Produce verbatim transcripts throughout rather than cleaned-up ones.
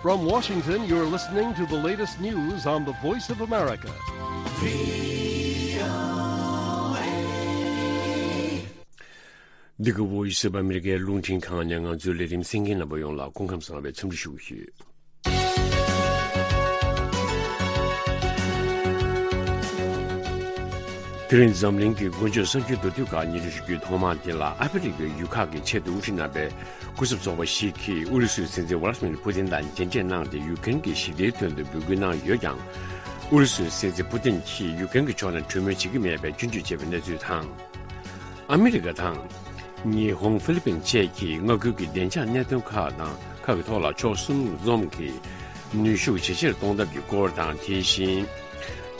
From Washington, you're listening to the latest news on the Voice of America. འདི་ག་Voice of America རླུང་འཕྲིན་ཁང་ནས་ང་ཚོའི་ལས་རིམ་གསན་མཁན་རྣམ་པ་ཡོངས་ལ་སྐུ་ཁམས་བཟང་བའི་འཚམས་འདྲི་ཞུ་གི་ཡོད། དེ་རིང་འཛམ་གླིང་གི་མགོ་འཇོག་གསར་འགྱུར་མདོར་བསྡུས་ཁག་སྙན་སྒྲོན་ཞུ་རྒྱུའི་ཐོག་མ་དེ་ལ། ཨ་ཧྥེ་རི་ཁའི་ཡུལ་ཁག་གི་ཆེས་མཐོའི་དབུ་ཁྲིད་རྣམ་པའི་སྐུ་ཚབ་ཚོགས་པ་ཞིག་གིས་ཨུ་རུ་སུའི་སྲིད་འཛིན་ཝ་ལ་ཏི་མིར་ཕུ་ཏིན་དང་མཇལ་འཕྲད་གནང་སྟེ། ཡུཀ་རེན་གྱི་ཞི་བདེའི་དོན་དུ་འབོད་སྐུལ་གནང་ཡོད་ཀྱང་། ཨུ་རུ་སུའི་སྲིད་འཛིན་ཕུ་ཏིན་གྱིས་ཡུཀ་རེན་གྱི་ཕྱོགས་ནས་གྲོས་མོལ་བྱེད་ཀྱི་མེད་པའི་སྐྱོན་བརྗོད་བྱས་པའི་གནས་ཚུལ་དང་། ཨ་མི་རི་ཀ་དང་ཉི་ཧོང་། ཧྥི་ལི་པིན་བཅས་ཀྱིས་མངའ་ཁུལ་གྱི་བདེ་འཇགས་གནད་དོན་ཁག་དང་། ཁག་གི་ཐོག་ལ་ཕྱོགས་གསུམ་འཛོམས་ཀྱིས་ནུས་ཤུགས་ཇེ་ཆེར་གཏོང་ཐབས་ཀྱི་སྐོར་དང་། དེ་བཞིན་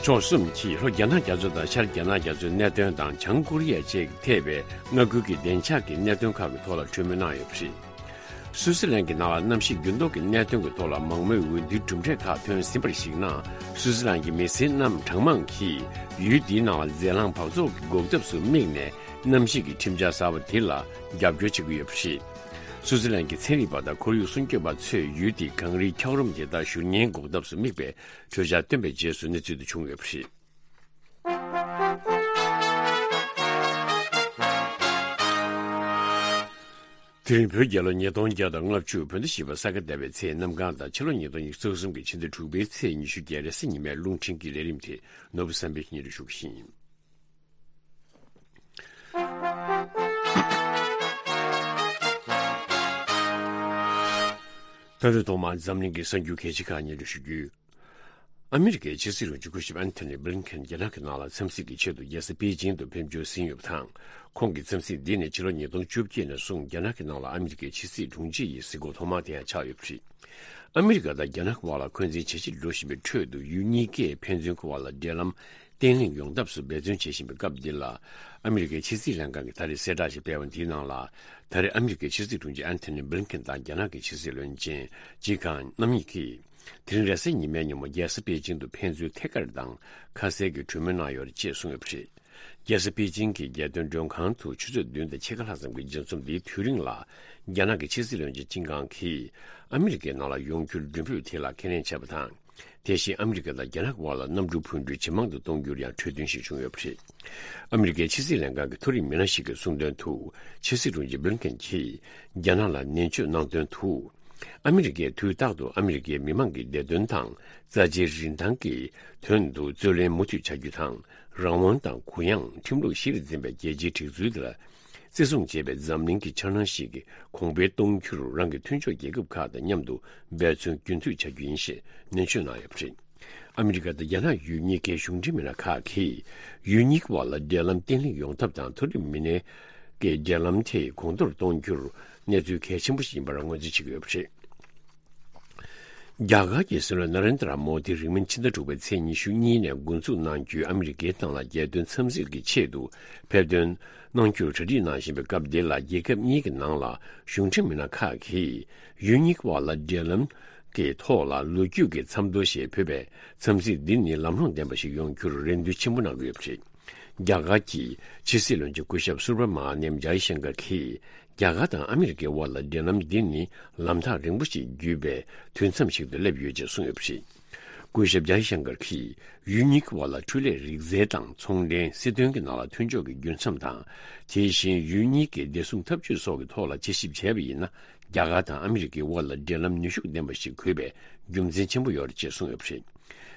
ཕྱོགས་གསུམ་གྱིས་ལྷོ་རྒྱ་ནག་རྒྱ་མཚོ་དང་ཤར་རྒྱ་ནག་རྒྱ་མཚོའི་གནད་དོན་དང་། བྱང་ཀོ་རི་ཡ་བཅས་ཐེ་བའི་མངའ་ཁུལ་གྱི་བདེ་འཇགས་ཀྱི་གནད་དོན་ཁག་གི་ཐོག་ལ་གྲོས་མོལ་གནང་ཡོད་པ་རེད། སུའུ་ཙི་ལན་གྱི་ནང་ལ་གནམ་གཤིས་འགྱུར་ལྡོག་གི་གནད་དོན་གྱི་ཐོག་ལ་མང་མོས་འོས་བསྡུའི་གྲུབ་འབྲས་ཁག་ཐོན་ཟིན་པར་གཞིགས་ན། སུའུ་ཙི་ལན་གྱི་མི་སེར་རྣམས་གྲངས་མང་གིས་ཡུལ་འདིའི་ནང་ལ་རྫས་རླངས་འབག་བཙོག་གི་འགོག་ཐབས་སུ་དམིགས་ནས། གནམ་གཤིས་ཀྱི་ཁྲིམས་འཆར་གསར་པ་དེ་ལ་རྒྱབ་སྐྱོར་བྱེད་ཀྱི་ཡོད་པ་རེད། སུའུ་ཙི་ལན་གྱི་ཚན་རིག་པ་དང་ཁོར་ཡུག་སྲུང་སྐྱོབ་པ་ཚོས་ཡུལ་དེའི་གངས་རིའི་འཁྱགས་རོམ་དེ་དག་བཞུར་ཉེན་འགོག་ཐབས་སུ་དམིགས་པའི་གྲོས་འཆར་བཏོན་པའི་རྗེས་སུ་གནས་ཚུལ་དེ་བྱུང་ཡོད་པ་རེད། དེ་རིང་བོད་རྒྱལ་ལོ་ཉིས་སྟོང་བརྒྱ་དང་ལྔ་བཅུ། བོད་ཟླ་བཞི་པ་ས་ག་ཟླ་བའི་ཚེས་གནམ་གང་དང་། ཕྱི་ལོ་ཉིས་སྟོང་ཉི་ཤུ་རྩ་གསུམ་གྱི་ཕྱི་ཟླ་དྲུག་པའི་ཚེས་ཉི་ཤུ་བརྒྱད་རེས་གཟའ་ཉི་མའི་རླུང་འཕྲིན་གྱི་ལས་རིམ་དེ་ནོར་བུ་བསམ་འཕེལ་གྱིས་སྙན་སྒྲོན་ཞུ་གི་ཡིན། ད་རེས་ཐོག་མར་འཛམ་གླིང་གི་གསར་འགྱུར་གལ་ཆེ་ཁག་སྙན་སྒྲོན་ཞུ་རྒྱུ། ཨ་མི་རི་ཀའི་ཕྱི་སྲིད་དྲུང་ཆེ་སྐུ་ཞབས་ཨན་ཐོ་ནི་བྷི་ལིན་ཁེན་རྒྱ་ནག་གི་ནང་ལ་འཚམས་གཟིགས་ཀྱི་ཆེད་དུ་རྒྱལ་ས་པེ་ཅིང་དུ་ཕེབས་འབྱོར་ཟིན་ཡོད་པ་དང་། ཁོང་གི་འཚམས་གཟིགས་འདི་ནི་ཕྱི་ལོ་ཉིས་སྟོང་བཅོ་བརྒྱད་ནས་བཟུང་རྒྱ་ནག་གི་ནང་ལ་ཨ་མི་རི་ཀའི་ཕྱི་སྲིད་དྲུང་ཆེ་ཡི་གཟིགས་སྐོར་ཐོག་མ་དེ་ཡང་ཆགས་ཡོད་པ་རེད། ཨ་མི་རི་ཀ་དང་རྒྱ་ནག་གི་དབར་ལ་འཁོན་འཛིན་ཇེ་ཆེར་འགྲོ་བཞིན་པའི་ཁྲོད་དུ། ཡུལ་གཉིས་ཀས་ཕན་ཚུན་གྱི་དབར་ལ་འབྲེལ་ལམ་བརྟན་ལྷིང་ཡོང་ཐབས་སུ་འབད་བརྩོན་བྱེད་བཞིན་པའི་སྐབས་འདི་ལ། ཨ་མི་རི་ཀའི་ཕྱི་སྲིད་ལྷན་ཁང་གིས་ད་རེས་གསལ་བསྒྲགས་ཤིག་སྤེལ་བ་འདིའི་ནང་ལ། ད་རེས་ཨ་མི་རི་ཀའི་ཕྱི་སྲིད་དྲུང་ཆེ་ཨན་ཐོ་ནི་བྷི་ལིན་ཁེན་དང་རྒྱ་ནག་གི་ཕྱི་སྲིད་བློན་ཆེན་ཇི་ཁང་རྣམ་གཉིས་ཀྱིས། དེ་རིང་རེས་གཟའ་ཉི་མའི་ཉིན་མོ་རྒྱལ་ས་པེ་ཅིང་དུ་ཕན་ཚུན་ཐད་ཀར་དང་ཁ་གསལ་གྱི་གྲོས་མོལ་གནང་ཡོད་རེད་ཅེས་གསུངས་ཡོད་པ་རེད། རྒྱལ་ས་པེ་ཅིང་གི་རྒྱལ་དོན་མགྲོན་ཁང་དུ་ཆུ་ཚོད་བདུན་དང་ཕྱེད་ཀ་ལྷག་ཙམ་གྱི་མཇལ་འཛོམས་འདིའི་དུས་རིང་ལ། རྒྱ་ནག་གི་ཕྱི་སྲིད་བློན་ཆེན་ཅིན་ཀང་གིས་ཨ་མི་རི་ཀའི་ནང་ལ་ཡོང་རྒྱུར་མགྲོན་འབོད་དེ་ལ་ཁས་ལེན་བྱས་པ་དང་། དེ་བཞིན་ཨ་མི་རི་ཀ་དང་རྒྱ་ནག་དབར་ལ་གནམ་གྲུ་འཕུར་འགྲུལ་ཇེ་མང་དུ་གཏོང་རྒྱུར་ཡང་གྲོས་མཐུན་ཞིག་བྱུང་ཡོད་པ་རེད། ཨ་མི་རི་ཀའི་ཕྱི་སྲིད་ལྷན་ཁང་གི་མཐོ་རིམ་མི་སྣ་ཞིག་གིས་གསུངས་དོན་དུ། ཕྱི་སྲིད་དྲུང་ཆེ་བྷི་ལིན་ཁེན་གྱིས་རྒྱ་ནག་ལ་ནན་བརྗོད་གནང་དོན་དུ། ཨ་མི་རི་ཀས་དུས་རྟག་ཏུ་ཨ་མི་རི་ཀའི་མི་མང་གི་བདེ་དོན་དང་རྩ་ཆེའི་རིན་ཐང་གི་དོན་དུ་རྩོད་ལེན་མུ་མཐུད་བྱ་རྒྱུ་དང་། རང་དབང་དང་གུ་ཡངས་ཁྲིམས་ལུགས་གཞིར་འཛིན་པའི་རྒྱལ་སྤྱིའི་སྒྲིག་འཛུགས་དེ་ལ་བརྩི་སྲུང་བྱེད་པའི་འཛམ་གླིང་གི་འཆར་སྣང་ཞིག་གོང་འཕེལ་གཏོང་རྒྱུར་རང་གི་མཐུན་ཕྱོགས་རྒྱལ་ཁབ་ཁག་དང་མཉམ་དུ་འབད་བརྩོན་རྒྱུན་མཐུད་བྱ་རྒྱུ་ཡིན་ཞེས་ནན་བརྗོད་གནང་ཡོད་པ་རེད། ཨ་མི་རི་ཀ་དང་རྒྱ་ནག་ཡུལ་གཉིས་ཀའི་གཞུང་འབྲེལ་མི་སྣ་ཁག་གིས། ཡུལ་གཉིས་ཀྱི་དབར་ལ་འབྲེལ་ལམ་བརྟན་ལྷིང་ཡོང་ཐབས་དང་། མཐོ་རིམ་མི་སྣའི་གི་འབྲེལ་ལམ་དེ་གོང་མཐོར་གཏོང་རྒྱུར་གནས་ཚུལ་གལ་ཆེན་པོ་ཞིག་ཡིན་པར་ངོས་འཛིན་བྱེད་ཀྱི་ཡོད་པ་རེད། རྒྱ་གར་གྱི་སྲིད་བློན་ན་རེན་དྲ་མོ་དི་རིང་མིན་ཕྱི་ཟླ་དྲུག་པའི་ཚེས་ཉི་ཤུ་གཉིས་ནས་འགོ་འཛུགས་གནང་རྒྱུའི་ཨ་མི་རི་ཀའི་ཏང་ལ་རྒྱལ་དོན་འཚམས་གཟིགས་ཀྱི་ཆེད་དུ་ཕེབས་ཐོན་གནང་རྒྱུར་གྲ་སྒྲིག་གནང་བཞིན་པའི་སྐབས་འདི་ལ། རྒྱལ་ཁབ་གཉིས་ཀྱི་ནང་ལ་གཞུང་འབྲེལ་མི་སྣ་ཁག་གིས་ཡུལ་གཉིས་ཀྱི་དབར་ལ་འབྲེལ་ལམ་གྱི་ཐོག་ལ་ལོ་རྒྱུས་ཀྱི་མཚམས་ཐོ་ཞེས་འབོད་པའི་འཚམས་གཟིགས་འདི་ནི་ལམ་ལྷོང་ལྡན་པ་ཞིག་ཡོང་རྒྱུར་རེ་འདུན་ཆེན་པོ་གནང་གི་ཡོད་པ་རེད། རྒྱ་གར་གྱི་ཕྱི་སྲིད་བློན་ཆེན་སྐུ་ཞབས་སུ་བྷ་མ་ནིམ་ཇའི་ཤང་ཀར་གྱིས། རྒྱ་གར་དང་ཨ་མི་རི་ཀའི་དབར་ལ་འབྲེལ་ལམ་འདི་ནི་ལམ་ཐག་རིང་པོ་ཞིག་བརྒྱུད་པའི་དུས་མཚམས་ཤིག་ཏུ་སླེབས་ཡོད་ཅེས་གསུངས་ཡོད་པ་རེད། སྐུ་ཞབས་ཇའི་ཤང་ཀར་གྱིས། ཡུལ་གཉིས་ཀྱི་དབར་ལ་འཕྲུལ་ལས་རིག་རྩལ་དང་ཚོང་འབྲེལ། སྲིད་དོན་གྱི་ནང་ལ་མཐུན་ཕྱོགས་ཀྱི་རྒྱུ་མཚམས་དང་། དེ་བཞིན་ཡུལ་གཉིས་ཀྱི་བདེ་སྲུང་འཐབ་ཇུས་སོགས་ཀྱི་ཐོག་ལ་དཔྱད་ཞིབ་བྱས་པ་ཡིན་ན། རྒྱ་གར་དང་ཨ་མི་རི་ཀའི་དབར་ལ་འབྲེལ་ལམ་ནུས་ཤུགས་ལྡན་པ་ཞིག་དགོས་པའི་རྒྱུ་མཚན་ཆེན་པོ་ཡོད་རེད་ཅེས་གསུངས་ཡོད་པ་རེད།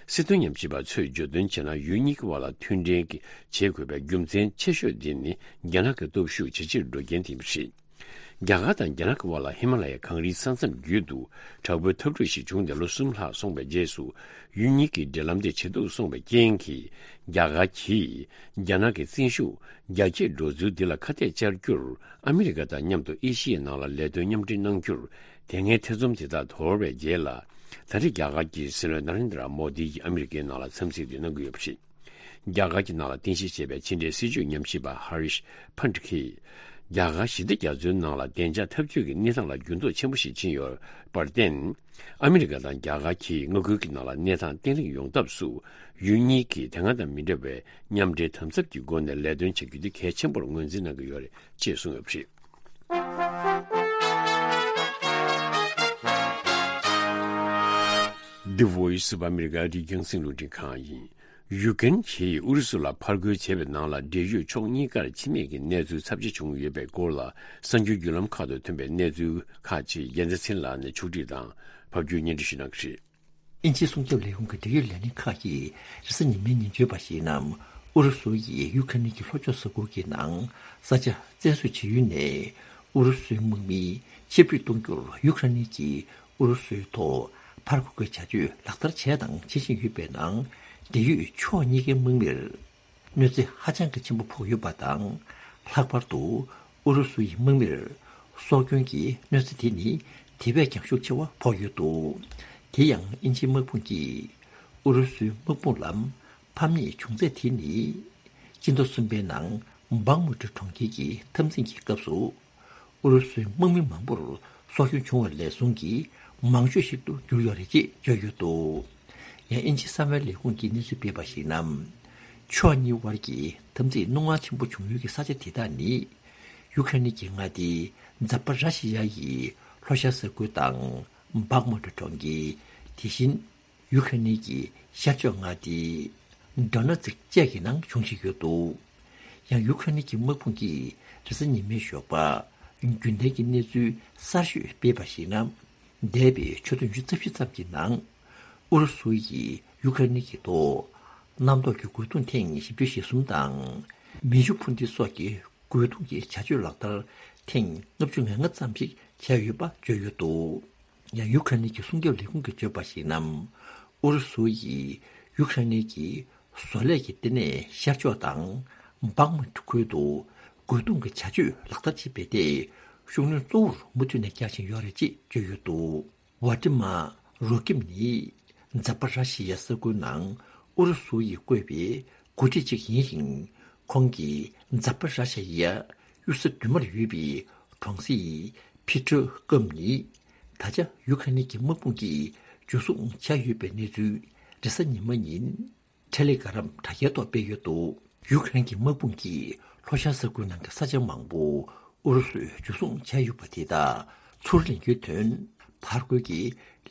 སྲིད་དོན་ཉམས་ཞིབ་པ་ཚོས་བརྗོད་དོན་བྱས་ན། ཡུལ་གཉིས་ཀྱི་དབར་ལ་མཐུན་འབྲེལ་གྱི་བྱེད་དགོས་པའི་རྒྱུ་མཚན་ཆེ་ཤོས་དེ་ནི་རྒྱ་ནག་གི་སྟོབས་ཤུགས་ཇེ་ཆེར་འགྲོ་རྐྱེན་དེ་ཡིན་པ་རེད། རྒྱ་གར་དང་རྒྱ་ནག་གི་དབར་ལ་ཧི་མ་ལ་ཡའི་གངས་རིའི་ས་མཚམས་བརྒྱུད་དུ་དྲག་པོའི་འཐབ་འཁྲུག་ཞིག་བྱུང་སྟེ་ལོ་གསུམ་ལྷག་སོང་བའི་རྗེས་སུ། ཡུལ་གཉིས་ཀྱི་འབྲེལ་ལམ་དེ་ཇེ་སྡུག་སོང་བའི་རྐྱེན་གྱིས། རྒྱ་གར་གྱིས་རྒྱ་ནག་གི་བཙན་ཤུགས་རྒྱ་སྐྱེད་འགྲོ་ཚུལ་འདི་ལ་ཁ་གཏད་བཅར་རྒྱུར། ཨ་མི་རི་ཀ་དང་མཉམ་དུ་ཨེ་ཤི་ཡའི་ནང་ལ་ལས་དོན་མཉམ་འབྲེལ་གནང་རྒྱུར། དེ་སྔའི་ཐེ་ཚོམ་དེ་དག་དོར་བའི་རྗེས་ལ། ད་རེས་རྒྱ་གར་གྱི་སྲིད་བློན་ན་རེན་དྲ་མོ་དི་ཡིས་ཨ་མི་རི་ཀའི་ནང་ལ་འཚམས་གཟིགས་དེ་གནང་གི་ཡོད་པ་རེད། རྒྱ་གར་གྱི་ནང་ལ་རྟེན་གཞི་བྱས་པའི་ཕྱི་འབྲེལ་སྲིད་བྱུས་ཉམས་ཞིབ་པ་ཧ་རིཤ་ཕན་ཊ་གིས། རྒྱ་གར་ཞི་བདེ་རྒྱ་མཚོའི་ནང་ལ་བདེ་འཇགས་འཐབ་ཇུས་ཀྱི་གནས་སྟངས་ལ་འགྱུར་ལྡོག་ཆེན་པོ་ཞིག་ཕྱིན་ཡོད་པར་བརྟེན། ཨ་མི་རི་ཀ་དང་རྒྱ་གར་གྱིས་མངའ་ཁུལ་གྱི་ནང་ལ་གནས་སྟངས་བརྟན་ལྷིང་ཡོང་ཐབས་སུ། ཡུལ་གཉིས་ཀྱིས་དེ་སྔ་དང་མི་འདྲ་བའི་མཉམ་འབྲེལ་དམ་ཟབ་ཀྱི་སྒོ་ནས་ལས་དོན་བྱ་རྒྱུ་དེ་གལ་ཆེན་པོར་ངོས་འཛིན་གནང་གི་ཡོད་རེད་ཅེས་གསུངས་ཡོད་པ་རེད། The Voice of America རིག་རྒྱང་སྲིང་རླུང་འཕྲིན་ཁང་ཡིན། ཡུ་ཀེན་གྱིས་ཨུ་རུ་སུ་ལ་ཕར་རྒོལ་བྱས་པའི་ནང་ལ་འབྲེལ་ཡོད་ཕྱོགས་གཉིས་ཀར་འཆི་རྨས་ཀྱི་གནས་ཚུལ་ཚབས་ཆེ་བྱུང་ཡོད་པའི་སྐོར་ལ་གསར་འགྱུར་བརྒྱུད་ལམ་ཁག་ཏུ་ཐོན་པའི་གནས་ཚུལ་ཁག་ཅིག་རྒྱལ་མཚན་ཚེ་རིང་ལགས་ནས་ཕྱོགས་སྒྲིག་དང་ཕབ་སྒྱུར་སྙན་སྒྲོན་ཞུ་གནང་གི་རེད། དབྱིན་ཇིའི་སྲུང་སྐྱོབ་ལས་ཁུངས་ཀྱི་འབྲེལ་ཡོད་ལས་སྣེ་ཁག་གིས་རེས་གཟའ་ཉི་མའི་ཉིན་བརྗོད་པར་གཞིགས་ན། ཨུ་རུ་སུ་ཡིས་ཡུ་ཁ་ནི་གི་ལྷོ་ཕྱོགས་ས་ཁུལ་གྱི་ནང་ས་ཆ་བཙན་བཟུང་བྱེད་ཡུལ་ནས་ཨུ་རུ་སུའི་དམག་མི་ཕྱིར་འབུད་གཏོང་རྒྱུར་ཡུ་ཁ་ནི་གྱིས་ཨུ་རུ་སུའི་ཐོག་ཕར་རྒོལ་གྱི་བྱ་སྤྱོད་ལག་བསྟར་བྱས་དང་བྱེད་བཞིན་ཡོད་པའི་ནང་། འབྲེལ་ཡོད་ཕྱོགས་གཉིས་ཀའི་དམག་མིར་གནོད་འཚེ་ཧ་ཅང་གི་ཆེན་པོ་ཕོག་ཡོད་པ་དང་། ལྷག་པར་དུ་ཨུ་རུ་སུ་ཡི་དམག་མིར་སྲོག་སྐྱོན་གྱི་གནོད་འཚེ་དེ་ནི་དེ་བས་ཀྱང་ཤུགས་ཆེ་བ་ཕོག་ཡོད་འདུག་དེ་ཡང་དབྱིན་ཇིའི་དམག་དཔུང་གིས་ཨུ་རུ་སུའི་དམག་དཔུང་ལ་ཕམ་ཉེས་བྱུང་ཚད་དེ་ནི། སྤྱི་ཟླ་གསུམ་པའི་ནང་བག་མུ་ཏྲི་གྲོང་ཁྱེར་གྱི་འཐབ་འཛིང་གི་སྐབས་སུ། ཨུ་རུ་སུའི་དམག་མི་མང་པོར་སྲོག་སྐྱོན་བྱུང་བ་ལས་བཟུང་གིས་མང་ཤོས་ཤིག་ཏུ་གྱུར་ཡོད་རེད་ཅེས་བརྗོད་ཡོད་འདུག་ཡང་དབྱིན་ཇིའི་གསང་བའི་ལས་ཁུངས་ཀྱིས་གནས་ཚུལ་སྤེལ་བར་གཞིགས་ན། ཕྱོགས་གཉིས་དབར་གྱི་འཐབ་འཛིང་རྣོ་ངར་ཆེན་པོ་བྱུང་ཡུལ་གྱི་ས་ཆ་དེ་དག་ནི། ཡུ་ཁ་ནི་གྱི་མངའ་སྡེའི་འཛམ་པ་ར་ཤི་ཡ་ཡི་ལྷོ་ཤར་ས་ཁུལ་དང་། བག་མུ་ཏྲི་གྲོང་ཁྱེར། དེ་བཞིན། ཡུ་ཁ་ནི་གྱི་ཤར་ཕྱོགས་མངའ་སྡེ་ཌོ་ནེ་ཚིག་བཅས་ཀྱི་ནང་འབྱུང་བཞིན་ཡོད་འདུག་ཡང་ཡུ་ཁ་ནི་གྱི་དམག་དཔུང་གིས་རེས་གཟའ་ཉི་མའི་ཞོགས་པ་རྒྱུན་ལྡན་གྱི་གནས་ཚུལ་གསར་ཤོས་སྤེལ་བར་གཞིགས་ན། འདས་པའི་ཆུ་ཚོད་ཉི་ཤུ་རྩ་བཞི་ཙམ་གྱི་ནང་ཨུ་རུ་སུ་ཡིས་ཡུ་ཁ་ནི་གྱི་ཐོག་གནམ་ཐོག་གི་རྒོལ་རྡུང་ཐེངས་བཞི་བཅུ་ཞེ་གསུམ་དང་མེ་ཤུགས་འཕུར་མདེལ་སོགས་ཀྱི་རྒོལ་རྡུང་གི་བྱ་སྤྱོད་ལག་བསྟར་ཐེངས་ལྔ་བཅུ་ང་ལྔ་ཙམ་ཞིག་བྱས་ཡོད་པ་བརྗོད་ཡོད་འདུག་ཡང་ཡུ་ཁ་ནི་གི་སྲུང་སྐྱོབ་ལས་ཁུངས་ཀྱིས་བརྗོད་པར་གཞིགས་ན། ཨུ་རུ་སུ་ཡིས་ཡུ་ཁ་ནི་གི་བཟོ་ལས་ཀྱི་ལྟེ་གནས་ཤར་ཕྱོགས་དང་བག་མུ་ཁུལ་དུ་རྒོལ་རྡུང་གི་བྱ་སྤྱོད་ལག་བསྟར་བྱེད་པའི་ཐད་ཤུགས་སྣོན་གཙོ་བོར་མུ་མཐུད་ནས་རྒྱག་བཞིན་ཡོད་རེད་ཅེས་བརྗོད་ཡོད་འདུག་ཝ་ཏི་མ་རོ་ཀིམ་ནི་འཛམ་བུ་ར་ཤི་ཡའི་ས་ཁུལ་ནང་ཨུ་རུ་སུ་ཡིས་བསྐོས་པའི་འགོ་ཁྲིད་ཅིག་ཡིན་ཞིང་། ཁོང་གིས་འཛམ་བུ་ར་ཤི་ཡའི་གཡུལ་ས་མདུན་མར་ཡོད་པའི་གྲོང་གསེབ་ཕི་ཏྲོ་ཀམ་ནི་ད་ཆ་ཡུ་ཁ་ནི་གི་དམག་དཔུང་གིས་འཇུ་བཟུང་བྱས་ཡོད་པའི་གནས་ཚུལ་རེས་གཟའ་ཉི་མ་ཉིན་ཊེ་ལེ་གྷ་རམ་དྲ་རྒྱའི་ཐོག་སྤེལ་ཡོད་འདུག་ཡུ་ཁ་རེན་གྱི་དམག་དཔུང་གིས་ལྷོ་ཤར་ས་ཁུལ་ནང་གི་ས་ཆ་མང་པོ་ཨུ་རུ་སུས་འཇུ་བཟུང་བྱས་ཡོད་པ་དེ་དག་ཚུར་ལེན་རྒྱུའི་དོན་ཕར་རྒོལ་གྱི་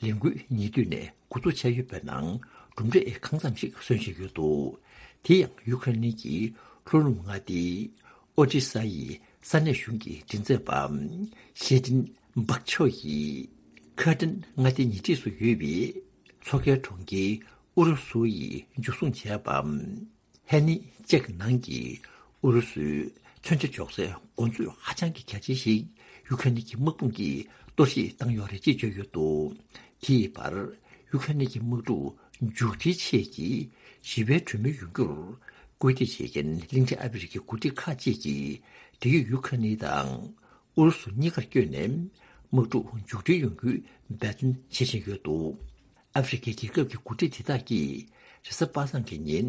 ལས་འགུལ་ཉེ་དུས་ནས་འགོ་འཛུགས་བྱས་ཡོད་པའི་ནང་གྲུབ་འབྲས་གང་ཙམ་ཞིག་སོན་བཞིན་ཡོད་འདུག་དེ་ཡང་ཡུ་ཁ་རེན་གྱི་ལྷོ་ནུབ་མངའ་སྡེའི་ཨོ་ཏི་ས་ཡི་ས་གནས་གཞུང་གི་མགྲིན་ཚབ་པ་ཞེ་ཏིན་བག་ཆོ་ཡིས་ཁ་ཏིན་མངའ་སྡེའི་ཉེ་འཁྲིས་སུ་ཡོད་པའི་མཚོ་ཁའི་གྲོང་ཁྱེར་ཨུ་རུ་སུ་ཡིས་འཇུ་བཟུང་བྱས་པ། ཧེ་ནི་ཅེག་ནང་གི་ཨུ་རུ་སུའི་མཚོན་ཆ་འཇོག་སའི་གོ་མཛོད་ཧ་ཅང་གི་གལ་ཆེན་ཞིག་ཡུ་ཁ་ནི་གི་དམག་དཔུང་གིས་གཏོར་བཤིག་བཏང་ཡོད་རེད་ཅེས་བརྗོད་ཡོད་འདུག་དེའི་བར་ཡུ་ཁ་ནི་གི་དམག་འཁྲུག་མཇུག་སྒྲིལ་ཆེད་ཀྱི་ཞི་བའི་གྲོས་མོལ་ཡོང་རྒྱུར་སྐུལ་འདེད་བྱེད་མཁན་གླིང་ཕྲན་ཨ་ཧྥེ་རི་ཁའི་འགོ་ཁྲིད་ཁག་ཅིག་གིས་འབྲེལ་ཡོད་ཡུ་ཁ་ནི་དང་ཨུ་རུ་སུ་གཉིས་ཀར་བསྐྱོད་ནས་དམག་འཁྲུག་མཇུག་སྒྲིལ་ཡོང་རྒྱུའི་འབད་བརྩོན་བྱེད་བཞིན་ཡོད་འདུག་ཨ་ཧྥེ་རི་ཁའི་རྒྱལ་ཁབ་ཀྱི་འགོ་ཁྲིད་དེ་དག་གིས་རེས་གཟའ་པ་སངས་ཀྱི་ཉིན་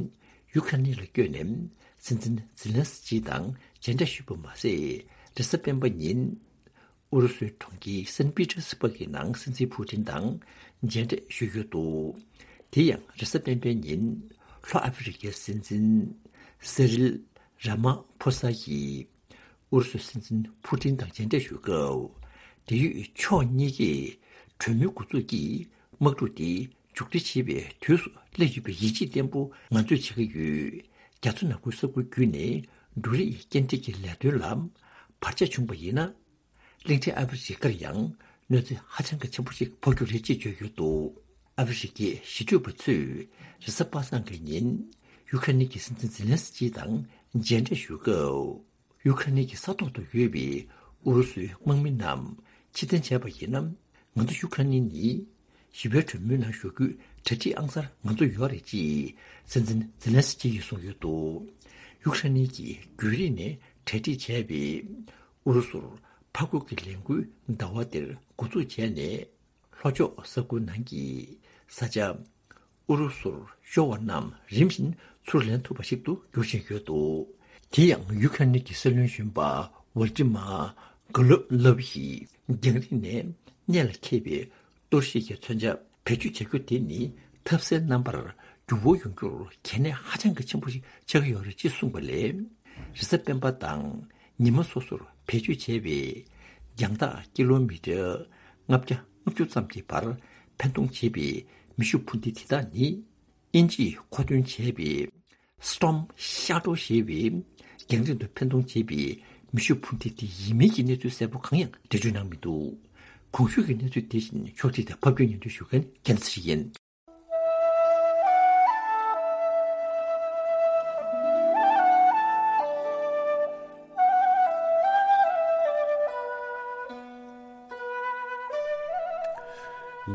ཡུ་ཁ་ནི་ལ་བསྐྱོད་ནས་སྲིད་འཛིན་ཛི་ལན་སི་ཀི་དང་མཇལ་འཕྲད་ཞུས་པ་མ་ཟད། རེས་གཟའ་སྤེན་པ་ཉིན་ཨུ་རུ་སུའི་གྲོང་ཁྱེར་སན་པི་ཏེར་སི་པག་གི་ནང་སྲིད་འཛིན་ཕུ་ཏིན་དང་མཇལ་འཕྲད་ཞུས་ཡོད་འདུག་དེ་ཡང་རེས་གཟའ་སྤེན་པའི་ཉིན་ལྷོ་ཨ་ཧྥེ་རི་ཁའི་སྲིད་འཛིན་སི་རིལ་ར་མ་ཕོ་ས་ཡིས། ཨུ་རུ་སུའི་སྲིད་འཛིན་ཕུ་ཏིན་དང་མཇལ་འཕྲད་ཞུ་སྐབས། འབྲེལ་ཡོད་ཕྱོགས་གཉིས་ཀས་གྲོས་མོལ་འགོ་འཛུགས་ཀྱིས་དམག་འཁྲུག་དེ་མཇུག་སྒྲིལ་བྱེད་པའི་དུས་སུ་སླེབས་ཡོད་པའི་ཡིད་ཆེས་བརྟན་པོ་ང་ཚོས་བྱེད་ཀྱི་ཡོད། རྒྱ་མཚོ་ནག་པོའི་ས་ཁུལ་བརྒྱུད་ནས་འབྲུ་རིགས་སྐྱེལ་འདྲེན་གྱི་ལས་དོན་ལ་བར་ཆད་བྱུང་བ་ཡིན་ན། གླིང་ཕྲན་ཨ་ཧྥེ་རི་ཁར་ཡང་གནོད་འཚེ་ཧ་ཅང་གི་ཆེན་པོ་ཞིག་ཕོག་རྒྱུ་རེད་ཅེས་བརྗོད་ཡོད་འདུག་ཨ་ཧྥེ་རི་ཁའི་ཞི་གྲོས་པ་ཚོས་རེས་གཟའ་པ་སངས་ཀྱི་ཉིན་ཡུ་ཁ་ནི་གི་སྲིད་འཛིན་ཛི་ལན་སི་ཀི་དང་མཇལ་འཕྲད་ཞུ་སྐབས། ཡུ་ཁ་ནི་གི་ས་ཐོག་ཏུ་ཡོད་པའི་ཨུ་རུ་སུའི་དམག་མི་རྣམས་ཕྱིར་འཐེན་བྱས་པ་ཡིན་ན། ང་ཚོ་ཡུ་ཁ་ནི་ནི་ཞི་བའི་གྲོས་མོལ་ནང་ཞུགས་རྒྱུའི་གྲ་སྒྲིག་ཨང་གསར་ང་ཚོ་ཡོད་རེད་ཅེས་སྲིད་འཛིན་ཛི་ལན་སི་ཀི་ཡིས་གསུངས་ཡོད་འདུག་ཡུ་ཁ་ནི་གིས་རྒྱུན་རིང་ནས་གྲ་སྒྲིག་བྱས་པའི་ཨུ་རུ་སུར་ཕར་རྒོལ་གྱི་ལས་འགུལ་ཟླ་བ་འདིར་འགོ་འཛུགས་བྱས་ནས། ལྷོ་ཕྱོགས་ས་ཁུལ་ནང་གི་ས་ཆ་ཨུ་རུ་སུར་ཤོར་བ་རྣམས་རིམ་བཞིན་ཚུར་ལེན་ཐུབ་པ་ཞིག་ཏུ་འགྱུར་བཞིན་ཡོད་འདུག་དེ་ཡང་ཡུ་ཁ་ནི་གི་སྲིད་བློན་གཞོན་པ་ཝལ་ཏི་མ་གྷ་ལོ་ལབ་ཡིས་རྒྱང་རིང་ནས་གནད་ལ་འཁེལ་བའི་གཏོར་བཤིག་གི་མཚོན་ཆ་བེད་སྤྱོད་བྱ་རྒྱུ་དེ་ནི་ཐབས་ཟད་རྣམ་པར་འགྱུར་བ་ཡོང་རྒྱུར་གལ་གནད་ཧ་ཅང་གི་ཆེན་པོ་ཞིག་ཆགས་ཀྱི་ཡོད་རེད་ཅེས་གསུངས་པ་ལས། རེས་གཟའ་སྤེན་པ་དང་ཉི་མ་སོ་སོར་བེད་སྤྱོད་བྱས་པའི་རྒྱང་ཐག་ཀི་ལོ་མི་ཊར་ལྔ་བརྒྱ་ལྔ་བཅུ་ཙམ་གྱི་བར་འཕེན་གཏོང་བྱེད་པའི་ མེ་ཤུགས་འཕུར་མདེལ་དེ་དག་ནི། དབྱིན་ཇིས་མཁོ་འདོན་བྱས་པའི་Storm Shadow ཞེས་པའི་རྒྱང་རིང་དུ་འཕེན་གཏོང་བྱེད་པའི་མེ་ཤུགས་འཕུར་མདེལ་དེ་ཡིན་མིན་གྱི་གནས་ཚུལ་གསལ་པོ་གང་ཡང་འགྲེལ་བརྗོད་གནང་མི་འདུག། གོང་ཞུས་ཀྱི་གནས་ཚུལ་དེ་བཞིན་ཕྱོགས་སྒྲིག་དང་ཕབ་སྒྱུར་སྙན་སྒྲོན་ཞུ་མཁན་རྒྱལ་མཚན་ཡིན།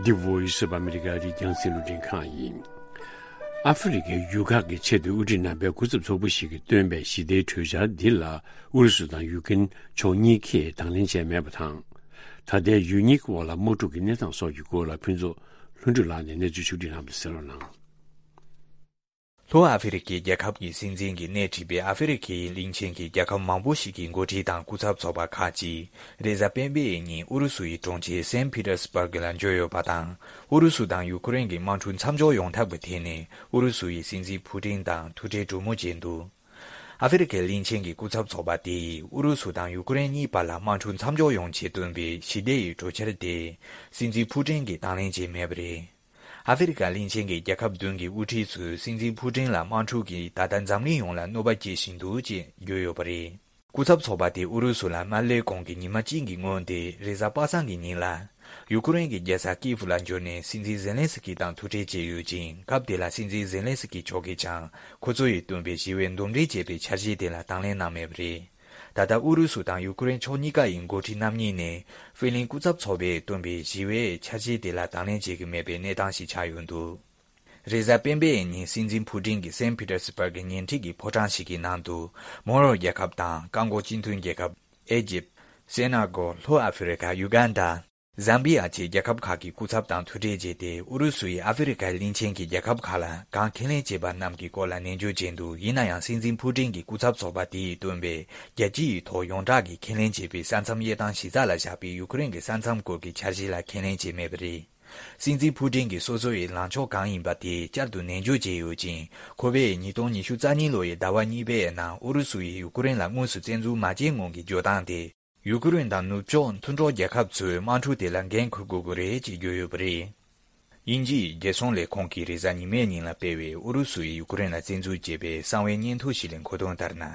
The Voice of America རི་རྒྱང་སྲིན་ལུ་འདྲེན་ཁང་ཡིན། ཨ་ཧྥེ་རི་ཁའི་ཡུལ་ཁག་གི་ཆེད་དུ་དབུ་ཁྲིད་རྣམ་པའི་སྐུ་ཚབ་ཚོགས་པ་ཞིག་གིས་བཏོན་པའི་ཞི་བདེའི་གྲོས་འཆར་འདི་ལ་ཨུ་རུ་སུ་དང་ཡུཀ་རེན་ཕྱོགས་གཉིས་ཀས་དང་ལེན་བྱས་མེད་པ་དང་། ད་ལྟའི་ཡུལ་གཉིས་ཀྱི་དབར་ལ་དམག་འཁྲུག་གི་གནས་སྟངས་སོགས་ཀྱི་སྐོར་ལ་ཕུན་ཚོགས་ལྷུན་གྲུབ་ལགས་ནས་གནས་ཚུལ་ཕྱོགས་སྒྲིག་གནང་བ་དེ་གསན་རོགས་གནང་། ལྷོ་ཨ་ཧྥེ་རི་ཁའི་རྒྱལ་ཁབ་ཀྱི་སྲིད་འཛིན་གྱི་སྣེ་ཁྲིད་པའི་ཨ་ཧྥེ་རི་ཁའི་གླིང་ཆེན་གྱི་རྒྱལ་ཁབ་མང་པོ་ཞིག་གི་འགོ་ཁྲིད་དང་སྐུ་ཚབ་ཚོགས་པ་ཁག་ཅིག་རེས་གཟའ་སྤེན་པའི་ཉིན་ཨུ་རུ་སུ་ཡི་གྲོང་ཁྱེར་སེན་ཕི་ཏར་སི་པར་གི་ལ་འབྱོར་ཡོད་པ་དང་། ཨུ་རུ་སུ་དང་ཡུ་ཀེ་རེན་གྱི་དམག་འཁྲུག་མཚམས་འཇོག་ཡོང་ཐབས་ཀྱི་ཐད་ནས་ཨུ་རུ་སུ་ཡི་སྲིད་འཛིན་ཕུ་ཀྲིན་དང་ཐུག་འཕྲད་གྲོས་མོལ་བྱས་འདུག། ཨ་ཧྥེ་རི་ཁའི་གླིང་ཆེན་གྱི་སྐུ་ཚབ་ཚོགས་པ་དེ་ཡིས་ཨུ་རུ་སུ་དང་ཡུ་ཀེ་རེན་གཉིས་བར་ལ་དམག་འཁྲུག་མཚམས་འཇོག་ཡོང་ཆེད་བཏོན་པའི་ཞི་བདེ་ཡི་གྲོས་འཆར་དེ་སྲིད་འཛིན་ཕུ་ཀྲིན་གྱིས་དང་ལེན་བྱས་མེད་པ་རེད། ཨ་ཧྥེ་རི་ཁ་གླིང་ཆེན་གྱི་རྒྱལ་ཁབ་བདུན་གྱི་དབུ་ཁྲིད་ཚོས་སྲིད་འཛིན་ཕུ་ཀྲིན་ལ་དམག་འཁྲུག་གིས་ད་ལྟ་འཛམ་གླིང་ཡོངས་ལ་གནོད་པ་སྐྱེལ་བཞིན་འདུག་ཅེས་བརྗོད་ཡོད་པ་རེད། སྐུ་ཚབ་ཚོགས་པ་དེ་ཨུ་རུ་སུ་ལ་མ་སླེབས་གོང་གི་ཉི་མ་གཅིག་གི་སྔོན་ཏེ་རེས་གཟའ་པ་སངས་ཀྱི་ཉིན་ལ། ཡུ་ཀེ་རེན་གྱི་རྒྱལ་ས་ཀིབ་ལ་འབྱོར་ནས་སྲིད་འཛིན་ཛེ་ལན་སི་ཀི་དང་ཐུག་འཕྲད་བྱས་ཡོད་ཅིང་། སྐབས་དེ་ལ་སྲིད་འཛིན་ཛེ་ལན་སི་ཀི་མཆོག་གིས་ཀྱང་ཁོ་ཚོ་ཡིས་བཏོན་པའི་ཞི་བའི་འདུམ་འགྲིག་ཅེས་པའི་འཆར་གཞི་དེ་ལ་དང་ལེན་གནང་མེད་པ་རེད། ད་ལྟ་ཨུ་རུ་སུ་དང་ཡུ་ཀེ་རེན་ཕྱོགས་གཉིས་ཀ་ཡི་འགོ་ཁྲིད་རྣམ་གཉིས་ནས་ཧྥེ་གླིང་སྐུ་ཚབ་ཚོགས་པས་བཏོན་པའི་ཞི་བའི་འཆར་གཞི་དེ་ལ་དང་ལེན་བྱེད་ཀྱི་མེད་པའི་གནས་སྟངས་ཤིག་ཆགས་ཡོད་འདུག། རེས་གཟའ་སྤེན་པའི་ཉིན་སྲིད་འཛིན་ཕུ་ཀྲིན་གྱིས་སེན་ཕི་ཏར་སི་པར་གྱི་ཉེ་འཁྲིས་ཀྱི་ཕོ་བྲང་ཞིག་གི་ནང་དུ་མོ་རོ་རྒྱལ་ཁབ་དང་བཀག་འགོག་སྤྱི་མཐུན་རྒྱལ་ཁབ། ཨེ་ཇིབ། སེ་ན་གོ། ལྷོ་ཨ་ཧྥེ་རི་ཁ། ཡུ་གན་ཌ། ཛམ་བི་ཡ་བཅས་རྒྱལ་ཁབ་ཁག་གི་སྐུ་ཚབ་དང་ཐུག་འཕྲད་བྱས་ཏེ། ཨུ་རུ་སུ་ཡིས་ཨ་ཧྥེ་རི་ཁའི་གླིང་ཆེན་གྱི་རྒྱལ་ཁབ་ཁག་ལ་གང་ཁས་ལེན་བྱས་པ་རྣམས་ཀྱི་སྐོར་ལ་ནན་བརྗོད་བྱས་འདུག། ཡིན་ན་ཡང་སྲིད་འཛིན་ཕུ་ཀྲིན་གྱི་སྐུ་ཚབ་ཚོགས་པ་དེ་ཡིས་བཏོན་པའི་རྒྱལ་སྤྱི་ཡི་ཐོག་ཡོངས་གྲགས་ཀྱི་ཁས་ལེན་བྱས་པའི་ས་མཚམས་དབྱེ་སྟངས་གཞི་རྩ་ལ་བཞག་པའི་ཡུ་ཀེ་རེན་གྱི་ས་མཚམས་སྐོར་གྱི་འཆར་གཞི་ལ་ཁས་ལེན་བྱས་མེད་པ་རེད། སྲིད་འཛིན་ཕུ་ཀྲིན་གྱིས་སོ་སོ་ཡི་ལངས་ཕྱོགས་གང་ཡིན་པ་དེ་བསྐྱར་དུ་ནན་བརྗོད་བྱས་ཡོད་ཅིང་། ཁོ་པས་ཉིས་སྟོང་ཉི་ཤུ་རྩ་གཉིས་ལོ་ཡི་ཟླ་བ་གཉིས་པའི་ནང་ཨུ་རུ་སུ་ཡིས་ཡུ་ཀེ་རེན་ལ་དངོས་སུ་བཙན་འཛུལ་མ་བྱས་སྔོན་གྱི་བརྗོད་སྟངས་དེ། ཡུ་ཀེ་རེན་དང་ནུབ་ཕྱོགས་མཐུན་གྲོགས་རྒྱལ་ཁབ་ཚོས་དམག་འཁྲུག་དེ་ལ་འགན་འཁུར་དགོས་ཀྱི་རེད་ཅེས་བརྗོད་ཡོད་པ་རེད། དབྱིན་ཇིའི་རྒྱལ་སྲུང་ལས་ཁུངས་ཀྱིས་རེས་གཟའ་ཉི་མའི་ཉིན་ལ་སྤེལ་བའི་ཨུ་རུ་སུ་ཡིས་ཡུ་ཀེ་རེན་ལ་བཙན་འཛུལ་བྱས་པའི་གསང་བའི་སྙན་ཐོ་ཞིག་ལས་མཁོ་དོན་ལྟར་ན།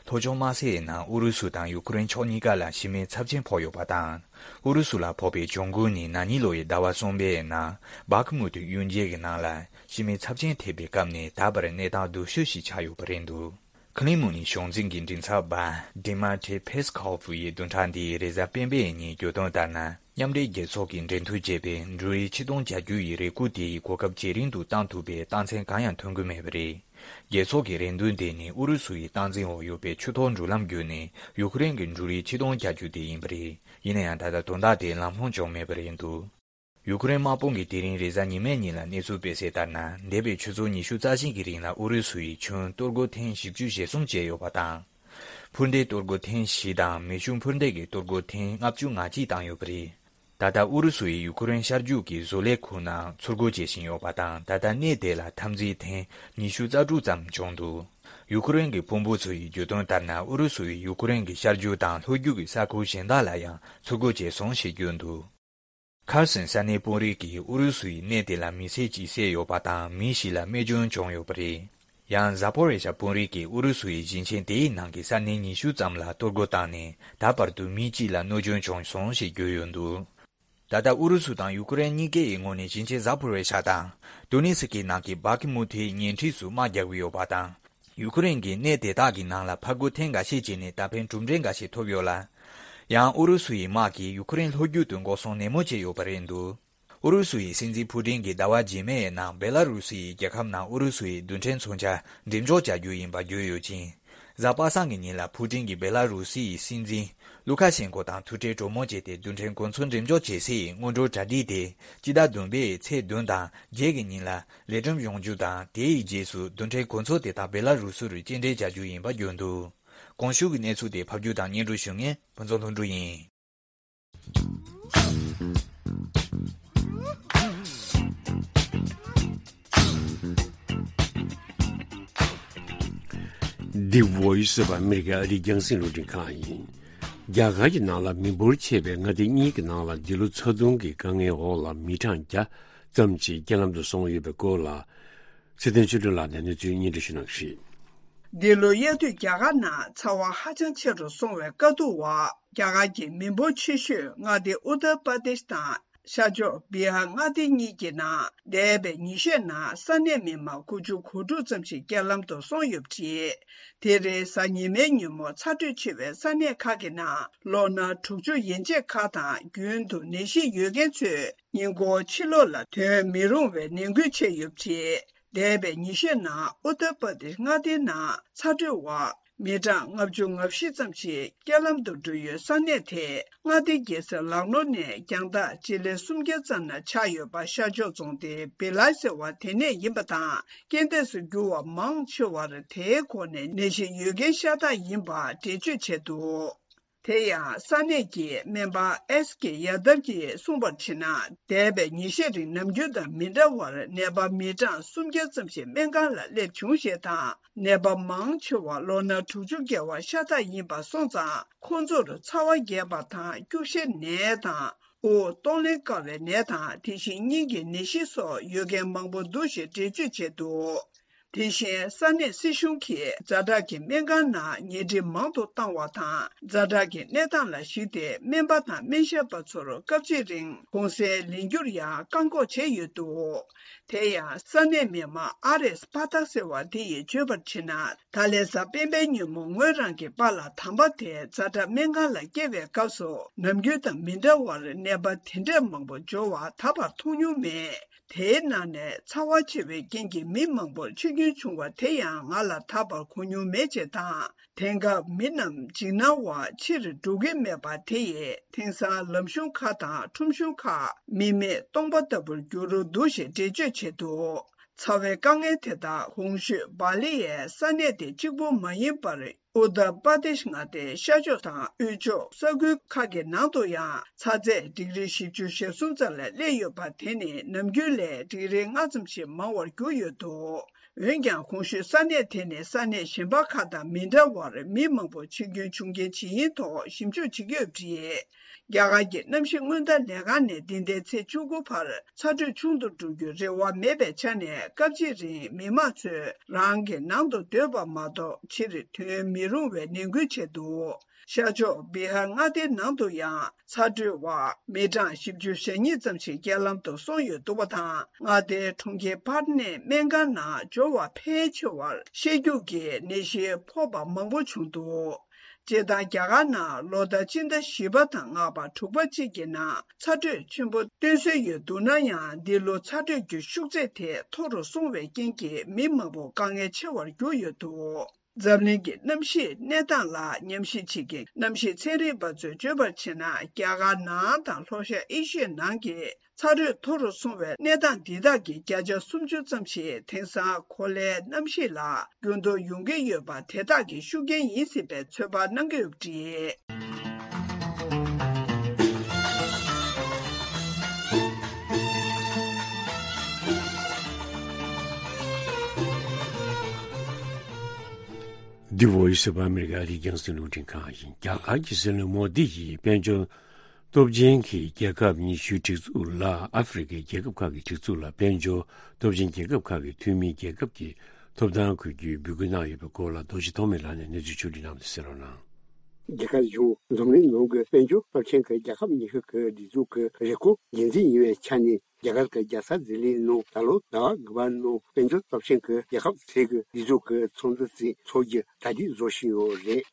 ལྷོ་ཕྱོགས་དམག་སའི་ནང་ཨུ་རུ་སུ་དང་ཡུ་ཀེ་རེན་ཕྱོགས་གཉིས་ཀ་ལ་ཤི་རྨས་ཚབས་ཆེན་ཕོག་ཡོད་པ་དང་། ཨུ་རུ་སུ་ལ་ཕོག་པའི་གྱོང་གུན་ནི་ན་ནིང་ལོ་ཡི་ཟླ་བ་གསུམ་པའི་ནང་སྦག་མུ་ཏུ་གཡུལ་འགྱེད་ཀྱི་ནང་ལ་ཤི་རྨས་ཚབས་ཆེན་ཐེབས་པའི་སྐབས་ནས་ད་བར་གནས་སྟངས་སྡུག་ཤོས་ཤིག་ཆགས་ཡོད་པ་རེད་འདུག། ཁི་ལི་མུ་ནི་གཞུང་འཛིན་གྱི་མགྲིན་ཚབ་པ་ཌི་མ་ཏྲི་ཕེས་ཁོབ་ཡིས་བདུན་ཕྲག་འདིའི་རེས་གཟའ་སྤེན་པའི་ཉིན་བརྗོད་དོན་ལྟར་ན། མཉམ་འབྲེལ་རྒྱལ་ཚོགས་ཀྱིས་འབྲེལ་མཐུད་བྱས་པའི་འབྲུ་རིགས་ཆིག་སྟོང་བརྒྱད་བརྒྱ་ཡི་རེ་སྐུལ་དེ་ཡི་གོ་སྐབས་ཇེ་རིང་དུ་བཏང་ཐུབ་པའི་རྟགས་མཚན་གང་ཡང་ཐོན་གྱི་མེད་པ་རེད། རྒྱལ་ཚོགས་ཀྱི་རེ་འདུན་དེ་ནི་ཨུ་རུ་སུ་ཡི་སྟངས་འཛིན་འོག་ཡོད་པའི་ཆུ་ཐོག་འགྲུལ་ལམ་བརྒྱུད་ནས་ཡུ་ཀེ་རེན་གྱི་འབྲུ་རིགས་ཆིག་སྟོང་བརྒྱད་བརྒྱ་དེ་ཡིན་པ་རེད། ཡིན་ན་ཡང་ད་ལྟ་དོན་དག་དེ་ལམ་ལྷོང་བྱུང་མེད་པ་རེད་འདུག། ཡུ་ཀེ་རེན་དམག་དཔུང་གིས་དེ་རིང་རེས་གཟའ་ཉི་མའི་ཉིན་ལ་གནས་ཚུལ་སྤེལ་གསལ་ལྟར་ན། འདས་པའི་ཆུ་ཚོད་ཉི་ཤུ་རྩ་བཞི་གི་རིང་ལ་ཨུ་རུ་སུ་ཡིས་ཁྱོན་གཏོར་རྒོལ་ཐེངས་བཞི་བཅུ་ཞེ་གསུམ་བྱས་ཡོད་པ་དང་། འཕུར་མདེལ་གཏོར་རྒོལ་ཐེངས་བཞི་དང་མེ་ཤུགས་འཕུར་མདེལ་གྱི་གཏོར་རྒོལ་ཐེངས་ལྔ་བཅུ་ང་གཅིག་བཏང་ཡོད་པ་རེད། ད་ལྟ་ཨུ་རུ་སུ་ཡིས་ཡུ་ཀེ་རེན་ཤར་རྒྱུད་ཀྱི་བཟོ་ལས་ཁུལ་ནང་ཚུར་རྒོལ་བྱེད་བཞིན་ཡོད་པ་དང་། ད་ལྟ་གནས་དེ་ལ་འཐབ་འཛིང་ཐེངས་ཉི་ཤུ་རྩ་དྲུག་ཙམ་བྱུང་འདུག། ཡུ་ཀེ་རེན་གྱི་དཔོན་པོ་ཚོ་ཡིས་བརྗོད་དོན་ལྟར་ན། ཨུ་རུ་སུ་ཡིས་ཡུ་ཀེ་རེན་གྱི་ཤར་རྒྱུད་དང་ལྷོ་རྒྱུད་ཀྱི་ས་ཁུལ་གཞན་དག་ལ་ཡང་ཚུར་རྒོལ་བྱས་སོང་ཞེས་བརྗོད་འདུག། ཁར་སན་ས་གནས་དཔོན་རིགས་ཀྱིས་ཨུ་རུ་སུ་ཡིས་གནས་དེ་ལ་མི་སེར་གཅིག་བསད་ཡོད་པ་དང་། མི་བཞི་ལ་རྨས་སྐྱོན་བྱུང་ཡོད་པ་རེད། ཡང་ཟ་པོ་རེ་ཤ་དཔོན་རིགས་ཀྱིས་ཨུ་རུ་སུ་ཡིས་ཞིང་ཆེན་དེའི་ནང་གི་ས་གནས་ཉི་ཤུ་ཙམ་ལ་གཏོར་རྒོལ་བཏང་ནས། ད་བར་དུ་མི་གཅིག་ལ་གནོད་སྐྱོན་བྱུང་སོང་ཞེས་བརྗོད་ཡོད་འདུག། ད་ལྟ་ཨུ་རུ་སུ་དང་ཡུ་ཀེ་རེན་གཉིས་ཀའི་ངོས་ནས་ཞིང་ཆེན་ཟ་པོ་རེ་ཤ་དང་དུ་ནི་སི་ཀི་ནང་གི་སྦག་མུ་ཐིའི་ཉེ་འཁྲིས་སུ་དམག་རྒྱག་གི་ཡོད་པ་དང་། ཡུ་ཀེ་རེན་གྱིས་གནས་དེ་དག་གི་ནང་ལ་ཕར་རྒོལ་ཐེངས་འགའ་ཤས་བྱས་ནས་ད་ཕན་གྲུབ་འབྲས་འགའ་ཤས་ཐོབ་ཡོད་ལ། ཡང་ཨུ་རུ་སུ་ཡི་དམག་གིས་ཡུ་ཀེ་རེན་ལྷོ་རྒྱུད་དུ་འགོག་སྲུང་ནན་མོ་བྱས་ཡོད་པ་རེད་འདུག། ཨུ་རུ་སུ་ཡི་སྲིད་འཛིན་ཕུ་ཀྲིན་གྱིས་ཟླ་བ་རྗེས་མའི་ནང་བེ་ལ་རུ་སི་ཡི་རྒྱལ་ཁབ་ནང་ཨུ་རུ་སུ་ཡི་རྡུལ་ཕྲན་མཚོན་ཆ་འགྲེམས་འཇོག་བྱ་རྒྱུ་ཡིན་པ་བརྗོད་ཡོད་ཅིང་། གཟའ་པ་སངས་ཀྱི་ཉིན་ལ་ཕུ་ཀྲིན་གྱིས་བེ་ལ་རུ་སི་ཡི་སྲིད་འཛིན་ལུ་ཁ་ཤེན་ཀོ་དང་ཐུག་འཕྲད་གྲོས་མོལ་བྱས་ཏེ། རྡུལ་ཕྲན་གོ་མཚོན་འགྲེམས་འཇོག་བྱེད་སའི་སྔོན་འགྲོའི་གྲ་སྒྲིག་དེ་སྤྱི་ཟླ་བདུན་པའི་ཚེས་བདུན་དང་བརྒྱད་ཀྱི་ཉིན་ལ་ལས་རིམ་ཡོང་རྒྱུ་དང་། དེའི་རྗེས་སུ་རྡུལ་ཕྲན་གོ་མཚོན་དེ་དག་བེ་ལ་རུ་སུ་རུ་སྐྱེལ་འདྲེན་བྱ་རྒྱུ་ཡིན་པ་བརྗོད་འདུག། གོང་ཞུས་ཀྱི་གནས་ཚུལ་དེ་ཕབ་སྒྱུར་དང་སྙན་སྒྲོན་ཞུ་མཁན་ཕུན་ཚོགས་ལྷུན་གྲུབ་ཡིན། The Voice of America ཨ་རིའི་རྒྱང་སྲིང་རླུང་འཕྲིན་ཁང་ཡིན། རྒྱ་གར་གྱི་ནང་ལ་མི་འབོར་ཆེ་བའི་མངའ་སྡེ་གཉིས་ཀྱི་ནང་ལ་འདི་ལོ་ཚ་གདུང་གི་དཀའ་ངལ་འོག་ལ་མི་གྲངས་བརྒྱ་ ཙམ་ཞིག་རྐྱེན་ལམ་དུ་སོང་ཡོད་པའི་སྐོར་ལ། ཚེ་བརྟན་ཆོས་སྒྲོན་ལགས་ནས་གནས་ཚུལ་སྙན་སྒྲོན་ཞུ་གནང་གི་རེད། འདི་ལོ་དབྱར་དུས་རྒྱ་གར་ནང་ཚ་བ་ཧ་ཅང་ཆེ་རུ་སོང་བའི་དཀའ་སྡུག་འོག་རྒྱ་གར་གྱི་མི་འབོར་ཆེ་ཤོས་མངའ་སྡེ་ཨུ་ཏར་པར་དེཤ་དང་ཤར་ཕྱོགས་བི་ཧར་མངའ་སྡེ་གཉིས་ཀྱི་ནང་འདས་པའི་ཉི་ཤུའི་ནང་ས་གནས་མི་མང་དགུ་བཅུ་གོ་དྲུག་ཙམ་ཞིག་རྐྱེན་ལམ་དུ་སོང་ཡོད་པ་རེད། དེ་རིང་གཟའ་ཉི་མའི་ཉིན་མོ་ཚ་དྲོད་ཆེ་བའི་ས་གནས་ཁག་གི་ནང་ལོ་ན་དྲུག་ཅུ་ཡན་ཆད་ཁག་དང་རྒྱུན་དུ་ནད་གཞི་ཡོད་མཁན་ཚོས་ཉིན་གུང་ཕྱི་ལོགས་ལ་ཐོན་མི་རུང་བའི་ནན་སྐུལ་བྱས་ཡོད་པ་རེད། འདས་པའི་ཉི་ཤུའི་ནང་ཨུ་ཏར་པར་དེཤ་མངའ་སྡེའི་ནང་ཚ་དྲོད་འོག་མི་གྲངས་ལྔ་བཅུ་ང་བཞི་ཙམ་ཞིག་རྐྱེན་ལམ་དུ་འགྲོ་ཡུལ་ས་གནས་དེ་མངའ་སྡེ་རྒྱལ་ས་ལག་ནོར་ནས་རྒྱང་ཐག་སྤྱི་ལེ་སུམ་བརྒྱ་ཙམ་ན་ཆགས་ཡོད་པ་ཤར་ཕྱོགས་རྫོང་སྡེ་བི་ལའི་ཟེར་བ་དེ་ནས་ཡིན་པ་དང་། རྐྱེན་འདས་སུ་གྱུར་བ་མང་ཆེ་བར་དེའི་འོག་ནས་ནད་གཞི་ཡོད་མཁན་ཤ་སྟག་ཡིན་པ་འགྲེལ་བརྗོད་བྱས་འདུག་དེ་ཡང་ས་གནས་ཀྱི་སྨན་པ་ཨེས་ཀེ་ཡ་དབ་ཀྱིས་གསུངས་པར་བྱས་ན། འདས་པའི་ཉིན་ཤས་རིང་ནམ་རྒྱུན་དང་མི་འདྲ་བར་ནད་པ་མི་གྲངས་སུམ་བརྒྱ་ཙམ་ཞིག་སྨན་ཁང་ལ་སླེབས་བྱུང་ཞེས་དང་། ནད་པ་མང་ཆེ་བ་ལོ་ན་དྲུག་ཅུ་བརྒལ་བ་ཤ་སྟག་ཡིན་པ་སོང་ཙང་། ཁོང་ཚོར་ཚ་བ་རྒྱས་པ་དང་། སྐྱུག་བཤལ་ནད་དང་། དབུགས་གཏོང་ལེན་དཀའ་བའི་ནད་དང་། དེ་བཞིན་སྙིང་གི་ནད་གཞི་སོགས་ཡོད་མཁན་མང་པོ་འདུག་ཞེས་འགྲེལ་བརྗོད་བྱས་འདུག་དེ་བཞིན་ས་གནས་སྲིད་གཞུང་གིས་ཛ་དྲག་གི་སྨན་ཁང་ནང་ཉལ་ཁྲི་མང་དུ་བཏང་བ་དང་། ཛ་དྲག་གི་གནས་སྟངས་ལ་གཞིགས་ཏེ་སྨན་པ་དང་སྨན་ཞབས་པ་ཚོར་སྐབས་གཅིག་རིང་གུང་སེང་ལེན་རྒྱུར་ཡང་བཀག་འགོག་བྱས་ཡོད་འདུག་དེ་ཡང་ས་གནས་མི་མང་ཨ་རེས་པ་ཐག་ཟེར་བ་དེ་ཡིས་བརྗོད་པར་བྱས་ན། ད་ལན་གཟའ་སྤེན་པའི་ཉིན་མོ་ངོས་རང་གི་པཱ་ལགས་དམ་པ་དེ་ཛ་དྲག་སྨན་ཁང་ལ་བསྐྱལ་བའི་སྐབས་སུ་ནམ་རྒྱུན་དང་མི་འདྲ་བར་ནད་པ་དེ་འདྲས་མང་པོ་འབྱོར་བ་ད་བར་མཐོང་མྱོང་མེད། དེའི་ནང་ནས་ཚ་བ་ཆེ་བའི་རྐྱེན་གྱིས་མི་མང་པོར་འཆི་སྐྱོན་བྱུང་བ་དེ་ཡང་ང་ལ་ད་བར་གོ་མྱོང་མེད་ཅེས་དང་། དེང་སྐབས་མི་རྣམས་འཇིགས་སྣང་བ་ཕྱིར་འགྲོ་གི་མེད་པ་དེ་ཡིས་དེང་སང་ལམ་གཞུང་ཁག་དང་ཁྲོམ་གཞུང་ཁག་མི་མེད་སྟོང་པ་ལྟ་བུར་འགྱུར་འདུག་ཞེས་འགྲེལ་བརྗོད་བྱས་འདུག་ཚ་བའི་དཀའ་ངལ་དེ་དག་གོང་ཞུས་བ་ལི་ཡའི་ས་གནས་དེ་གཅིག་པུ་མ་ཡིན་པར། ཨུ་ཏར་པར་དེཤ་མངའ་སྡེའི་ཤར་ཕྱོགས་དང་དབུས་ཕྱོགས་ས་ཁུལ་ཁག་གི་ནང་དུ་ཡང་ཚ་ཚད་ཌིག་རི་བཞི་བཅུ་ཞེ་གསུམ་ཙམ་ལ་སླེབས་ཡོད་པ་དེ་ནི་ནམ་རྒྱུན་ལས་ཌིག་རི་ལྔ་ཙམ་ཞིག་མང་བར་གྱུར་ཡོད་འདུག་འོན་ཀྱང་གོང་ཞུས་ས་གནས་དེ་ནི་ས་གནས་གཞན་པ་ཁག་དང་མི་འདྲ་བར་མི་མང་པོ་འཆི་སྐྱོན་བྱུང་རྐྱེན་ཇི་ཡིན་ཐོག་ཞིབ་འཇུག་བྱེད་ཀྱི་ཡོད་པ་རེད། རྒྱ་གར་གྱི་གནམ་གཤིས་སྔོན་བརྡ་ལས་ཁང་ནས་འདི་ཟླའི་ཚེས་བཅུ་དགུ་བར་ཚ་དྲོད་ཆུང་དུ་འགྲོ་རྒྱུའི་རེ་བ་མེད་པའི་ཆ་ནས། སྐབས་གཅིག་རིང་མི་མང་ཚོས་རང་གི་ནང་དུ་སྡོད་པ་མ་གཏོགས་ཕྱིར་ཐོན་མི་རུང་བའི་ནན་སྐུལ་བྱས་འདུག་ཤར་ཕྱོགས་བི་ཧར་མངའ་སྡེའི་ནང་དུ་ཡང་ཚ་དྲོད་འོག་མི་གྲངས་བཞི་བཅུ་ཞེ་གཉིས་ཙམ་ཞིག་རྐྱེན་ལམ་དུ་སོང་ཡོད་འདུག་པ་དང་། མངའ་སྡེའི་གྲོང་ཁྱེར་པཱ་ཊ་ནའི་སྨན་ཁང་ནང་འབྱོར་བ་ཕལ་ཆེ་བར་བཤལ་རྒྱུགས་ཀྱི་ནད་གཞི་ཕོག་པ་མང་པོ་བྱུང་འདུག་སྤྱིར་བཏང་རྒྱ་གར་ནང་ལོ་ལྟར་སྤྱི་ཟླ་བཞི་པ་དང་ལྔ་པ་དྲུག་པ་བཅས་ཀྱི་ནང་ཚ་དྲོད་ཆེན་པོ་སྟོན་སྲོལ་ཡོད་འདུག་ན་ཡང་། འདི་ལོ་ཚ་དྲོད་ཀྱི་ཤུགས་ཚད་དེ་མཐོ་རུ་སོང་བའི་རྐྱེན་གྱིས་མི་མང་པོ་དཀའ་ངལ་ཆེ་བར་གྱུར་ཡོད་འདུག་འཛམ་གླིང་གི་གནམ་གཤིས་གནས་སྟངས་ལ་ཉམས་ཞིབ་བྱེད་མཁན་གནམ་གཤིས་ཚན་རིག་པ་ཚོས་བརྗོད་པར་བྱས་ན། རྒྱ་གར་ནང་དང་ལྷོ་ཤར་ཨེ་ཤི་ཡའི་ནང་གི་ཚ་དྲོད་མཐོ་རུ་སོང་བའི་གནས་སྟངས་འདི་དག་གི་བརྒྱ་ཆ་སུམ་ཅུ་ཙམ་ཞིག་དེང་སང་གོ་ལའི་གནམ་གཤིས་ལ་འགྱུར་ལྡོག་ཡོང་གི་ཡོད་པ་དེ་དག་གི་ཤུགས་རྐྱེན་ཡིན་སྲིད་པའི་ཚོད་དཔག་གནང་གི་ཡོད་པ་རེད། འདི་Voice of America ཨ་རིའི་རྒྱང་སྲིང་རླུང་འཕྲིན་ཁང་ཡིན། རྒྱ་གར་གྱི་སྲིད་བློན་མོ་དི་ཡིས་དཔལ་འབྱོར་སྟོབས་ཆེན་གྱི་རྒྱལ་ཁབ་ཉི་ཤུའི་སྒྲིག་འཛུགས་ལ་ཨ་ཧྥེ་རི་ཁའི་རྒྱལ་ཁབ་ཁག་གི་སྒྲིག་འཛུགས་ལ་དཔལ་འབྱོར་སྟོབས་ཆེན་རྒྱལ་ཁབ་ཁག་གི་འཐུས་མིའི་རྒྱལ་ཁབ་ཀྱི་ཐོབ་ཐང་དགོས་རྒྱུའི་འབོད་སྐུལ་གནང་ཡོད་པའི་སྐོར་ལ་རྡོ་རྗེ་ཐོགས་མེད་ལགས་ནས་གནས་ཚུལ་ཕྱོགས་བསྒྲིགས་གནང་བ་དེ་གསན་རོགས་གནང་། རྒྱ་གར་གཞུང་འཛམ་གླིང་ནང་གི་དཔལ་འབྱོར་སྟོབས་ཆེན་གྱི་རྒྱལ་ཁབ་ཉི་ཤུ་གི་སྒྲིག་འཛུགས་ཀྱི་རེ་སྐུལ་འགན་འཛིན་ཡིན་པའི་ཆ་ནས། རྒྱ་གར་གྱི་རྒྱལ་ས་ལྡི་ལིའི་ནང་ད་ལོ་ཟླ་བ་དགུ་པའི་ནང་དཔལ་འབྱོར་སྟོབས་ཆེན་གྱི་རྒྱལ་ཁབ་ཚོས་ཀྱི་སྒྲིག་འཛུགས་ཀྱི་ཚོགས་འདུ་ཞིག་འཚོགས་རྒྱུ་གྲ་སྒྲིག་བཟོ་བཞིན་ཡོད་རེད།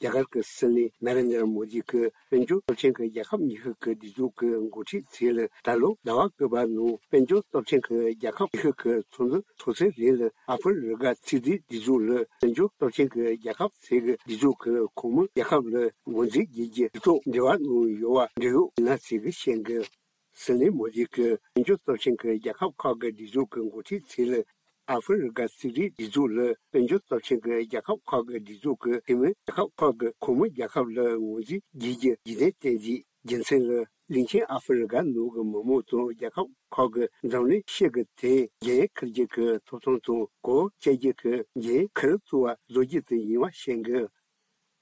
རྒྱ་གར་གྱི་སྲིད་བློན་ན་རེན་དྲ་མོ་དི་གིས་དཔལ་འབྱོར་སྟོབས་ཆེན་གྱི་རྒྱལ་ཁབ་ཉི་ཤུ་གི་སྒྲིག་འཛུགས་ཀྱི་འགོ་ཁྲིད་ཚོས་ལ་ད་ལོ་ཟླ་བ་དགུ་པའི་ནང་དཔལ་འབྱོར་སྟོབས་ཆེན་གྱི་རྒྱལ་ཁབ་ཉི་ཤུ་གི་ཚོགས་འདུ་འཚོགས་ཚར་རྗེས་ལ་ཨ་ཧྥེ་རི་ཁ་ཚོགས་སྡེའི་སྒྲིག་འཛུགས་ལ་དཔལ་འབྱོར་སྟོབས་ཆེན་གྱི་རྒྱལ་ཁབ་ཚོས་ཀྱི་སྒྲིག་འཛུགས་ཀྱི་ཁོངས་མི་རྒྱལ་ཁབ་ལ་ངོས་འཛིན་བྱེད་རྒྱུ་དེ་ཐོག་འབྲེལ་བ་གནང་ཡོད་པ་འབྲེལ་ཡོད་མི་སྣ་ཚོས་ཀྱིས་བཤད་འདུག་སྲིད་བློན་མོ་དི་གིས་དཔལ་འབྱོར་སྟོབས་ཆེན་གྱི་རྒྱལ་ཁབ་ཁག་གི་སྒྲིག་འཛུགས་ཀྱི་འགོ་ཁྲིད་ཚོས་ལ་ཨ་ཧྥེ་རི་ཁ་ཚོགས་སྡེའི་སྒྲིག་འཛུགས་ལ་དཔལ་འབྱོར་སྟོབས་ཆེན་གྱི་རྒྱལ་ཁབ་ཁག་གི་སྒྲིག་འཛུགས་ཀྱི་འཐུས་མི་རྒྱལ་ཁབ་ཁག་གི་ཁོངས་མི་རྒྱལ་ཁབ་ལ་ངོས་འཛིན་བྱེད་རྒྱུའི་རྒྱུ་དེ་བསྟན་རྗེས། རྒྱུ་མཚན་ལ་གླིང་ཆེན་ཨ་ཧྥེ་རི་ཁ་ནང་གི་མི་མང་དང་རྒྱལ་ཁབ་ཁག་གི་འཛམ་གླིང་ཤེལ་གྱི་ཐེངས་འགན་འཁུར་རྒྱུ་གི་ཐོབ་ཐང་དང་གོ་བཅད་རྒྱུ་གི་འགན་འཁུར་གཙོ་བོ་བཟོ་རྒྱུ་དེ་ཡིན་པ་བཤད་འདུག་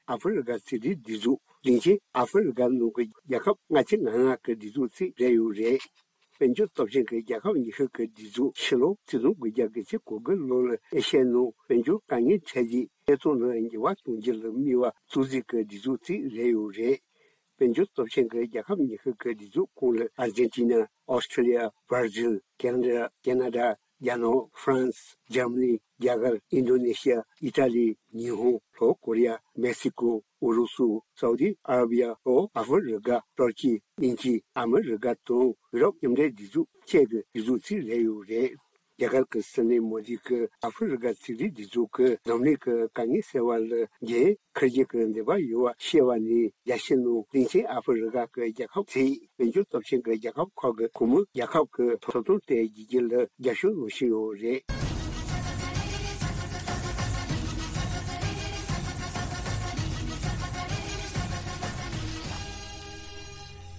ཨ་ཧྥེ་རི་ཁ་ཚོགས་སྡེའི་སྒྲིག་འཛུགས་གླིང་ཆེན་ཨ་ཧྥེ་རི་ཁ་ནང་གི་རྒྱལ་ཁབ་ལྔ་བཅུ་ང་ལྔ་གི་སྒྲིག་འཛུགས་ཚོས་སྤྲད་ཡོད་རེད། དཔལ་འབྱོར་སྟོབས་ཆེན་གྱི་རྒྱལ་ཁབ་ཉི་ཤུ་གི་སྒྲིག་འཛུགས་ཕྱི་ལོ་ཆིག་སྟོང་དགུ་བརྒྱ་གི་ཚེས་གོ་དགུ་ལོ་ལ་ཨེ་ཤ་ཡའི་ནང་དཔལ་འབྱོར་དཀའ་ངལ་འཕྲད་རྗེས་ཐད་གཏོང་ལ་འགྱུར་བ་གཏོང་རྒྱུ་ལ་དམིགས་པ་གཙོ་འཛིན་གྱི་སྒྲིག་འཛུགས་ཅིག་རེད་ཡོད་རེད། དཔལ་འབྱོར་སྟོབས་ཆེན་གྱི་རྒྱལ་ཁབ་ཉི་ཤུ་གི་སྒྲིག་འཛུགས་ཁོངས་ལ་ཨར་ཇེན་ཊི་ན། ཨོ་སི་ཁྲི་ལི་ཡ། བྷར་ཛིལ། ཁེ་ན་ཌ། ཁེ་ན་ཌ། རྒྱ་ནག། ཧྥ་རན་སི། འཇར་མ་ནི། རྒྱ་གར། ཨིན་ཌོ་ནེ་ཤི་ཡ། ཨི་ཊ་ལི། ཉི་ཧོང་། ལྷོ་ཀོ་རི་ཡ། མེག་སི་ཀོ། ཨུ་རུ་སུ། སའུ་ཏི་ཨ་ར་བི་ཡ། ལྷོ་ཨ་ཧྥི་རི་ཀ། ཏུར་ཀི། དབྱིན་ཇི། ཨ་མི་རི་ཀ་དང་ཡུ་རོབ་མཉམ་འབྲེལ་སྒྲིག་འཛུགས་བཅས་ཀྱི་སྒྲིག་འཛུགས་ཅིག་རེད་ཡོད་རེད། རྒྱ་གར་གྱི་སྲིད་བློན་མོ་དི་གིས་ཨ་ཧྥི་རི་ཀ་ཚན་རིག་སྒྲིག་འཛུགས་ཀྱིས་འཛམ་གླིང་གི་དཀའ་ངལ་སེལ་བ་ལ་འགན་འཁུར་རྒྱུ་གི་འདུན་པ་ཡོད་པ་ཤེས་པ་ནས། རྒྱལ་སྤྱིའི་ནང་སྟེང་ཆེན་ཨ་ཧྥི་རི་ཀ་གི་རྒྱལ་ཁབ་ཚོས་དཔལ་འབྱོར་སྟོབས་ཆེན་གྱི་རྒྱལ་ཁབ་ཁག་གི་གུང་མོ་རྒྱལ་ཁབ་ཀྱི་ཐོབ་ཐང་དེ་བརྗེ་རྒྱུ་ལ་རྒྱབ་སྐྱོར་གནང་བཞིན་ཡོད་རེད།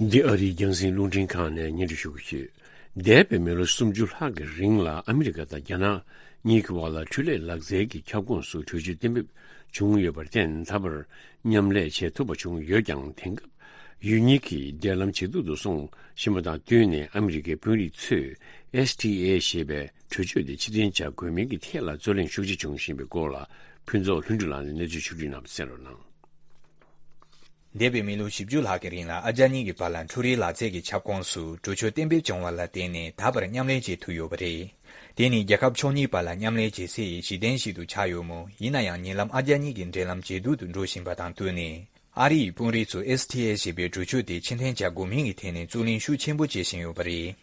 འདི་ཨ་རིའི་རྒྱང་སྲིང་རླུང་འཕྲིན་ཁང་ནས་སྙན་སྒྲོན་ཞུ་གི་ཡོད། འདས་པའི་མི་ལོ་སུམ་ཅུ་ལྷག་གི་རིང་ལ་ཨ་མི་རི་ཀ་དང་རྒྱ་ནག་གཉིས་ཀྱི་བར་ལ་འཕྲུལ་ལས་ལག་རྩལ་གྱི་ཁྱབ་ཁོངས་སུ་གྲོས་ཆོད་གཏན་འབེབས་བྱུང་ཡོད་པར་བརྟེན། ད་བར་མཉམ་ལས་བྱེད་ཐུབ་པ་བྱུང་ཡོད་ཀྱང་། དེང་སྐབས་ཡུལ་གཉིས་ཀྱི་འབྲེལ་ལམ་ཇེ་སྡུག་ཏུ་སོང་བཞིན་པ་དང་བསྟུན་ནས། ཨ་མི་རི་ཀའི་དཔོན་རིགས་ཚོས་ཨེས་ཊི་ཨེ་ཞེས་པའི་གྲོས་ཆོད་དེ་ཕྱིར་འཐེན་བྱ་དགོས་མིན་གྱི་ཐད་ལ་རྩོད་གླེང་ཤུགས་ཆེ་བྱུང་བཞིན་པའི་སྐོར་ལ། ཕུན་ཚོགས་ལྷུན་གྲུབ་ལགས་ནས་གནས་ཚུལ་ཕྱོགས་བསྒྲིགས་གནང་བ་གསན་རོགས་གནང་། འདས་པའི་མི་ལོ་བཞི་བཅུ་ལྷག་གི་རིང་ལ་ཨ་རྒྱ་གཉིས་ཀྱི་བར་ལ་འཕྲུལ་རིག་ལག་རྩལ་གྱི་ཁྱབ་ཁོངས་སུ་གྲོས་ཆོད་གཏན་འབེབས་བྱུང་བ་ལ་བརྟེན་ནས། ད་བར་མཉམ་ལས་བྱེད་ཐུབ་ཡོད་པ་རེད། དེ་ནི་རྒྱལ་ཁབ་ཕྱོགས་གཉིས་བར་ལ་མཉམ་ལས་བྱེད་སའི་གཞི་རྟེན་ཞིག་ཏུ་ཆགས་ཡོད་མོད། ཡིན་ན་ཡང་ཉེ་ལམ་ཨ་རྒྱ་གཉིས་ཀྱི་འབྲེལ་ལམ་ཇེ་སྡུག་ཏུ་འགྲོ་བཞིན་པ་དང་བསྟུན་ནས། ཨ་རི་ཡི་དཔོན་རིགས་ཚོས་ཨེས་ཊི་ཨེ་ཞེས་པའི་གྲོས་ཆོད་དེ་ཕྱིར་འཐེན་བྱ་དགོས་མིན་གྱི་ཐད་ནས་རྩོད་གླེང་ཤུགས་ཆེན་པོ་བྱེད་བཞིན་ཡོད་པ་རེད།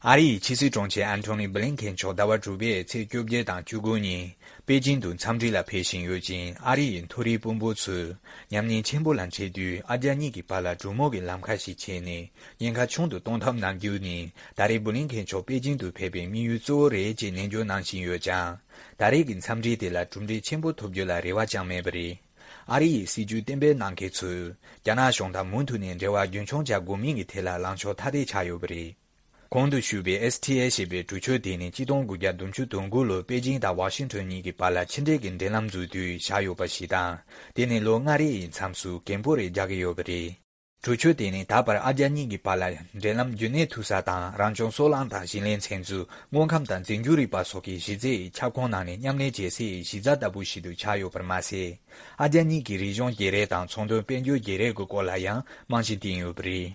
ཨ་རི་ཡི་ཕྱི་སྲིད་དྲུང་ཆེ་ཨན་ཐོ་ནི་བྷི་ལིན་ཁེན་མཆོག་ཟླ་བ་དྲུག་པའི་ཚེས་བཅོ་བརྒྱད་དང་བཅུ་དགུ་ཉིན་པེ་ཅིང་དུ་འཚམས་འདྲི་ལ་ཕེབས་བཞིན་ཡོད་ཅིང་། ཨ་རི་ཡི་མཐོ་རིམ་དཔོན་པོ་ཚོས་ཉམས་ཉེས་ཆེན་པོ་ལ་འཕྲད་དུས། ཨ་རྒྱ་གཉིས་ཀྱི་བར་ལ་གྲོས་མོལ་གྱི་ལམ་ཁ་ཞིག་ཕྱེ་ནས་ཉེན་ཁ་ཆུང་དུ་གཏོང་ཐབས་གནང་རྒྱུ་ནི། ད་རེས་བྷི་ལིན་ཁེན་མཆོག་པེ་ཅིང་དུ་ཕེབས་པའི་དམིགས་ཡུལ་གཙོ་བོ་རེད་ཅེས་ནན་བརྗོད་གནང་བཞིན་ཡོད་ཀྱང་། ད་རེས་ཀྱི་འཚམས་འདྲི་དེ་ལ་གྲུབ་འབྲས་ཆེན་པོ་ཐོབ་རྒྱུ་ལ་རེ་བ་ཅང་མེད་པ་རེད། ཨ་རི་ཡི་སྲིད་ཇུས་གཏན་འབེབས་གནང་མཁན་ཚོས་རྒྱ་ནག་གཞུང་དང་མུ་མཐུད་ནས་འབྲེལ་བ་རྒྱུན་འཁྱོངས་བྱ་དགོས་མིན་གྱི་ཐད་ལ་ལངས་ཕྱོགས་ཐ་དད་ཆགས་ཡོད་པ་རེད། གོང་དུ་ཞུས་པའི་ཨེས་ཊི་ཨེ་ཞེས་པའི་གྲོས་ཆོད་དེ་ནི་གཅིག་སྟོང་དགུ་བརྒྱ་བདུན་ཅུ་དོན་དགུ་ལོར་པེ་ཅིང་དང་ཝ་ཤིང་ཊོན་གཉིས་ཀྱི་བར་ལ་ཕྱི་འབྲེལ་གྱི་འབྲེལ་ལམ་འཛུགས་དུས་བཞག་ཡོད་པ་ཞིག་དང་། དེ་ནི་ལོ་ལྔ་རེ་ཡི་མཚམས་སུ་གོང་འཕེལ་རེ་རྒྱག་གི་ཡོད་པ་རེད། གྲོས་ཆོད་དེ་ནི་ད་བར་ཨ་རྒྱ་གཉིས་ཀྱི་བར་ལ་འབྲེལ་ལམ་རྒྱུན་གནས་ཐུབ་ས་དང་། རང་བྱུང་སོལ་རླངས་དང་ཞིང་ལས་ཚན་རྩལ། དངོས་ཁམས་དང་འཛིན་སྐྱོང་རིག་པ་སོགས་ཀྱི་གཞི་རྩའི་ཁྱབ་ཁོངས་ནང་ནས་མཉམ་ལས་བྱེད་སའི་གཞི་རྩ་ལྟ་བུ་ཞིག་ཏུ་ཆགས་ཡོད་པར་མ་ཟད། ཨ་རྒྱ་གཉིས་ཀྱི་རིག་གཞུང་བརྗེ་རེས་དང་ཚོང་དོན་དཔལ་འབྱོར་བརྗེ་རེས་ཀྱི་སྐོར་ལ་ཡང་རྨང་གཞི་བཏིང་ཡོད་པ་རེད།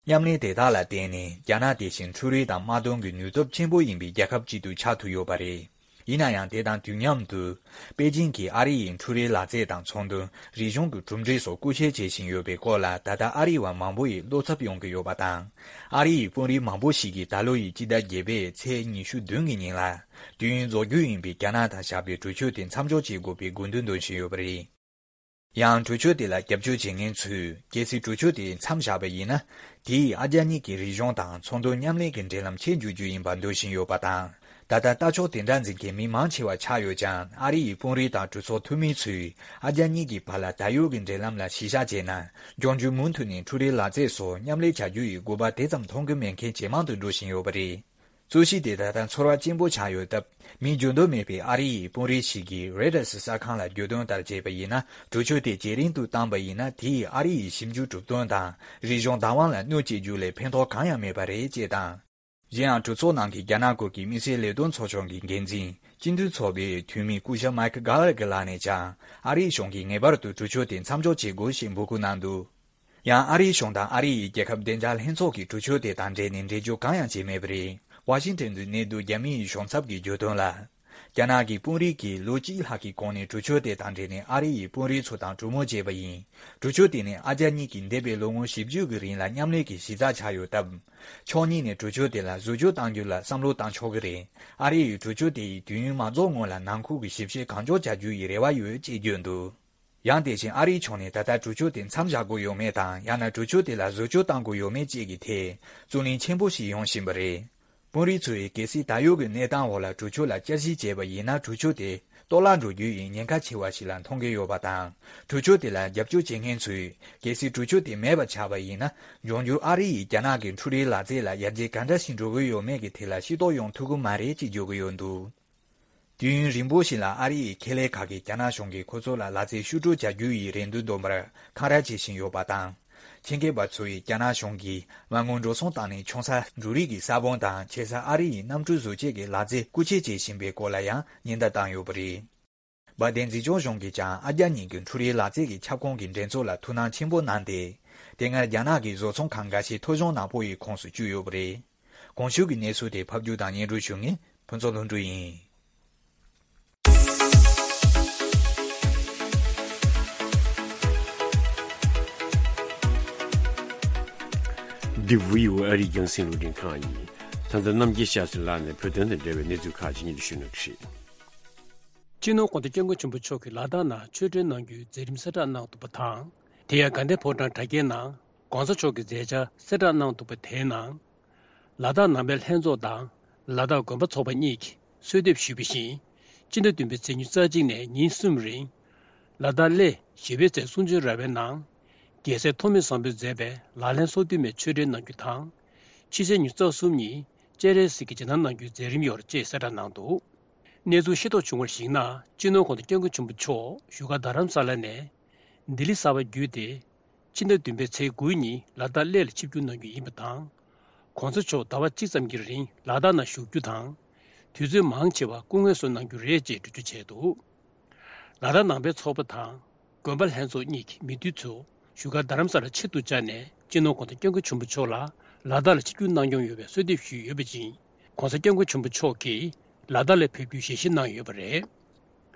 མཉམ་ལས་དེ་དག་ལ་བརྟེན་ནས་རྒྱ་ནག་དེ་བཞིན་འཕྲུལ་རིག་དང་དམག་དོན་གྱི་ནུས་སྟོབས་ཆེན་པོ་ཡིན་པའི་རྒྱལ་ཁབ་ཅིག་ཏུ་ཆགས་ཐུབ་ཡོད་པ་རེད། ཡིན་ན་ཡང་། དེ་དང་དུས་མཉམ་དུ། པེ་ཅིང་གིས་ཨ་རི་ཡི་འཕྲུལ་རིག་ལག་རྩལ་དང་ཚོང་དོན། རིག་གཞུང་གི་གྲུབ་འབྲས་སོགས་སྐུལ་སྤེལ་བྱེད་བཞིན་ཡོད་པའི་སྐོར་ལ། ད་ལྟ་ཨ་རི་བ་མང་པོ་ཡིས་བློ་འཚབ་ཡོང་གི་ཡོད་པ་དང་། ཨ་རི་ཡི་དཔོན་རིགས་མང་པོ་ཞིག་གིས་ད་ལོ་ཡི་སྤྱི་ཟླ་བརྒྱད་པའི་ཚེས་ཉི་ཤུ་བདུན་གྱི་ཉིན་ལ། དུས་ཡུན་རྫོགས་རྒྱུ་ཡིན་པའི་རྒྱ་ནག་དང་བཞག་པའི་གྲོས་ཆོད་དེ་མཚམས་འཇོག་བྱེད་དགོས་པའི་དགོས་འདུན་འདོན་བཞིན་ཡོད་པ་རེད། ཡང་གྲོས་ཆོད་དེ་ལ་རྒྱབ་སྐྱོར་བྱེད་མཁན་ཚོས། གལ་སྲིད་གྲོས་ཆོད་དེ་མཚམས་བཞག་པ་ཡིན་ན། དེས་ཨ་རྒྱ་གཉིས་ཀྱི་རིག་གཞུང་དང་ཚོང་དོན་མཉམ་ལས་ཀྱི་འབྲེལ་ལམ་ཆད་འཇུག་རྒྱུ་ཡིན་པ་འདོད་བཞིན་ཡོད་པ་དང་། ད་ལྟ་ལྟ་ཕྱོགས་དེ་འདྲ་འཛིན་མཁན་མི་མང་ཆེ་བ་ཆགས་ཡོད་ཀྱང་། ཨ་རི་ཡི་དཔོན་རིགས་དང་གྲོས་ཚོགས་འཐུས་མི་ཚོས་ཨ་རྒྱ་གཉིས་ཀྱི་བར་ལ་ད་ཡོད་ཀྱི་འབྲེལ་ལམ་ལ་གཞི་བཞག་བྱས་ན། འབྱུང་འགྱུར་མུ་མཐུད་ནས་འཕྲུལ་རིག་ལག་རྩལ་སོགས་མཉམ་ལས་བྱ་རྒྱུ་ཡི་དགོས་པ་དེ་ཙམ་མཐོང་གི་མེད་མཁན་ཇེ་མང་དུ་འགྲོ་བཞིན་ཡོད་པ་རེད། རྩོད་གཞི་དེ་ད་ལྟ་ཚོར་བ་ཆེན་པོ་ཆགས་ཡོད་སྟབས། མི་འགྱུར་ལྡོག་མེད་པའི་ཨ་རི་ཡི་དཔོན་རིགས་ཤིག་གིས་རོའི་ཊར་སི་གསར་ཁང་ལ་བརྗོད་དོན་ལྟར་བྱས་པ་ཡིན་ན། གྲོས་ཆོད་དེ་ཇེ་རིང་དུ་བཏང་པ་ཡིན་ན། དེ་ཡིས་ཨ་རི་ཡི་ཞིབ་འཇུག་གྲུབ་དོན་དང་རིག་གཞུང་བདག་དབང་ལ་གནོད་བྱེད་རྒྱུ་ལས་ཕན་ཐོགས་གང་ཡང་མེད་པ་རེད་ཅེས་དང་། གཞན་ཡང་། གྲོས་ཚོགས་ནང་གི་རྒྱ་ནག་སྐོར་གྱི་དམིགས་བསལ་ལས་དོན་ཚོགས་ཆུང་གི་འགན་འཛིན། སྤྱི་འཐུས་ཚོགས་པའི་འཐུས་མི་སྐུ་ཞབས་མའེ་ཁལ་གྷ་ལ་གྷེ་ལགས་ནས་ཀྱང་། ཨ་རིའི་གཞུང་གིས་ངེས་པར་དུ་གྲོས་ཆོད་དེ་མཚམས་འཇོག་བྱེད་དགོས་ཞེས་འབོད་སྐུལ་གནང་འདུག། ཡང་ཨ་རིའི་གཞུང་དང་ཨ་རི་ཡི་རྒྱལ་ཁབ་བདེ་འཇགས་ལྷན་ཚོགས་ཀྱིས་གྲོས་ཆོད་དེ་དང་འབྲེལ་ནས་འགྲེལ་བརྗོད་གང་ཡང་བྱས་མེད་པ་རེད། ཝ་ཤིང་ཊོན་དུ་གནས་སྡོད་རྒྱ་མི་ཡི་གཞུང་ཚབ་ཀྱིས་བརྗོད་དོན་ལ། རྒྱ་ནག་གི་དཔོན་རིགས་ཀྱིས་ལོ་གཅིག་ལྷག་གི་གོང་ནས་གྲོས་ཆོད་དེ་དང་འབྲེལ་ནས་ཨ་རི་ཡི་དཔོན་རིགས་ཚོ་དང་གྲོས་མོལ་བྱས་པ་ཡིན། གྲོས་ཆོད་དེ་ནི་ཨ་རྒྱ་གཉིས་ཀྱིས་འདས་པའི་ལོ་ངོ་བཞི་བཅུ་གི་རིང་ལ་མཉམ་ལས་ཀྱི་གཞི་རྩ་ཆགས་ཡོད་སྟབས། ཕྱོགས་གཉིས་ནས་གྲོས་ཆོད་དེ་ལ་བཟོ་བཅོས་གཏང་རྒྱུ་ལ་བསམ་བློ་བཏང་ཆོག་གི་རེད། ཨ་རི་ཡིས་གྲོས་ཆོད་དེ་ཡི་དུས་ཡུན་མ་རྫོགས་སྔོན་ལ་ནང་ཁུལ་གྱི་ཞིབ་བཤེར་གང་མགྱོགས་བྱ་རྒྱུ་ཡི་རེ་བ་ཡོད་ཅེས་བརྗོད་འདུག། ཡང་དེ་བཞིན་ཨ་རིའི་ཕྱོགས་ནས་ད་ལྟ་གྲོས་ཆོད་དེ་མཚམས་བཞག་དགོས་ཡོད་མེད་དང་། ཡང་ན་གྲོས་ཆོད་དེ་ལ་བཟོ་བཅོས་གཏང་དགོས་ཡོད་མེད་བཅས་ཀྱི་ཐད་རྩོད་གླེང་ཆེན་པོ་ཞིག་ཡོང་བཞིན་པ་རེད། དཔོན་རིགས་ཚོས་གལ་སྲིད་ད་ཡོད་ཀྱི་གནས་སྟངས་འོག་ལ་གྲོས་ཆོད་ལ་བསྐྱར་ཞིབ་བྱས་པ་ཡིན་ན། གྲོས་ཆོད་དེ་གཏོར་བརླག་འགྲོ་རྒྱུ་ཡི་ཉེན་ཁ་ཆེ་བ་ཞིག་ལ་མཐོང་གི་ཡོད་པ་དང་། གྲོས་ཆོད་དེ་ལ་རྒྱབ་སྐྱོར་བྱེད་མཁན་ཚོས་གལ་སྲིད་གྲོས་ཆོད་དེ་མེད་པ་ཆགས་པ་ཡིན་ན། འབྱུང་འགྱུར་ཨ་རི་ཡིས་རྒྱ་ནག་གི་འཕྲུལ་རིག་ལག་རྩལ་ལ་ཡར་རྒྱས་ག་འདྲ་ཞིག་འགྲོ་གི་ཡོད་མེད་ཀྱི་ཐད་ལ་ཤེས་རྟོགས་ཡོང་ཐུབ་ཀྱི་མ་རེད་ཅེས་བརྗོད་ཀྱི་ཡོད་འདུག། དུས་ཡུན་རིང་པོ་ཞིག་ལ་ཨ་རི་ཡི་ཁེ་ལས་ཁག་གིས་རྒྱ་ནག་གཞུང་གིས་ཁོ་ཚོ་ལ་ལག་རྩལ་བཤུག་སྤྲོད་བྱ་རྒྱུ་ཡི་རེ་འདུན་འདོན་པར་འཁང་ར་བྱེད་བཞིན་ཡོད་པ་དང་། ཆེད་མཁས་པ་ཚོ་ཡིས་རྒྱ་ནག་གཞུང་གིས་མ་དངུལ་འགྲོ་སོང་བཏང་ནས་ཆུང་ས་འབྲུ་རིགས་ཀྱི་ས་བོན་དང་ཆེ་ས་ཨ་རི་ཡི་གནམ་གྲུ་བཟོ་བཅོས་ཀྱི་ལག་རྩལ་རྐུ་འཁྱེར་བྱེད་བཞིན་པའི་སྐོར་ལ་ཡང་ཉེན་བརྡ་བཏང་ཡོད་པ་རེད། འབར་མདེལ་འཛིན་སྐྱོང་གཞུང་གིས་ཀྱང་ཨ་རྒྱ་གཉིས་ཀྱི་འཕྲུལ་རིག་ལག་རྩལ་གྱི་ཁྱབ་ཁོངས་ཀྱི་འགྲན་ཚོགས་ལ་ཐུགས་སྣང་ཆེན་པོ་གནང་སྟེ། དེ་སྔར་རྒྱ་ནག་གི་བཟོ་ཚོང་ཁང་འགའ་ཤས་ཐོ་གཞུང་ནག་པོ་ཡི་ཁོངས་སུ་བཅུག་ཡོད་པ་རེད། གོང་ཞུས་ཀྱི་གནས་ཚུལ་དེ་ཕབ་སྒྱུར་དང་སྙན་སྒྲོན་ཞུ་མཁན་ཕུན་ཚོགས་ལྷུན་གྲུབ་ཡིན། འདི་བྷི་ཨོ་ཨེ་ཨ་རིའི་རྒྱང་སྲིང་རླུང་འཕྲིན་ཁང་ཡིན། ད་ལྟ་རྣམ་རྒྱལ་ཤཱ་ཟི་ལགས་ནས་བོད་དོན་དང་འབྲེལ་བའི་གནས་ཚུལ་ཁག་ཅིག་སྙན་སྒྲོན་ཞུ་གནང་གི་རེད། སྤྱི་ནོར་གོང་ས་སྐྱབས་མགོན་ཆེན་པོ་མཆོག་གིས་ལ་དྭགས་ནང་ཆོས་འབྲེལ་གནང་རྒྱུའི་མཛད་རིམ་གསལ་བསྒྲགས་གནང་འདུག་པ་དང་། དེ་ཡང་དགའ་ལྡན་ཕོ་བྲང་གྲྭ་རྒྱའི་ནང་གོང་ས་མཆོག་གི་མཛད་འཆར་གསལ་བསྒྲགས་གནང་འདུག་པ་དེའི་ནང་། ལ་དྭགས་ནང་པའི་ལྷན་ཚོགས་དང་ལ་དྭགས་དགོན་པ་ཚོགས་པ་གཉིས་ཀྱིས་གསོལ་འདེབས་ཞུས་པ་བཞིན། སྤྱི་ཟླ་བདུན་པའི་ཚེས་ཉི་ཤུ་རྩ་གཅིག་ནས་ཉིན་གསུམ་རིང་། ལ་དྭགས་གླེ་ཞི་བའི་རྩེ་གསུང་བྱོན་ར་བའི་ནང་། རྒྱལ་སྲས་ཐོགས་མེད་བཟང་པོས་མཛད་པའི་ལག་ལེན་སོ་བདུན་མའི་ཆོས་འབྲེལ་གནང་རྒྱུ་དང་། ཕྱི་ཚེས་ཉི་ཤུ་རྩ་གསུམ་ཉིན་སྤྱན་རས་གཟིགས་ཀྱི་རྗེས་གནང་གནང་རྒྱུའི་མཛད་རིམ་ཡོད་ཅེས་གསལ་བསྒྲགས་གནང་འདུག་གནས་ཚུལ་ཤེས་རྟོགས་བྱུང་བར་གཞིགས་ན། སྤྱི་ནོར་གོང་ས་སྐྱབས་མགོན་ཆེན་པོ་མཆོག་བཞུགས་སྒར་རྡ་རམ་ས་ལ་ནས་ལྡི་ལི་གསར་པ་བརྒྱུད་དེ། ཕྱི་ཟླ་བདུན་པའི་ཚེས་དགུ་ཉིན་ལ་དྭགས་གླེ་ལ་ཆིབས་བསྒྱུར་གནང་རྒྱུ་ཡིན་པ་དང་། གོང་ས་མཆོག་ཟླ་བ་གཅིག་ཙམ་གྱི་རིང་ལ་དྭགས་ནང་བཞུགས་རྒྱུ་དང་། དུས་ཚོད་མང་ཆེ་བ་སྐུ་ངལ་གསོ་གནང་རྒྱུ་རེད་ཅེས་འགྲེལ་བརྗོད་བྱས་འདུག་ལ་དྭགས་ནང་པའི་ཚོགས་པ་དང་། དགོན་པ་ལྷན་ཚོགས་གཉིས་ཀྱི་མི་འདུས་ཚོ་བཞུགས་སྒར་རྡ་རམ་ས་ལ་ཆེད་དུ་བཅར་ནས། སྤྱི་ནོར་གོང་ས་སྐྱབས་མགོན་ཆེན་པོ་མཆོག་ལ་ལ་དྭགས་ལ་ཆིབས་བསྒྱུར་གནང་སྐྱོང་ཡོད་པའི་གསོལ་འདེབས་ཞུས་ཡོད་པ་བཞིན། གོང་ས་སྐྱབས་མགོན་ཆེན་པོ་མཆོག་གིས་ལ་དྭགས་ལ་ཕེབས་རྒྱུའི་ཞལ་བཞེས་གནང་ཡོད་པ་རེད།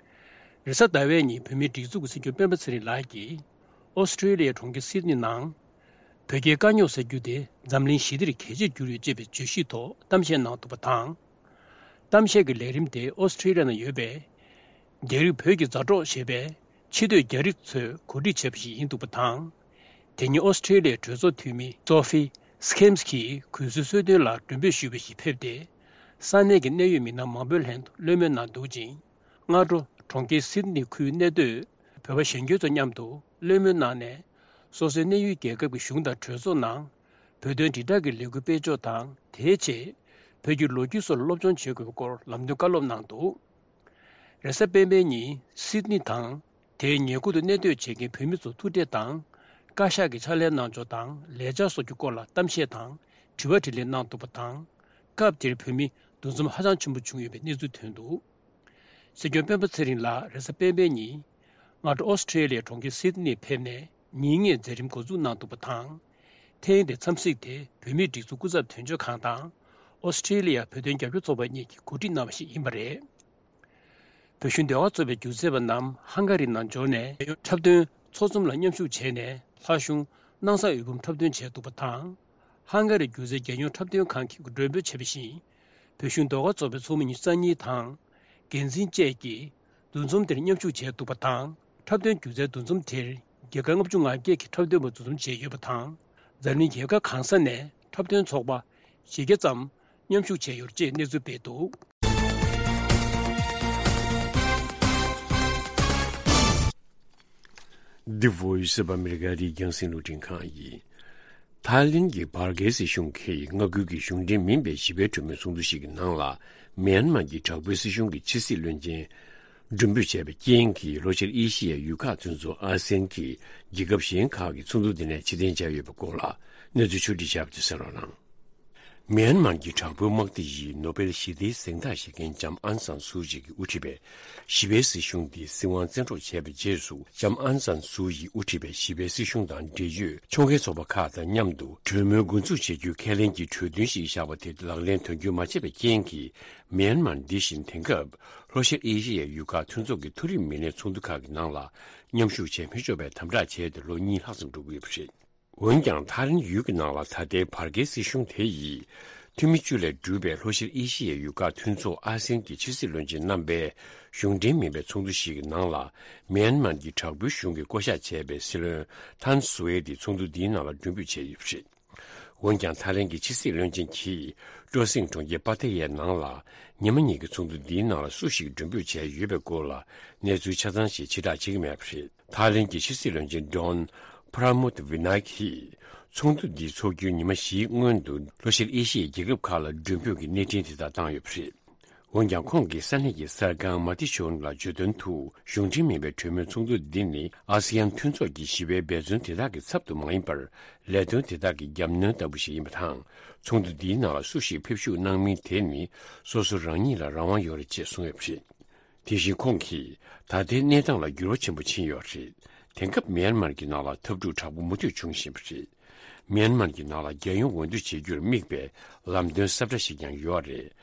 རེས་གཟའ་ཟླ་བའི་ཉིན་བོད་མིའི་སྒྲིག་འཛུགས་ཀྱི་སྲིད་སྐྱོང་སྤེན་པ་ཚེ་རིང་ལགས་ཀྱིས་ཨོ་སི་ཀྲི་ལི་ཡའི་གྲོང་ཁྱེར་སིད་ནི་ནང་། བོད་རྒྱའི་དཀའ་རྙོག་སེལ་རྒྱུ་དེ་འཛམ་གླིང་ཞི་བདེར་གལ་ཆེར་གྱུར་ཡོད་ཅེས་པའི་བརྗོད་གཞིའི་ཐོག་གཏམ་བཤད་གནང་འདུག་པ་དང་། གཏམ་བཤད་ཀྱི་ལས་རིམ་དེ་ཨོ་སི་ཀྲི་ལི་ཡ་ནང་ཡོད་པའི་རྒྱ་རིགས་བོད་ཀྱི་མཛའ་གྲོགས་ཞེས་པའི་ཕྱི་སྡོད་རྒྱ་རིགས་ཚོས་གོ་སྒྲིག་བྱས་པ་ཞིག་ཡིན་འདུག་པ་དང་། དེ་ཉིན་ཨོ་སི་ཀྲི་ལི་ཡའི་གྲོས་ཚོགས་འཐུས་མི་སོ་ཕི་སི་ཁེམ་སི་གིས་གུས་བསུའི་གསོལ་སྟོན་ལ་མགྲོན་འབོད་ཞུས་པ་ཞིག་ཕེབས་ཏེ། ས་གནས་ཀྱི་གནད་ཡོད་མི་སྣ་མང་པོའི་ལྷན་དུ་བློ་མོས་གནང་འདུག་ཅིང་། སྔ་དྲོ་གྲོང་ཁྱེར་སིད་ནི་ཁུལ་གནས་སྡོད་བོད་པ་གཞོན་སྐྱེས་ཚོ་མཉམ་དུ་བློ་མོས་གནང་ནས། སོ་སོའི་གནས་ཡུལ་རྒྱལ་ཁབ་ཀྱི་གཞུང་དང་གྲོས་ཚོགས་ནང་བོད་དོན་དྲིལ་བསྒྲགས་ཀྱི་ལས་འགུལ་སྤེལ་ཕྱོགས་དང་། དེའི་ཆེད་བོད་ཀྱི་ལོ་རྒྱུས་སོགས་ལ་སློབ་སྦྱོང་བྱེད་དགོས་པའི་སྐོར་ལམ་སྟོན་བཀའ་སློབ་གནང་འདུག་རེས་གཟའ་སྤེན་པའི་ཉིན་སིད་ནི་དང་དེའི་ཉེ་ཁུལ་དུ་གནས་སྡོད་བྱེད་མཁན་བོད་མི་ཚོ་ཐུག་འཕྲད་དང་། བཀའ་ཤག་གི་ཕྱག་ལས་གནང་ཕྱོགས་དང་ལས་འཆར་སོགས་ཀྱི་སྐོར་ལ་གཏམ་བཤད་དང་དྲི་བ་དྲིས་ལན་གནང་འདུག་པ་དང་། སྐབས་དེར་བོད་མི་འདུ་འཛོམས་ཧ་ཅང་ཆེན་པོ་བྱུང་ཡོད་པའི་གནས་ཚུལ་ཐོན་འདུག་སྲིད་སྐྱོང་སྤེན་པ་ཚེ་རིང་ལགས་རེས་གཟའ་སྤེན་པའི་ཉིན་སྔ་དྲོ་ཨོ་སི་ཀྲི་ལི་ཡའི་གྲོང་ཁྱེར་སིད་ནི་ཕེབས་ནས་ཉིན་ལྔའི་མཛད་རིམ་འགོ་འཛུགས་གནང་འདུག་པ་དང་། ཐེངས་འདིའི་འཚམས་གཟིགས་དེ་བོད་མིའི་སྒྲིག་འཛུགས་སྐུ་ཚབ་དོན་གཅོད་ཁང་དང་། ཨོ་སི་ཀྲི་ལི་ཡ་བོད་དོན་རྒྱབ་སྐྱོར་ཚོགས་པ་གཉིས་ཀྱིས་གོ་སྒྲིག་གནང་བ་ཞིག་ཡིན་པ་རེད། བོད་གཞུང་ཟློས་གར་ཚོགས་པའི་སྒྱུ་རྩལ་པ་རྣམས་ཧང་ག་རི་ནང་འབྱོར་ནས། འཁྲབ་སྟོན་ཚོགས་འཛོམས་ལ་མཉམ་ཞུགས་བྱས་ནས། ལྷ་གཞུང་སྣང་ས་འོད་འབུམ་འཁྲབ་སྟོན་བྱས་འདུག་པ་དང་། ཧང་ག་རི་སྒྱུ་རྩལ་རྒྱལ་ཡོངས་འཁྲབ་སྟོན་ཁང་གིས་མགྲོན་འབོད་བྱས་པ་བཞིན། བོད་གཞུང་ཟློས་གར་ཚོགས་པའི་ཚོགས་མི་ཉི་ཤུ་རྩ་གཉིས་དང་། འགན་འཛིན་བཅས་ཀྱིས་འདུ་འཛོམས་དེར་མཉམ་ཞུགས་བྱས་འདུག་པ་དང་། འཁྲབ་སྟོན་སྒྱུ་རྩལ་འདུ་འཛོམས་དེར་རྒྱལ་ཁབ་ལྔ་བཅུ་ང་བརྒྱད་ཀྱི་འཁྲབ་སྟོན་པ་འདུ་འཛོམས་བྱས་ཡོད་པ་དང་། འཛམ་གླིང་རྒྱལ་ཁབ་གང་ས་ནས་འཁྲབ་སྟོན་ཚོགས་པ་བཞི་བརྒྱ་ཙམ་མཉམ་ཞུགས་བྱས་ཡོད་ཅེས་གནས་ཚུལ་སྤེལ་འདུག The Voice of America རི་རྒྱང་སྲིང་རླུང་འཕྲིན་ཁང་ཡིན། ཐའི་ལེན་གྱི་བར་བརྒལ་སྲིད་གཞུང་གིས་མངའ་ཁུལ་གྱི་གཞུང་འབྲེལ་མིན་པའི་ཞི་བའི་གྲོས་མོལ་ཚོགས་འདུ་ཞིག་གི་ནང་ལ། མིའན་མཱར་གྱི་དྲག་པོའི་སྲིད་གཞུང་གི་ཕྱི་སྲིད་བློན་ཆེན་མགྲོན་འབོད་བྱས་པའི་རྐྱེན་གྱིས། ལྷོ་ཤར་ཨེ་ཤི་ཡའི་ཡུལ་ཁག་ཚུན་ཚོད་ཨ་སེན་གྱི་རྒྱལ་ཁབ་གཞན་ཁག་གི་ཚོགས་འདུ་འདི་ནས་ཕྱིར་འཐེན་བྱས་ཡོད་པའི་སྐོར་ལ་གནས་ཚུལ་ཕྱོགས་བསྒྲིགས་བྱས་པ་དེ་གསན་རོགས་གནང་། མིའན་མཱར་གྱི་དྲག་པོའི་དམག་སྡེ་ཡིས་ནོ་བེལ་ཞི་བདེའི་གཟེངས་རྟགས་བཞེས་མཁན་ལྕམ་ཨང་སན་སུའུ་ཅི་གིས་དབུ་ཁྲིད་པའི་ཞི་བའི་སྲིད་གཞུང་འདི་སྲིད་དབང་བཙན་འཕྲོག་བྱས་པའི་རྗེས་སུ། ལྕམ་ཨང་སན་སུའུ་ཅིས་དབུ་ཁྲིད་པའི་ཞི་བའི་སྲིད་གཞུང་དང་འབྲེལ་ཡོད་ཕྱོགས་འགལ་ཚོགས་པ་ཁག་དང་མཉམ་དུ་གྲོས་མོལ་འགོ་འཛུགས་བྱེད་རྒྱུའི་ཁས་ལེན་གྱི་གྲོས་མཐུན་ཞིག་བཞག་པ་དེ་ལག་ལེན་དོན་འཁྱོལ་མ་བྱས་པའི་རྐྱེན་གྱིས། མིའན་མཱར་འདི་བཞིན་དེང་སྐབས་ལྷོ་ཤར་ཨེ་ཤི་ཡའི་ཡུལ་ཁག་ཚུན་ཚོད་ཀྱི་མཐོ་རིམ་མི་སྣའི་ཚོགས་འདུ་ཁག་གི་ནང་ལ་མཉམ་ཞུགས་བྱེད་མི་ཆོག་པའི་དམ་དྲག་བྱས་ཏེ་ལོ་གཉིས་ལྷག་ཙམ་འགྲོ་གི་ཡོད་པ་རེད། འོན་ཀྱང་། ཐའི་ལེན་ཡུལ་གྱི་ནང་ལ་ད་ལྟའི་བར་བརྒལ་སྲིད་གཞུང་དེ་ཡིས། འཐུས་མི་བཅུ་ལས་གྲུབ་པའི་ལྷོ་ཤར་ཨེ་ཤི་ཡའི་ཡུལ་ཁག་མཐུན་ཚོགས་ཨ་སེན་གྱི་ཕྱི་སྲིད་བློན་ཆེན་རྣམ་པའི་གཞུང་འབྲེལ་མིན་པའི་ཚོགས་འདུ་ཞིག་གི་ནང་ལ། མིའན་མཱར་གྱི་དྲག་པོའི་གཞུང་གིས་བསྐོ་གཞག་བྱས་པའི་སྲིད་བློན་ཐན་སུའེ་ཏི་ཚོགས་འདུ་འདིའི་ནང་ལ་མགྲོན་འབོད་བྱས་ཡོད་པ་རེད། འོན་ཀྱང་། ཐའི་ལེན་གྱི་ཕྱི་སྲིད་བློན་ཆེན་གྱིས་ཀྲོ་སིང་གྲོང་ཁྱེར་པ་ཐེ་ཡའི་ནང་ལ། ཉི་མ་གཉིས་ཀྱི་ཚོགས་འདུ་འདིའི་ནང་ལ་སུ་ཞིག་མགྲོན་འབོད་བྱས་ཡོད་པའི་སྐོར་ལ་གནས་ཚུལ་ཆ་ཚང་ཞིག་ཕྱིར་བསྒྲགས་བྱེད་ཀྱི་མེད་པ་རེད། ཐའི་ལེན་གྱི་ཕྱི་སྲིད་བློན་ཆེན་ཌོན་པྲ་མུད་ཝི་ནཱ་ཡིག་གིས། ཚོགས་འདུ་འདི་འཚོགས་རྒྱུའི་ཉི་མ་བཞིའི་སྔོན་དུ་ལྷོ་ཤར་ཨེ་ཤི་ཡའི་རྒྱལ་ཁབ་ཁག་ལ་མགྲོན་འབོད་ཀྱི་གནས་འཕྲིན་དེ་དག་བཏང་ཡོད་པ་རེད། འོན་ཀྱང་ཁོང་གིས་ས་གནས་ཀྱི་གསར་ཁང་མ་ཏི་ཤོན་ལ་བརྗོད་དོན་དུ། གཞུང་འབྲེལ་མིན་པའི་གྲོས་མོལ་ཚོགས་འདུ་འདི་ནི་ཨ་སི་ཡན་མཐུན་ཚོགས་ཀྱི་ཞི་བའི་འབད་བརྩོན་དེ་དག་གི་ཚབ་ཏུ་མ་ཡིན་པར། ལས་དོན་དེ་དག་གི་རྒྱབ་སྣོན་ལྟ་བུ་ཞིག་ཡིན་པ་དང་། ཚོགས་འདུ་འདིའི་ནང་ལ་སུ་ཞིག་ཕེབས་ཞུགས་གནང་མིན་དེ་ནི་སོ་སོ་རང་ཉིད་ལ་རང་དབང་ཡོད་རེད་ཅེས་གསུངས་ཡོད་པ་རེད། དེ་བཞིན་ཁོང་གིས། ད་ལྟའི་གནས་སྟངས་ལ་འགྱུར་བ་ཆེན་པོ་ཕྱིན་ཡོད་རེད། དེང་སྐབས་མིའན་མར་གྱི་ནང་ལ་འཐབ་འཁྲུག་དྲག་པོ་མུ་མཐུད་འབྱུང་བཞིན་པ་རེད། མིའན་མར་གྱི་ནང་ལ་རྒྱལ་ཡོངས་འོས་བསྡུ་བྱེད་རྒྱུར་དམིགས་པའི་ལམ་སྟོན་གསལ་བསྒྲགས་ཤིག་ཀྱང་ཡོད་རེད།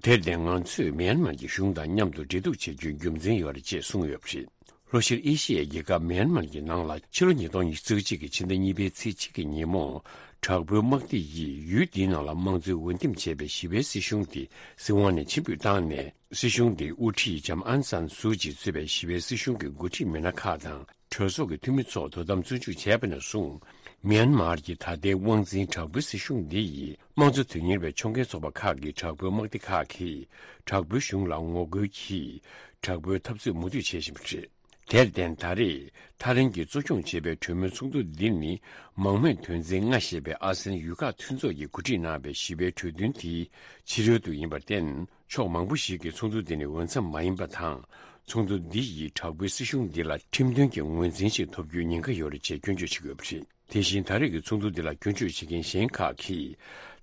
དེར་བརྟེན་ང་ཚོས་མིའན་མར་གྱི་གཞུང་དང་མཉམ་དུ་འབྲེལ་གཏུག་བྱེད་རྒྱུའི་རྒྱུ་མཚན་ཡོད་རེད་ཅེས་གསུངས་ཡོད་པ་རེད། ལྷོ་ཤར་ཨེ་ཤི་ཡའི་རྒྱལ་ཁབ་མིའན་མར་གྱི་ནང་ལ་ཕྱི་ལོ་ཉིས་སྟོང་ཉི་ཤུ་རྩ་གཅིག་གི་ཕྱི་ཟླ་གཉིས་པའི་ཚེས་གཅིག་གི་ཉིན་མོ། དྲག་པོའི་དམག་སྡེ་ཡིས་ཡུལ་འདིའི་ནང་ལ་དམངས་གཙོའི་འོས་འདེམས་བྱས་པའི་ཞི་བའི་སྲིད་གཞུང་དེ་སྲིད་དབང་ནས་ཕྱིར་འབུད་བཏང་ནས། སྲིད་གཞུང་དེའི་དབུ་ཁྲིད་ལྕམ་ཨན་སན་སུའུ་ཅི་གཙོས་པའི་ཞི་བའི་སྲིད་གཞུང་གི་འགོ་ཁྲིད་མི་སྣ་ཁག་དང་། གྲོས་ཚོགས་ཀྱི་འཐུས་མི་ཚོ་དོ་དམ་བཙོན་འཇུག་བྱས་པ་ནས་བཟུང་། མིའན་མར་གྱི་ད་ལྟའི་དབང་འཛིན་དྲག་པོའི་སྲིད་གཞུང་འདི་ཡིས་དམངས་གཙོ་དོན་གཉེར་བའི་ཕྱོགས་འགལ་ཚོགས་པ་ཁག་གི་དྲག་པོའི་དམག་སྡེ་ཁག་གིས་དྲག་པོའི་གཞུང་ལ་ངོ་རྒོལ་གྱིས་དྲག་པོའི་འཐབ་རྩོད་མུ་མཐུད་བྱེད་བཞིན་པ་རེད། དེར་བརྟེན་ད་རེས་ཐ་ལན་གྱིས་གཙོ་སྐྱོང་བྱས་པའི་གྲོས་མོལ་ཚོགས་འདུ་འདི་ནི་མང་མོས་དོན་འཛིན་ལྔ་ཞེས་པའི་ཨ་སེན་ཡུལ་ཁག་མཐུན་ཚོགས་ཀྱིས་གོ་སྒྲིག་གནང་བའི་ཞི་བའི་གྲོས་མཐུན་དེའི་ཕྱི་རོལ་དུ་ཡིན་པར་བརྟེན། ཕྱོགས་མང་པོ་ཞིག་གིས་ཚོགས་འདུ་འདི་ནི་འོས་འཚམ་མ་ཡིན་པ་དང་། ཚོགས་འདུ་འདི་ཡིས་དྲག་པོའི་སྲིད་གཞུང་འདི་ལ་ཁྲིམས་མཐུན་གྱི་ངོས་འཛིན་ཞིག་ཐོབ་རྒྱུའི་ཉེན་ཁ་ཡོད་རེད་ཅེས་སྐྱོན་བརྗོད་བྱེད་ཀྱི་ཡོད་པ་རེད། དེ་བཞིན་ད་རེས་ཀྱི་ཚོགས་འདུ་འདི་ལ་སྐྱོན་བརྗོད་བྱེད་མཁན་གཞན་ཁག་གིས།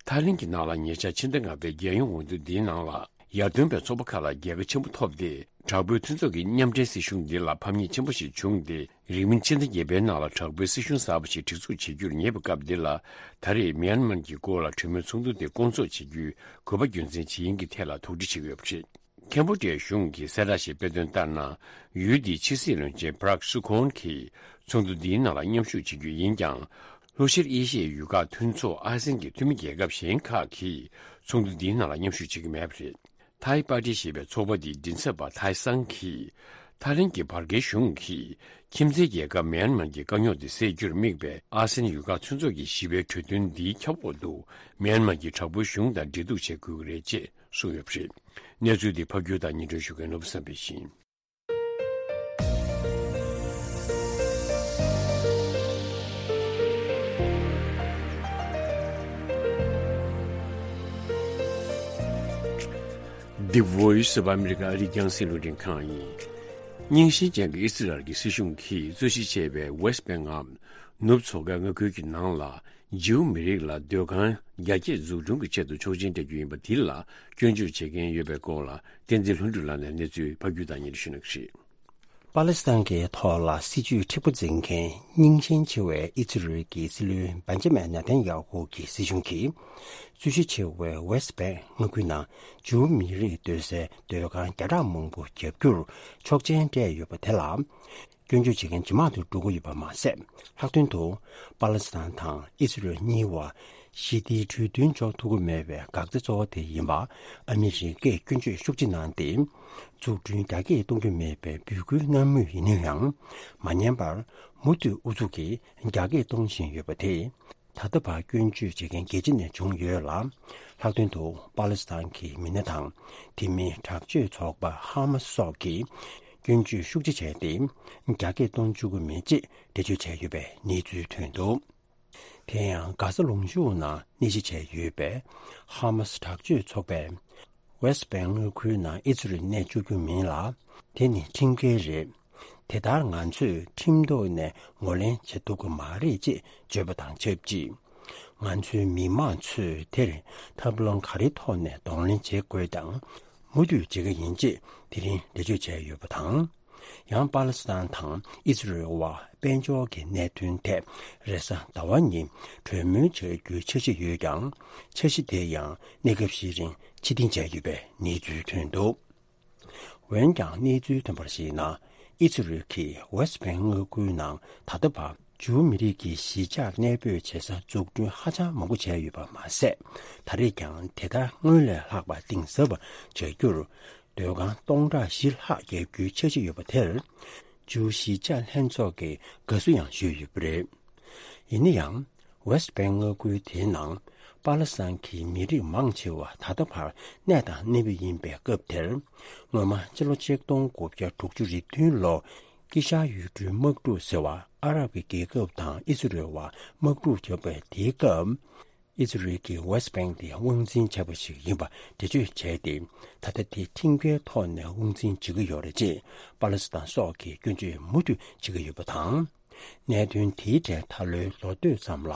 ཐ་ལན་གྱི་ནང་ལ་ཉེ་ཆར་ཕྱི་ཟླ་ལྔ་པའི་རྒྱལ་ཡོངས་འོས་བསྡུ་འདིའི་ནང་ལ་ཡར་ཐོན་པའི་ཚོགས་པ་ཁག་ལ་རྒྱལ་ཁ་ཆེན་པོ་ཐོབ་སྟེ། དྲག་པོའི་མཐུན་ཚོགས་ཀྱི་མཉམ་འབྲེལ་སྲིད་གཞུང་འདི་ལ་ཕམ་ཉེས་ཆེན་པོ་ཞིག་བྱུང་སྟེ། རིང་མིན་ཕྱི་ཟླ་བརྒྱད་པའི་ནང་ལ་དྲག་པོའི་སྲིད་གཞུང་གསར་པ་ཞིག་སྒྲིག་འཛུགས་བྱེད་རྒྱུར་ཉེ་བའི་སྐབས་འདི་ལ། ད་རེས་མིའན་མར་གྱི་སྐོར་ལ་གྲོས་མོལ་ཚོགས་འདུ་དེ་སྐོང་ཚོགས་བྱེད་རྒྱུའི་དགོས་པ་རྒྱུ་མཚན་ཇི་ཡིན་གྱི་ཐད་ལ་དོགས་འདྲི་བྱེད་ཀྱི་ཡོད་པ་རེད། ཁེམ་བྷོ་ཌི་ཡའི་གཞུང་གིས་གསལ་བསྒྲགས་ཤིག་སྤེལ་དོན་ལྟར་ན། ཡུལ་འདིའི་ཕྱི་སྲིད་བློན་ཆེན་པ་རག་སུ་ཁོན་གྱིས་ཚོགས་འདུ་འདིའི་ནང་ལ་མཉམ་ཞུགས་བྱེད་རྒྱུ་ཡིན་ཀྱང་། ལྷོ་ཤར་ཨེ་ཤི་ཡའི་ཡུལ་ཁག་མཐུན་ཚོགས་ཨ་སེན་གྱི་འཐུས་མི་རྒྱལ་ཁབ་གཞན་ཁག་གིས་ཚོགས་འདུ་འདིའི་ནང་ལ་མཉམ་ཞུགས་བྱེད་ཀྱི་མེད་པ་རེད། ཐའི་པར་ཊི་ཞེས་པའི་ཚོགས་པ་འདིའི་མགྲིན་ཚབ་པ་ཐའི་སང་གིས། ཐའི་ལན་གྱི་བར་བརྒལ་གཞུང་གིས་ཁྱིམ་མཚེས་རྒྱལ་ཁབ་མིའན་མར་གྱི་དཀའ་རྙོག་དེ་སེལ་རྒྱུར་དམིགས་པའི་ཨ་སེན་ཡུལ་ཁག་མཐུན་ཚོགས་ཀྱི་ཞི་བའི་གྲོས་མཐུན་འདིའི་ཁྱབ་འོག་ཏུ་མིའན་མར་གྱི་དྲག་པོའི་གཞུང་དང་འབྲེལ་གཏུག་བྱེད་དགོས་ཀྱི་རེད་ཅེས་གསུངས་ཡོད་པ་རེད། གནས་ཚུལ་འདི་ཕབ་སྒྱུར་དང་སྙན་སྒྲོན་ཞུ་མཁན་ནོར་བུ་བསམ་འཕེལ་ཡིན། The Voice of America ཨ་རིའི་རྒྱང་སྲིང་རླུང་འཕྲིན་ཁང་ཡིན། རྙིང་ཞེན་ཅན་གྱི་ཨི་སི་རལ་གྱི་སྲིད་གཞུང་གིས་རྩོད་གཞི་ཆེ་བའི་West Bank ངམ་ནུབ་མཚོ་ཁའི་མངའ་ཁུལ་གྱི་ནང་ལ། ཇིའུ་མི་རིགས་ལ་སྡོད་ཁང་རྒྱ་སྐྱེད་འཛུགས་སྐྲུན་གྱི་ཆེད་དུ་ཆོག་མཆན་སྤྲད་རྒྱུ་ཡིན་པ་དེ་ལ་སྐྱོན་བརྗོད་བྱེད་མཁན་ཡོད་པའི་སྐོར་ལ་བསྟན་འཛིན་ལྷུན་གྲུབ་ལགས་ནས་གནས་ཚུལ་ཕབ་སྒྱུར་དང་སྙན་སྒྲོན་ཞུ་གནང་གི་རེད། པ་ལི་སི་ཐན་གྱི་ཐོག་ལ་སྲིད་ཇུས་མཁྲེགས་པོ་འཛིན་མཁན་རྙིང་ཞེན་ཆེ་བའི་ཨི་ཛི་རལ་གྱི་སྲིད་བློན་བན་ཇ་མན་ནེ་ཐན་ཡ་ཧུ་གྱི་སྲིད་གཞུང་གིས། རྩོད་གཞི་ཆེ་བའི་West Bank མངའ་ཁུལ་ནང་ཇིའུ་མི་རིགས་སྡོད་སའི་སྡོད་ཁང་བརྒྱ་ཕྲག་མང་པོ་བརྒྱབ་རྒྱུར་ཆོག་མཆན་སྤྲད་ཡོད་པ་དེ་ལ། སྐྱོན་བརྗོད་བྱེད་མཁན་ཇེ་མང་དུ་འགྲོ་གི་ཡོད་པ་མ་ཟད། ལྷག་དོན་དུ་པ་ལི་སི་ཐན་དང་ཨི་སི་རལ་གཉིས་བར་ཞི་བདེའི་གྲོས་མཐུན་འཇོག་ཐུབ་ཀྱི་མེད་པའི་འགག་རྩ་གཙོ་བོ་དེ་ཡིན་པ་ཨ་མི་རི་ཀས་སྐྱོན་བརྗོད་ཤུགས་ཆེ་གནང་སྟེ། འཛུགས་སྐྲུན་རྒྱ་སྐྱེད་གཏོང་རྒྱུ་མེད་པའི་འབོད་སྐུལ་གནང་མུས་ཡིན་ན་ཡང་། མ་ཉན་པར་མུ་མཐུད་ཨུ་ཚུགས་ཀྱིས་རྒྱ་སྐྱེད་གཏོང་བཞིན་ཡོད་པ་དེས། ད་ལྟ་བར་སྐྱོན་བརྗོད་བྱེད་མཁན་རྒྱལ་སྤྱི་ནས་བྱུང་ཡོད་ལ། ལྷག་དོན་དུ་པ་ལི་སི་ཐན་གྱི་མི་སྣ་དང་དེ་མིན་དྲག་སྤྱོད་ཚོགས་པ་ཧ་མ་སི་སོགས་ཀྱིས་སྐྱོན་བརྗོད་ཤུགས་ཆེ་བྱས་ཏེ། རྒྱ་སྐྱེད་གཏོང་བཅུག་གི་མེད་ཅེས་འགྲེལ་བརྗོད་བྱས་ཡོད་པའི་གནས་ཚུལ་ཐོན་འདུག་དེ་ཡང་གྷ་ས་ལུང་གཤོང་ནང་གནས་གཞི་བྱས་ཡོད་པའི་ཧ་མ་སི་དྲག་སྤྱོད་ཚོགས་པས། West Bank མངའ་ཁུལ་ནང་ཨི་ཛི་རལ་གནས་བཅུག་རྒྱུ་མིན་ལ། དེ་ནི་ཁྲིམས་འགལ་རེད། དེ་ལྟར་ང་ཚོས་ཁྲིམས་ཐོག་ནས་ངོས་ལེན་བྱེད་ཐུབ་ཀྱི་མ་རེད་ཅེས་བརྗོད་པ་དང་ཆབས་ཅིག་ང་ཚོའི་མི་མང་ཚོས་དེར་ཐབས་ལམ་ག་རེའི་ཐོག་ནས་གདོང་ལེན་བྱེད་དགོས་དང་། མུ་མཐུད་བྱེད་ཀྱི་ཡིན་ཅེས་དེ་རིང་འགྲེལ་བརྗོད་བྱས་ཡོད་པ་དང་། ཡང་པ་ལི་སི་ཐན་དང་ཨི་ཟི་རལ་བར་དཔལ་འབྱོར་གྱི་གནད་དོན་ཐད་རེས་གཟའ་ཟླ་བ་ཉིན་གྲོས་མོལ་བྱ་རྒྱུའི་འཆར་གཞི་ཡོད་ཀྱང་། འཆར་གཞི་དེ་ཡང་གནས་སྐབས་ཤིག་རིང་ཕྱིར་འཐེན་བྱས་ཡོད་པའི་གནས་ཚུལ་ཐོན་འདུག་འོན་ཀྱང་གནས་ཚུལ་ཐོན་པར་གཞིགས་ན། ཨི་ཛི་རལ་གྱིས་West Bank མངའ་ཁུལ་ནང་ད་ལྟ་བར་ཇིའུ་མི་རིགས་ཀྱི་གཞིས་ཆགས་གནས་སྤོས་བྱེད་ས་འཛུགས་སྐྲུན་ཧ་ཅང་མང་པོ་བྱས་ཡོད་པ་མ་ཟད། ད་རེས་ཀྱང་དེ་ལྟར་སྔོན་ལས་ལྷག་པ་གཏིང་ཟབ་པ་བྱ་རྒྱུར་སྡོད་ཁང་སྟོང་ཕྲག་བཞི་ལྷག་བརྒྱབ་རྒྱུའི་འཆར་གཞི་ཡོད་པ་དེར། ཇིའུ་གཞིས་ཆགས་ལྷན་ཚོགས་ཀྱིས་དགའ་བསུ་ཡང་ཞུས་ཡོད་པ་རེད། ཡིན་ན་ཡང་། West Bank མངའ་ཁུལ་དེའི་ནང་པ་ལི་སི་ཐན་གྱི་མི་རིགས་མང་ཆེ་བ་ད་ལྟ་བར་གནས་དང་གནས་པ་ཡིན་པའི་སྐབས་དེར། སྔོན་མ་ཕྱི་ལོ་ཆིག་སྟོང་དགུ་བརྒྱ་དྲུག་ཅུ་རེ་བདུན་ལོར་དཀྱིལ་ཤར་ཡུལ་གྲུའི་དམག་འཁྲུག་ཟེར་བ་ཨ་རབ་ཀྱི་རྒྱལ་ཁབ་དང་ཨི་སི་རེལ་བར་དམག་འཁྲུག་བརྒྱབ་པའི་དེའི་སྐབས། ཨི་ཛི་རལ་གྱིས་ཝེ་སི་ཊི་བེང་དེ་དབང་འཛིན་བྱས་པ་ཞིག་ཡིན་པ་འགྲེལ་བརྗོད་བྱས་ཏེ། ད་ལྟ་དེ་ཁྲིམས་འགལ་ཐོག་ནས་དབང་འཛིན་བྱེད་ཀྱི་ཡོད་རེད་ཅེས་པ་ལི་སི་ཐན་སོགས་ཀྱིས་སྐྱོན་བརྗོད་མུ་མཐུད་བྱེད་ཀྱི་ཡོད་པ་དང་། གནད་དོན་དེའི་གྲས་ད་ལོའི་ལོ་སྟོད་ཙམ་ལ་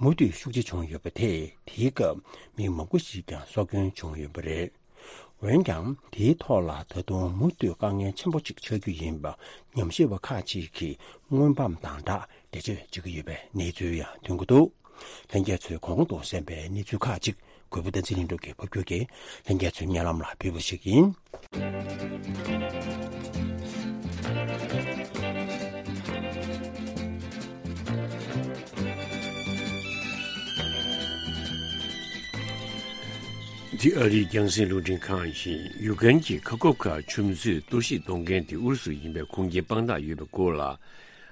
མུ་མཐུད་ཤུགས་ཆེ་བྱུང་ཡོད་པ་དེས། དེའི་སྐབས་མི་མང་པོ་ཞིག་ཀྱང་སྲོག་སྐྱོན་བྱུང་ཡོད་པ་རེད། འོན་ཀྱང་། དེའི་ཐོག་ལ་ད་དུང་མུ་མཐུད་དཀའ་ངལ་ཆེན་པོ་ཅིག་ཆགས་རྒྱུ་ཡིན་པ་ཉམས་ཞིབ་པ་ཁག་ཅིག་གིས་སྔོན་དཔག་དང་སྦྲགས་འགྲེལ་བརྗོད་བྱེད་ཀྱི་ཡོད་པའི་གནས་ཚུལ་ཡང་ཐོན་གྱི་འདུག། ལྷན་རྒྱས་ཚོས་གོང་དུ་གསན་པའི་གནས་ཚུལ་ཁག་ཅིག་གུས་པ་བསྟན་འཛིན་ལྷུན་གྲུབ་ཀྱིས་ཕབ་སྒྱུར་གྱིས་ལྷན་རྒྱས་ཚོའི་སྙན་ལམ་ལ་ཕུལ་བ་ཞིག་ཡིན། འདི་ཨ་རིའི་རྒྱང་སྲིང་རླུང་འཕྲིན་ཁང་ཡིན། ཡུཀ་རེན་གྱི་ཁ་ཁོབ་ཁ་ཆུ་མཛོད་གཏོར་བཤིག་གཏོང་མཁན་དེ་ཨུ་རུ་སུ་ཡིན་པའི་ཁུངས་སྐྱེལ་དཔང་རྟགས་ཡོད་པའི་སྐོར་ལ།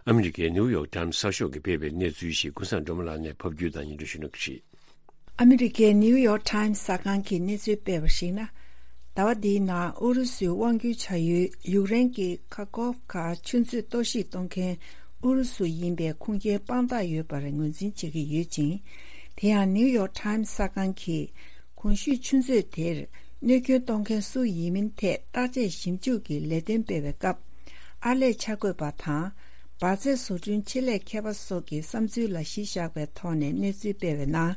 ཨ་མི་རི་ཀའི་ནིའུ་ཡོག་ཊའིམ་གསར་ཤོག་གིས་སྤེལ་བའི་གནས་ཚུལ་ཞིག་ཀུན་བཟང་སྒྲོལ་མ་ལགས་ནས་ཕབ་སྒྱུར་དང་སྙན་སྒྲོན་ཞུ་གནང་གི་རེད། ཨ་མི་རི་ཀའི་ནིའུ་ཡོག་ཊའིམ་གསར་ཁང་གིས་གནས་ཚུལ་སྤེལ་བར་གཞིགས་ན། ཟླ་བ་འདིའི་ནང་ཨུ་རུ་སུའི་དབང་སྒྱུར་བྱ་ཡུལ་ཡུཀ་རེན་གྱི་ཁ་ཁོབ་ཁ་ཆུ་མཛོད་གཏོར་བཤིག་གཏོང་མཁན་ཨུ་རུ་སུ་ཡིན་པའི་ཁུངས་སྐྱེལ་དཔང་རྟགས་ཡོད་པར་ངོས་འཛིན་བྱེད་ཀྱི་ཡོད་ཅིང་། དེ་ཡང་ནིའུ་ཡོག་ཊའིམ་གསར་ཁང་གིས། གོང་ཞུས་ཆུ་མཛོད་དེར་གནོད་སྐྱོན་གཏོང་མཁན་སུ་ཡིན་མིན་ཐད་བརྟག་དཔྱད་ཞིབ་འཇུག་གི་ལས་དོན་སྤེལ་བའི་སྐབས། ཨར་ལས་འཆར་འགོད་པ་དང་། འབར་རྫས་བཟོ་སྐྲུན་ཆེད་ལས་མཁས་པ་སོགས་ཀྱི་བསམ་ཚུལ་ལ་གཞི་བཞག་པའི་ཐོག་ནས་གནས་ཚུལ་སྤེལ་བའི་ནང་།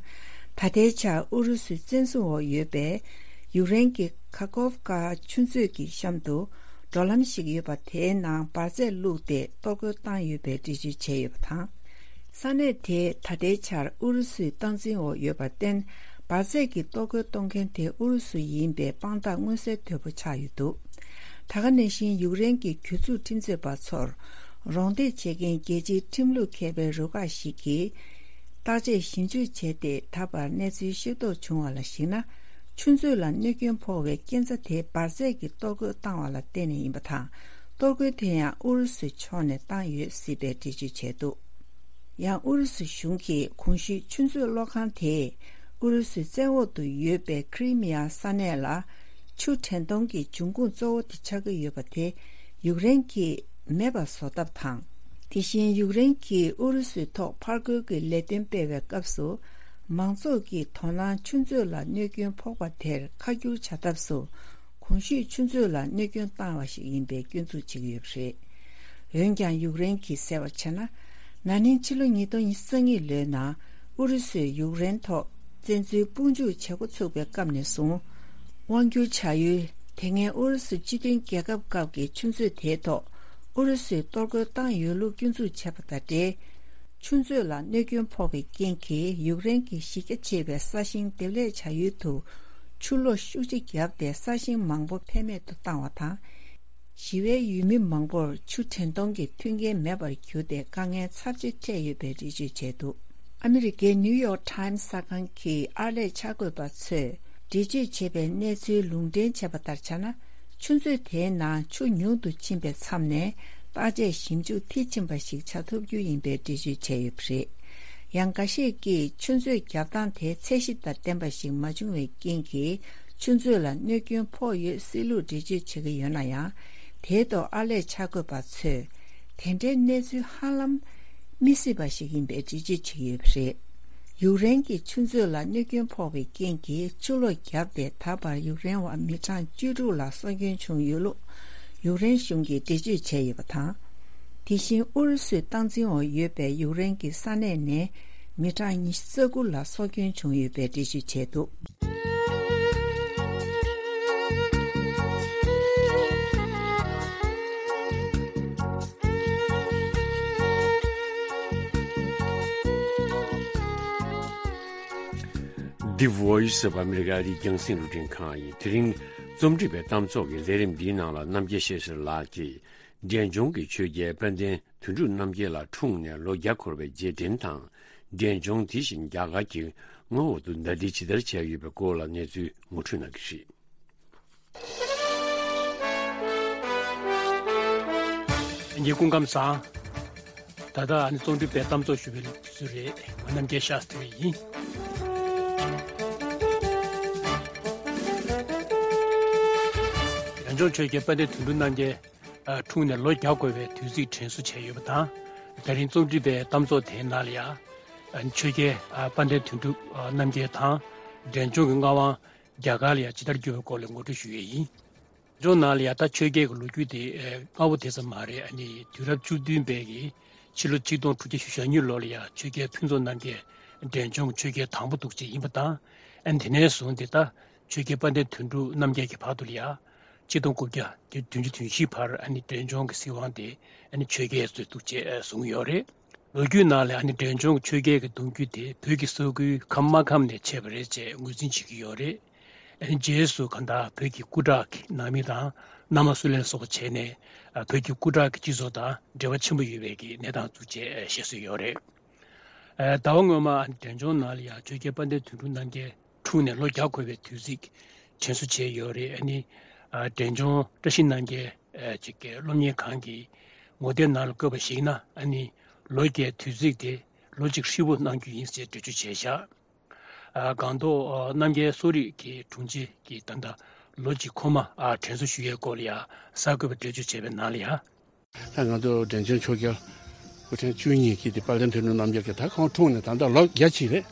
ད་ལྟའི་ཆར་ཨུ་རུ་སུའི་བཙན་བཟུང་འོག་ཡོད་པའི་ཡུཀ་རེན་གྱི་ཁ་ཁོབ་ཀ་ཆུ་མཛོད་ཀྱི་གཤམ་དུ་འགྲོ་ལམ་ཞིག་ཡོད་པ། དེའི་ནང་འབར་རྫས་བླུགས་ཏེ་གཏོར་རྒོལ་བཏང་ཡོད་པའི་འགྲེལ་བརྗོད་བྱས་ཡོད་པ་དང་། ས་གནས་དེ་ད་ལྟའི་ཆར་ཨུ་རུ་སུའི་སྟངས་འཛིན་འོག་ཡོད་པར་བརྟེན། འབར་རྫས་ཀྱི་གཏོར་རྒོལ་གཏོང་མཁན་དེ་ཨུ་རུ་སུ་ཡིན་པའི་དཔང་རྟགས་མངོན་གསལ་དོད་པོ་ཆགས་ཡོད་འདུག། ད་ག་ནང་བཞིན་ཡུཀ་རེན་གྱི་གྱོད་འཛུགས་ཁྲིམས་རྩོད་པ་ཚོར་རོགས་འདེགས་བྱེད་མཁན་རྒྱལ་སྤྱིའི་ཁྲིམས་ལུགས་མཁས་པའི་རུ་ཁག་ཞིག་གིས་བརྟག་དཔྱད་ཞིབ་འཇུག་བྱས་ཏེ། ད་བར་གནས་ཚུལ་ཤེས་རྟོགས་བྱུང་བ་ལ་གཞིགས་ན། ཆུ་མཛོད་ལ་གནོད་སྐྱོན་ཕོག་པའི་རྐྱེན་རྩ་དེ་འབར་རྫས་ཀྱི་གཏོར་རྒོལ་བཏང་བ་ལ་བརྟེན་ནས་ཡིན་པ་དང་། གཏོར་རྒོལ་དེ་ཡང་ཨུ་རུ་སུའི་ཕྱོགས་ནས་བཏང་ཡོད་སྲིད་པའི་འགྲེལ་བརྗོད་བྱས་འདུག། ཡང་ཨུ་རུ་སུ་གཞུང་གིས་གོང་ཞུས་ཆུ་མཛོད་གློག་ཁང་དེས་ཨུ་རུ་སུའི་བཙན་འོག་ཏུ་ཡོད་པའི་ཁི་རི་མི་ཡ་ས་གནས་ལ་ཆུ་འདྲེན་གཏོང་གི་འབྱུང་ཁུངས་གཙོ་བོ་དེ་ཆགས་ཀྱི་ཡོད་པ་དེ་ཡུཀ་རེན་གྱིས་མེད་པ་བཟོ་ཐབས་དང་། དེ་བཞིན་ཡུཀ་རེན་གྱིས་ཨུ་རུ་སུའི་ཐོག་ཕར་རྒོལ་གྱི་ལས་དོན་སྤེལ་བའི་སྐབས་སུ། མང་ཚོགས་ཀྱི་དོ་སྣང་ཆུ་མཛོད་ལ་གནོད་སྐྱོན་ཕོག་པ་དེར་ཁ་བསྒྱུར་བྱ་ཐབས་སུ། གོང་ཞུས་ཆུ་མཛོད་ལ་གནོད་སྐྱོན་བཏང་བ་ཞིག་ཡིན་པའི་སྐྱོན་འཛུགས་བྱེད་ཀྱི་ཡོད་པ་རེད། འོན་ཀྱང་། ཡུཀ་རེན་གྱིས་གསལ་བར་བྱས་ན། ན་ནིང་ཕྱི་ལོ་ཉིས་སྟོང་ཉི་ཤུ་རྩ་གཉིས་ལོའི་ནང་ཨུ་རུ་སུས་ཡུཀ་རེན་ཐོག་བཙན་འཛུལ་དཔུང་འཇུག་བྱེད་འགོ་ཚུགས་པའི་སྐབས་ནས་བཟུང་། དབང་སྒྱུར་བྱ་ཡུལ་དེ་སྔའི་ཨུ་རུ་སུ་སྤྱི་མཐུན་རྒྱལ་ཁབ་སྐབས་ཀྱི་ཆུ་མཛོད་དེའི་ཐོག་ཨུ་རུ་སུས་གཏོར་རྒོལ་བཏང་ཡོད་ལུགས་སྐྱོན་འཛུགས་བྱས་པ་དང་འབྲེལ། ཆུ་མཛོད་ལ་གནོད་སྐྱོན་ཕོག་པའི་རྐྱེན་གྱིས་ཡུཀ་རེན་གྱི་གཞི་རྒྱ་ཆེ་བའི་ས་ཞིང་འདེབས་ལས་བྱ་ཡུལ་དུ་ཆུ་ལོག་ཤུགས་ཆེ་བརྒྱབ་སྟེ་ས་ཞིང་མང་པོ་ཕན་མེད་དུ་བཏང་བ་དང་། ཞི་བའི་ཡུལ་མི་མང་པོར་ཆུ་འདྲེན་གཏོང་གི་མཐུན་རྐྱེན་མེད་པར་གྱུར་ཏེ་དཀའ་ངལ་ཚབས་ཆེ་འཕྲད་ཡོད་པའི་འགྲེལ་བརྗོད་བྱས་འདུག། ཨ་མི་རི་ཀའི་ནིའུ་ཡོག་ཊའིམ་གསར་ཁང་གི་ཨར་ལས་འཆར་འགོད་པ་ཚོས་འགྲེལ་བརྗོད་བྱས་པའི་གནས་ཚུལ་ལུང་འདྲེན་བྱས་པ་ལྟར་ཆགས་ན། ཆུ་མཛོད་དེའི་ནང་ཆུ་ཉུང་དུ་ཕྱིན་པའི་མཚམས་ནས་བརྟག་དཔྱད་ཞིབ་འཇུག་མཐིལ་ཕྱིན་པ་ཞིག་བྱ་ཐུབ་རྒྱུ་ཡིན་པའི་འགྲེལ་བརྗོད་བྱས་ཡོད་པ་རེད། ཡང་འགའ་ཤས་ཀྱིས་ཆུ་མཛོད་རྒྱབ་སྟངས་དེ་ཚད་གཞི་དང་ལྡན་པ་ཞིག་མ་བྱུང་བའི་རྐྱེན་གྱིས་ཆུ་མཛོད་ལ་གནོད་སྐྱོན་ཕོག་ཡོད་སྲིད་ལུགས་འགྲེལ་བརྗོད་བྱེད་ཀྱི་ཡོད་ན་ཡང་། དེའི་ཐོག་ཨར་ལས་འཆར་འགོད་པ་ཚོས་དེ་འདྲའི་གནས་ཚུལ་ཧ་ལམ་མི་སྲིད་པ་ཞིག་ཡིན་པའི་འགྲེལ་བརྗོད་བྱེད་ཀྱི་ཡོད་པ་རེད། ཡུཀ་རེན་གྱི་ཆུ་མཛོད་ལ་གནོད་སྐྱོན་ཕོག་པའི་རྐྱེན་གྱིས་ཆུ་ལོག་བརྒྱབ་སྟེ་ད་བར་ཡུཀ་རེན་བ་མི་གྲངས་བཅུ་དྲུག་ལ་སྲོག་སྐྱོན་བྱུང་ཡོད་ལུགས་ཡུཀ་རེན་གཞུང་གིས་འགྲེལ་བརྗོད་བྱས་ཡོད་པ་དང་། དེ་བཞིན་ཨུ་རུ་སུའི་སྟངས་འཛིན་འོག་ཡོད་པའི་ཡུཀ་རེན་གྱི་ས་གནས་ནས་མི་གྲངས་ཉི་ཤུ་རྩ་དགུ་ལ་སྲོག་སྐྱོན་བྱུང་ཡོད་པའི་འགྲེལ་བརྗོད་བྱས་འདུག། The Voice of America ཨ་རིའི་རྒྱང་སྲིང་རླུང་འཕྲིན་ཁང་ཡིན། དེ་རིང་རྩོམ་སྒྲིག་པའི་གཏམ་ཚོགས་ཀྱི་ལས་རིམ་འདིའི་ནང་ལ་རྣམ་རྒྱལ་ཤེས་གསལ་ལགས་ཀྱིས་འབྲས་ལྗོངས་ཀྱི་ཆོས་རྒྱལ་དཔལ་ལྡན་དོན་གྲུབ་རྣམ་རྒྱལ་ལགས་འཁྲུངས་ནས་ལོ་བརྒྱ་འཁོར་བའི་རྗེས་དྲན་དང་། འབྲས་ལྗོངས་དེ་བཞིན་རྒྱ་གར་གྱི་མངའ་འོག་ཏུ་ཟླ་སྒྲིལ་ཇི་ལྟར་བྱས་ཡོད་པའི་སྐོར་ལ་གནས་ཚུལ་ངོ་སྤྲོད་གནང་གི་རེད། ལྷན་རྒྱས་སྐུ་ཁམས་བཟང་། ད་ལྟ་ཨ་ནི་རྩོམ་སྒྲིག་པའི་གཏམ་ཚོགས་ཞུ་བའི་དུས་ཚོད་རེད། ང་རྣམ་རྒྱལ་ཤཱསྟྲི་ཡིན། འབྲས་ལྗོངས་ཆོས་རྒྱལ་དཔལ་ལྡན་དོན་གྲུབ་རྣམ་རྒྱལ་འཁྲུངས་ནས་ལོ་བརྒྱ་འཁོར་བའི་དུས་ཚིགས་དྲན་གསོ་བྱས་ཡོད་པ་དང་། དེ་རིང་རྩོམ་སྒྲིག་པའི་གཏམ་ཚོགས་དེའི་ནང་ལ་ཡང་ ཆོས་རྒྱལ་དཔལ་ལྡན་དོན་གྲུབ་རྣམ་རྒྱལ་དང་འབྲས་ལྗོངས་ཀྱི་མངའ་དབང་རྒྱ་གར་ལ་ཡང་ཇི་ལྟར་བསྒྱུར་བའི་སྐོར་ལ་ངོ་སྤྲོད་ཞུ་ཡས་ཡིན། འབྲས་ལྗོངས་ནང་ལ་ཡང་ད་ཆོས་རྒྱལ་གྱི་ལོ་རྒྱུས་དེ་སྔ་པོ་དེ་ཙམ་མ་རེད། ཨ་ནི་དུས་རབས་བཅུ་བདུན་པའི་གི་ཕྱི་ལོ་ཆིག་སྟོང་དྲུག་བརྒྱ་ཞེ་གཉིས་ལོ་ལ་ཡང་ཆོས་རྒྱལ་ཕུན་ཚོགས་རྣམ་རྒྱལ་འབྲས་ལྗོངས་ཀྱི་ཆོས་རྒྱལ་དང་པོ་འདུག་ཅེས་ཡིན་པ་དང་། ཨ་ནི་དེ་ནས་བཟུང་སྟེ་ད་ཆོས་རྒྱལ་དཔལ་ལྡན་དོན་གྲུབ་རྣམ་རྒྱལ་གྱི་བར་དུ་ལ་ཡང་ཆིག་སྟོང་དགུ་བརྒྱ་བདུན་ཅུ་དོན་བཞི་བར་ཨ་ནི་འབྲས་ལྗོངས་ཀྱི་སྲིད་དབང་དེ་ཨ་ནི་ཆོས་རྒྱལ་ཚོས་འདུག་ཅེས་གསུངས་ཡོད་རེད། ལོ་རྒྱུས་ནང་ལ་ཨ་ནི་འབྲས་ལྗོངས་ཆོས་རྒྱལ་གྱི་གདུང་རྒྱུད་དེ་བོད་ཀྱི་ས་ཁུལ་ཁམས་དམར་ཁམས་ནས་མཆེད་པ་རེད་ཅེས་ངོས་འཛིན་བྱེད་ཀྱི་ཡོད་རེད། ཨ་ནི་རྗེས་སུ་གང་ལྟར་བོད་ཀྱི་སྐུ་དྲག་གི་ནང་མི་དང་མནའ་མ་སུ་ལེན་སོགས་པ་བྱས་ནས་ཨ་བོད་ཀྱི་སྐུ་དྲག་གི་སྤྱི་ཚོགས་དང་འབྲེལ་བ་ཆེན་པོ་ཡོད་པའི་གི་གནས་སྟངས་འདུག་ཅེས་བཤད་སྲོལ་ཡོད་རེད། ཨ་ཟླ་བ་སྔོན་མ་ཨ་ནི་འབྲས་ལྗོངས་ནང་ལ་ཡང་ཆོས་རྒྱལ་དཔལ་ལྡན་དོན་གྲུབ་རྣམ་རྒྱལ་འཁྲུངས་ནས་ལོ་བརྒྱ་འཁོར་བའི་དུས་ཚིགས་དྲན་གསོ་བྱས་ཡོད་རེད། ཨ་ནི་ཨ་འབྲས་ལྗོངས་བཀྲ་ཤིས་རྣམ་རྒྱལ་ཨ་ཅིག་གི་སློབ་གཉེར་ཁང་གི་ངོ་དེབ་ནང་ལ་བཀོད་པར་གཞིགས་ན། ཨ་ནི་ལོ་བརྒྱའི་དུས་ཚིགས་དེ་ལོ་གཅིག་ཧྲིལ་པོ་གནང་རྒྱུ་ཡིན་ཟེར་འགྲེལ་བརྗོད་བྱས་བཞག་ཨ་སྒང་ཏོག་ཨ་རྣམ་རྒྱལ་གསོ་རིག་གི་དྲུང་ཆེ་གིས་ད་ལྟ་ལོ་གཅིག་འཁོར་མ་ཨ་དྲན་གསོ་ཞུ་ཡས་སྐོར་ལ་ཡང་གསར་འགོད་པར་འགྲེལ་བརྗོད་བྱས་པའི་ནང་ལ་ཡང་། ད་ང་ཚོ་འབྲས་ལྗོངས་ཆོས་རྒྱལ་སྐུ་ཕྲེང་བཅུ་གཉིས་ཀྱི་དེ་དཔལ་ལྡན་དོན་གྲུབ་རྣམ་རྒྱལ་གྱི་ད་ཁོང་འཁྲུངས་ནས་ད་ལྟ་ལོ་བརྒྱ་ཅིག་རེད།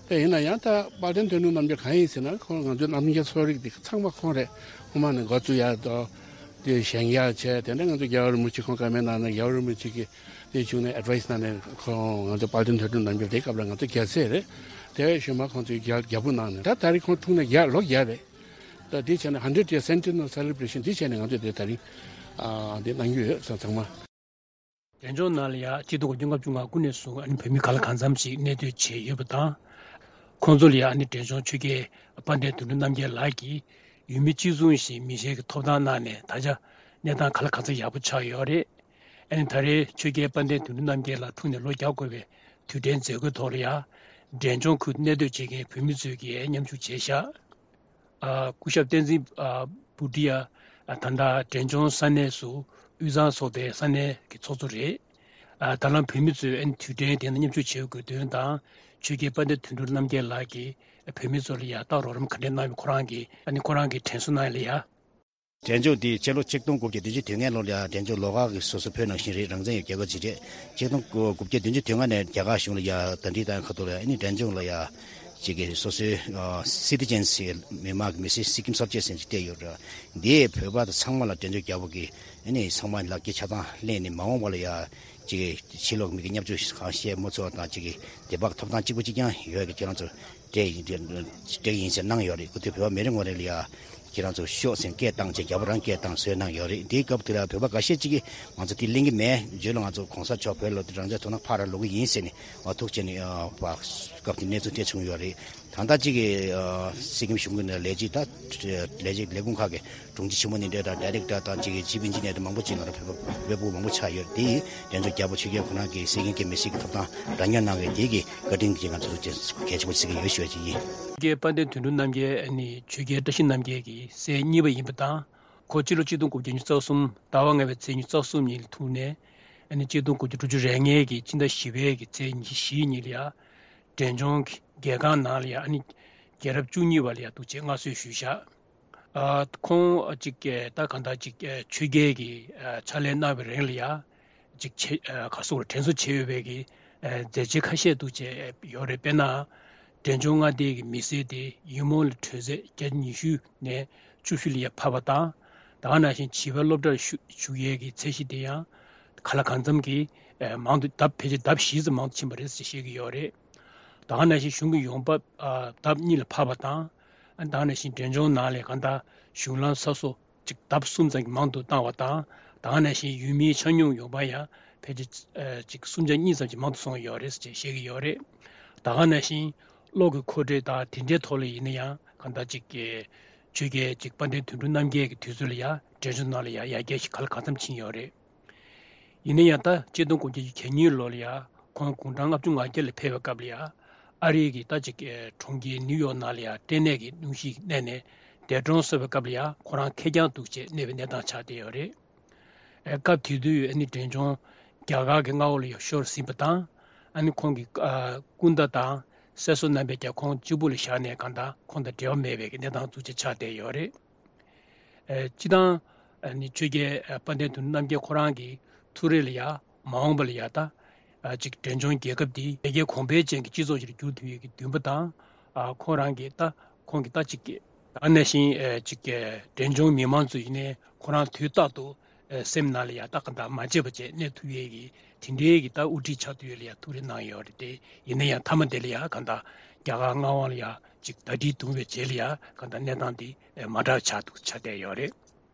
ད་ཡིན་ན་ཡང་ད་དཔལ་ལྡན་དོན་གྲུབ་རྣམ་རྒྱལ་གང་ཡིན་ཟེར་ན། ཁོང་ང་ཚོའི་རྣམ་རྒྱལ་གསོ་རིག་དེ་ཚང་མ་ཁོང་རེད། ཁོང་མ་ནས་འགོ་བཙུགས་ཡག་དང་དེ་བཞེངས་ཡག་བྱས། དེ་འདྲ་ང་ཚོ་རྒྱལ་བ་རིན་པོ་ཆེ་ཁོང་བཀའ་མོལ་གནང་ནས་རྒྱལ་བ་རིན་པོ་ཆེ་གིས་དེ་བྱུང་ནས་ཨེ་ཌི་ཝའི་སི་གནང་ནས། ཁོང་ང་ཚོ་དཔལ་ལྡན་དོན་གྲུབ་རྣམ་རྒྱལ་དེ་སྐབས་ལ་ང་ཚོ་རྒྱལ་སྲས་རེད། དེ་བཞིན་མ་ཁོང་ཚོའི་རྒྱལ་རྒྱལ་པོ་གནང་ནས་ད་ད་རེས་ཁོང་འཁྲུངས་ནས་བརྒྱ་ལོ་བརྒྱ་རེད། ད་འདི་བྱས་ནས་hundred year centennial celebration འདི་བྱས་ནས་ང་ཚོས་དེ་ད་རིང་ཨ་འདི་གནང་རྒྱུ་ཡོད་ཚང་ཚང་མ། འབྲས་ལྗོངས་ནང་ལ་ཡང་ཆིག་སྟོང་དགུ་བརྒྱ་ལྔ་བཅུ་ང་དགུ་ནས་བཟུང་ཨ་ནི་བོད་མི་གང་ལ་གང་འཚམ་ཞིག་གནས་སྡོད་བྱས་ཡོད་པ་དང་། ཁོང་ཚོ་ལ་ཡང་ཨ་ནི་འབྲས་ལྗོངས་ཆོས་རྒྱལ་དཔལ་ལྡན་དོན་གྲུབ་རྣམ་རྒྱལ་ལགས་ཀྱིས་ཡུལ་མི་གཅིག་མཚུངས་ཤིང་མི་གཞན་གྱི་ཐོབ་ཐང་གནང་ནས་ད་ཆ་གནས་སྟངས་གང་ལ་གང་འཚམ་ཡག་པོ་ཆགས་ཡོད་རེད། ཨ་ནི་ད་རེས་ཆོས་རྒྱལ་དཔལ་ལྡན་དོན་གྲུབ་རྣམ་རྒྱལ་ལགས་འཁྲུངས་ནས་ལོ་བརྒྱ་འཁོར་བའི་དུས་དྲན་མཛད་སྒོའི་ཐོག་ལ་ཡང་འབྲས་ལྗོངས་ཁུལ་གནས་སྡོད་བྱེད་མཁན་བོད་མི་ཚོས་ཀྱིས་མཉམ་ཞུགས་བྱས་ཤག་ཨ་སྐུ་ཞབས་བསྟན་འཛིན་ཨ་བུ་ཏི་ཡ་ཨ་ད་ལྟ་འབྲས་ལྗོངས་ས་གནས་སུ་དབུས་གཙང་ཚོགས་པའི་ས་གནས་ཀྱི་ཚོགས་གཙོ་རེད། ཨ་ད་ལམ་བོད་མི་ཚོས་ཨ་ནི་དུས་དྲན་དེ་ནང་མཉམ་ཞུགས་བྱེད་དགོས་དོན་དང་། ཆོས་རྒྱལ་དཔལ་ལྡན་དོན་གྲུབ་རྣམ་རྒྱལ་ལགས་ཀྱིས་བོད་མི་ཚོ་ལ་ཡང་ད་རོགས་རམ་ག་འདྲས་གནང་བའི་ཁོ་རང་གིས་ཨ་ནི་ཁོ་རང་གིས་དྲན་གསོ་གནང་ཡ་ལ་ཡ། འབྲས་ལྗོངས་འདི་སྤྱི་ལོ་ཆིག་སྟོང་དགུ་བརྒྱ་བདུན་ཅུ་དོན་ལྔ་ལོ་ལ་ཡང་འབྲས་ལྗོངས་ལོགས་ཀ་གི་སོ་སོ་བོད་ནང་བཞིན་རེད། རང་བཙན་ཡོད་རྒྱལ་ཁབ་ཅིག་རེད། ཆིག་སྟོང་དགུ་བརྒྱ་བདུན་ཅུ་དོན་ལྔ་ནས་རྒྱ་གར་གཞུང་ལ་ཡང་གདན་འདྲེན་བཏང་ཁ་ཐུག་ལ་ཡང་ཨ་ནི་འབྲས་ལྗོངས་ལ་ཡང་ཅིག་གི་སོ་སོའི་citizens མི་དམངས་ཀྱི་མི་སེར་སི་ཀིམ་སབ་ཇེག་ཟེར་ཅིག་བསྡད་ཡོད་རེད། འདིའི་བོད་པ་དང་ཚང་མ་ལ་འབྲས་ལྗོངས་རྒྱལ་པོ་གིས་ཨ་ནི་ཚང་མ་ལག་གི་ཆ་ཚང་ལེན་ནས་མ་འོངས་པ་ལ་ཡང་ཅིག་གི་ཕྱི་ལོགས་མི་གི་བརྙས་བཅོས་གང་བཤད་མ་ཚུགས་པ་དང་། ཅིག་གི་དད་པ་ཐོབ་ཐང་གཅིག་པ་གཅིག་རྐྱང་ཡོད་ཀྱི་ཁྱེད་རང་ཚོ་སྤྲད་ཡིན་སྤྲད་ཡིན་ཟེར་གནང་ཡོད་རེད། ཁོ་ཚོས་བོད་པ་མི་རེ་ངོ་རེ་ལ་ཡ་ཁྱེད་རང་ཚོ་ཤོག་ཟེར་སྐད་བཏང་བྱས་རྒྱལ་པོ་རང་སྐད་བཏང་བཟོས་གནང་ཡོད་རེད། དེའི་སྐབས་དེ་ལ་བོད་པ་འགའ་ཤས་ཅིག་གིས་ང་ཚོ་དེ་ལེན་གྱི་མེད། རྗེས་ལ་ང་ཚོ་གོང་ས་མཆོག་བོད་ལ་རང་བཙན་ཐོབ་ན་ཕར་ར་ལོག་གི་ཡིན་ཟེར་ནས་ཐུགས་རྗེ་ཆེ་ནས་སྐབས་དེ་གནས་ཚུལ་དེ་བྱུང་ཡོད་རེད། ད་ལྟ་ཅིག་གི་སི་ཀིམ་གཞུང་གི་ནས་ལས་བྱེད་ད་ལས་བྱེད་ལས་ཁུངས་ཁག་གི་དྲུང་ཆེ་ཆེན་མོ་ནས་འདྲ་དང་ཌའི་རེག་ཊར་དང་ཅིག་གི་ཅིབ་ཨིན་ཇི་ནི་ཡར་དེ་མང་པོ་ཅིག་ང་རང་བོད་པ་བོད་པ་སྤུ་གུ་མང་པོ་ཆགས་ཡོད། དེ་ཡིས་འབྲས་ལྗོངས་རྒྱལ་པོ་ཆོས་རྒྱལ་ཁོ་རང་གི་སྲིད་དབང་གི་མི་སེར་གྱི་ཐོབ་ཐང་རང་ཉོ་གནང་བའི་དེ་གི་བཀའ་དྲིན་གྱིས་ང་ཚོ་གལ་ཆེན་པོ་བརྩི་གི་ཡོད་ཞུ་བ་ཅིག་ཡིན། ཆོས་རྒྱལ་དཔལ་ལྡན་དོན་གྲུབ་རྣམ་རྒྱལ་ཨ་ནི་ཆོས་རྒྱལ་བཀྲ་ཤིས་རྣམ་རྒྱལ་གྱི་སྲས་གཉིས་པ་ཡིན་པ་དང་། ཁོ་སྤྱི་ལོ་གཅིག་སྟོང་དགུ་བརྒྱ་ཉི་ཤུ་རྩ་གསུམ་ཟླ་བ་ལྔ་པའི་ཚེས་ཉི་ཤུ་རྩ་གསུམ་ཉིན་ལ་ཐུག་ནས། ཨ་ནི་གཅིག་སྟོང་དགུ་བརྒྱ་དྲུག་ཅུ་རེ་ལྔའི་གི་སྤྱི་ཟླ་བཞི་པའི་གི་ཚེས་ཉི་ཤུ་བཞི་ཉིན་ལ་ཡ། འབྲས་ལྗོངས་ཀྱི་རྒྱལ་ཁང་ནང་ལ་ཡ་ཨ་ནི་རྒྱལ་རབས་བཅུ་གཉིས་པ་ལ་ཡ་འདུག་ཅེས་མངའ་གསོལ་ཞུས་བཞག་ཨ་ཁོང་ཨ་ཅིག་ཨེ་ད་གང་ལྟར་ཅིག་ཨེ་ཆོས་རྒྱལ་གྱི་ཨ་ཕྱག་ལས་གནང་བའི་རིང་ལ་ཡ་ཅིག་ཆེ་ཨ་ག་སོགས་དྲན་གསོ་བྱས་ཡོད་པའི་གི་ཨ་མཛད་རྗེས་ཁ་ཤས་འདུག་ཅེས་ཡོད་རེད། དཔེར་ན། འབྲས་ལྗོངས་མངའ་སྡེའི་གི་མི་སེར་དེ་ཡུལ་མོ་ལ་དྲོད་ཚད་བརྒྱ་ཆ་ཉི་ཤུ་ནས་བཅུ་བཞི་ལ་ཡ་འཕར་བ་དང་། ད་ག་ནང་བཞིན་བྱིས་པ་སློབ་གྲྭར་ཞུགས་ཞུགས་ཡས་ཀྱི་ཚད་གཞི་དེ་ཡང་གང་ལ་གང་འཚམ་གྱིས་ཨ་མང་དུ་ལྡབ་ཕལ་ཆེར་ལྡབ་བཞི་ཙམ་མང་དུ་ཕྱིན་པ་རེད་ཅེས་བཤད་ཀྱི་ཡོད་རེད། ད་ག་ནང་བཞིན་གཞུང་གི་ཡོང་འབབ་ཨ་ལྡབ་གཉིས་ལ་འཕར་བ་དང་། ཨ་ད་ག་ནང་བཞིན་འབྲས་ལྗོངས་ནང་ལ་གང་ལྟར་གཞུང་ལམ་ས་སོ་ཅིག་ལྡབ་གསུམ་ཙམ་གྱིས་མང་དུ་བཏང་བ་དང་། ད་ག་ནང་བཞིན་ཡུལ་མིའི་ཆ་སྙོམས་ཡོང་འབབ་ཡང་ཕལ་ཆེར་ཨ་ཅིག་གསུམ་ཆ་གཉིས་ཙམ་གྱིས་མང་དུ་སོང་ཡོད་རེད་ཅེས་བཤད་ཀྱི་ཡོད་རེད། ད་ག་ནང་བཞིན་གློག་གི་མཁོ་སྤྲོད་དང་དེ་འདྲའི་ཐོག་ལ་ཡིན་ན་ཡང་གང་ལྟར་ཅིག་གི་ཆོས་རྒྱལ་ཅིག་དཔལ་ལྡན་དོན་གྲུབ་རྣམ་རྒྱལ་གྱི་དུས་ཚོད་ལ་ཡང་འབྲས་ལྗོངས་ནང་ལ་ཡང་ཡར་རྒྱས་ཤིག་གང་ལ་གང་འཚམ་ཕྱིན་ཡོད་རེད། ཡིན་ན་ཡང་ད་ཆིག་སྟོང་དགུ་བརྒྱ་གྱ་གཉིས་ལོ་ལ་ཡང་ཁོང་དགུང་གྲངས་ལྔ་བཅུ་ང་བརྒྱད་ལ་ཕེབས་པའི་སྐབས་ལ་ཡང་ཨ་རིའི་གི་ད་ཅིག་གྲོང་ཁྱེར་ནིའུ་ཡོག་ནང་ལ་ཡང་སྐྲན་ནད་ཀྱི་སྣུམ་ཞིག་གནས་ནས་འདས་གྲོངས་སོང་བའི་སྐབས་ལ་ཡང་ཁོ་རང་ཁེར་རྐྱང་འདུག་ཅེས་གནས་པའི་གནས་སྟངས་ཆགས་བསྡད་ཡོད་རེད། ཨེ་སྐབས་དེ་དུས་ཨ་ནི་འབྲས་ལྗོངས་རྒྱ་གར་གྱི་མངའ་འོག་ལ་ཡང་ཤོར་ཟིན་པ་དང་། ཨ་ནི་ཁོང་གི་ཨ་སྐུ་ཟླ་དང་སྲས་བཟོ་རྣམ་པས་ཀྱང་ཁོང་གཅིག་པུ་ལ་བཞག་ནས་གང་ལྟར་ཁོང་དང་འབྲེལ་བ་མེད་པའི་གནས་སྟངས་འདུག་ཅེས་ཆགས་བསྡད་ཡོད་རེད། ཨེ་སྤྱིར་བཏང་ཨ་ནི་ཆོས་རྒྱལ་ཨ་དཔལ་ལྡན་དོན་གྲུབ་རྣམ་རྒྱལ་ཁོ་རང་གི་ཐུགས་རེ་ལ་ཡང་མ་འོངས་པ་ལ་ཡང་ད་ ཨ་ཅིག་འབྲས་ལྗོངས་རྒྱལ་ཁབ་འདི་ཡར་རྒྱས་གོང་འཕེལ་ཅན་གྱི་སྤྱི་ཚོགས་ཤིག་ཏུ་འགྱུར་ཐུབ་ཡས་ཀྱི་འདུན་པ་དང་། ཨ་ཁོ་རང་གི་ད་ཁོང་གི་ད་ཅིག་གི་ད་ག་ནང་བཞིན་ཨ་ཅིག་གི་འབྲས་ལྗོངས་མི་མང་ཚོ་ཡིན་ནའི་ཁོ་རང་དུས་རྟག་ཏུ་ཨ་སེམས་ནང་ལ་ཡ་ད་གང་ལྟར་མ་བརྗེད་པ་བྱས་གནས་ཐུབ་ཡས་ཀྱི་དེ་འདྲའི་གི་ད་དབུ་ཁྲིད་ཆགས་ཐུབ་ཡས་ལ་ཡ་ཐུགས་རེ་གནང་ཡོད་རེད་དེ། ཡིན་ན་ཡང་མཐའ་མ་དེ་ལ་ཡ་གང་ལྟར་རྒྱ་གར་མངའ་དབང་ལ་ཡ་ཅིག་ཟླ་སྒྲིལ་བརྡུངས་པའི་རྗེས་ལ་ཡ་གང་ལྟར་གནས་སྟངས་འདི་ཨ་མ་འདྲ་ཆགས་འདུག་ཆགས་བསྡད་ཡོད་རེད།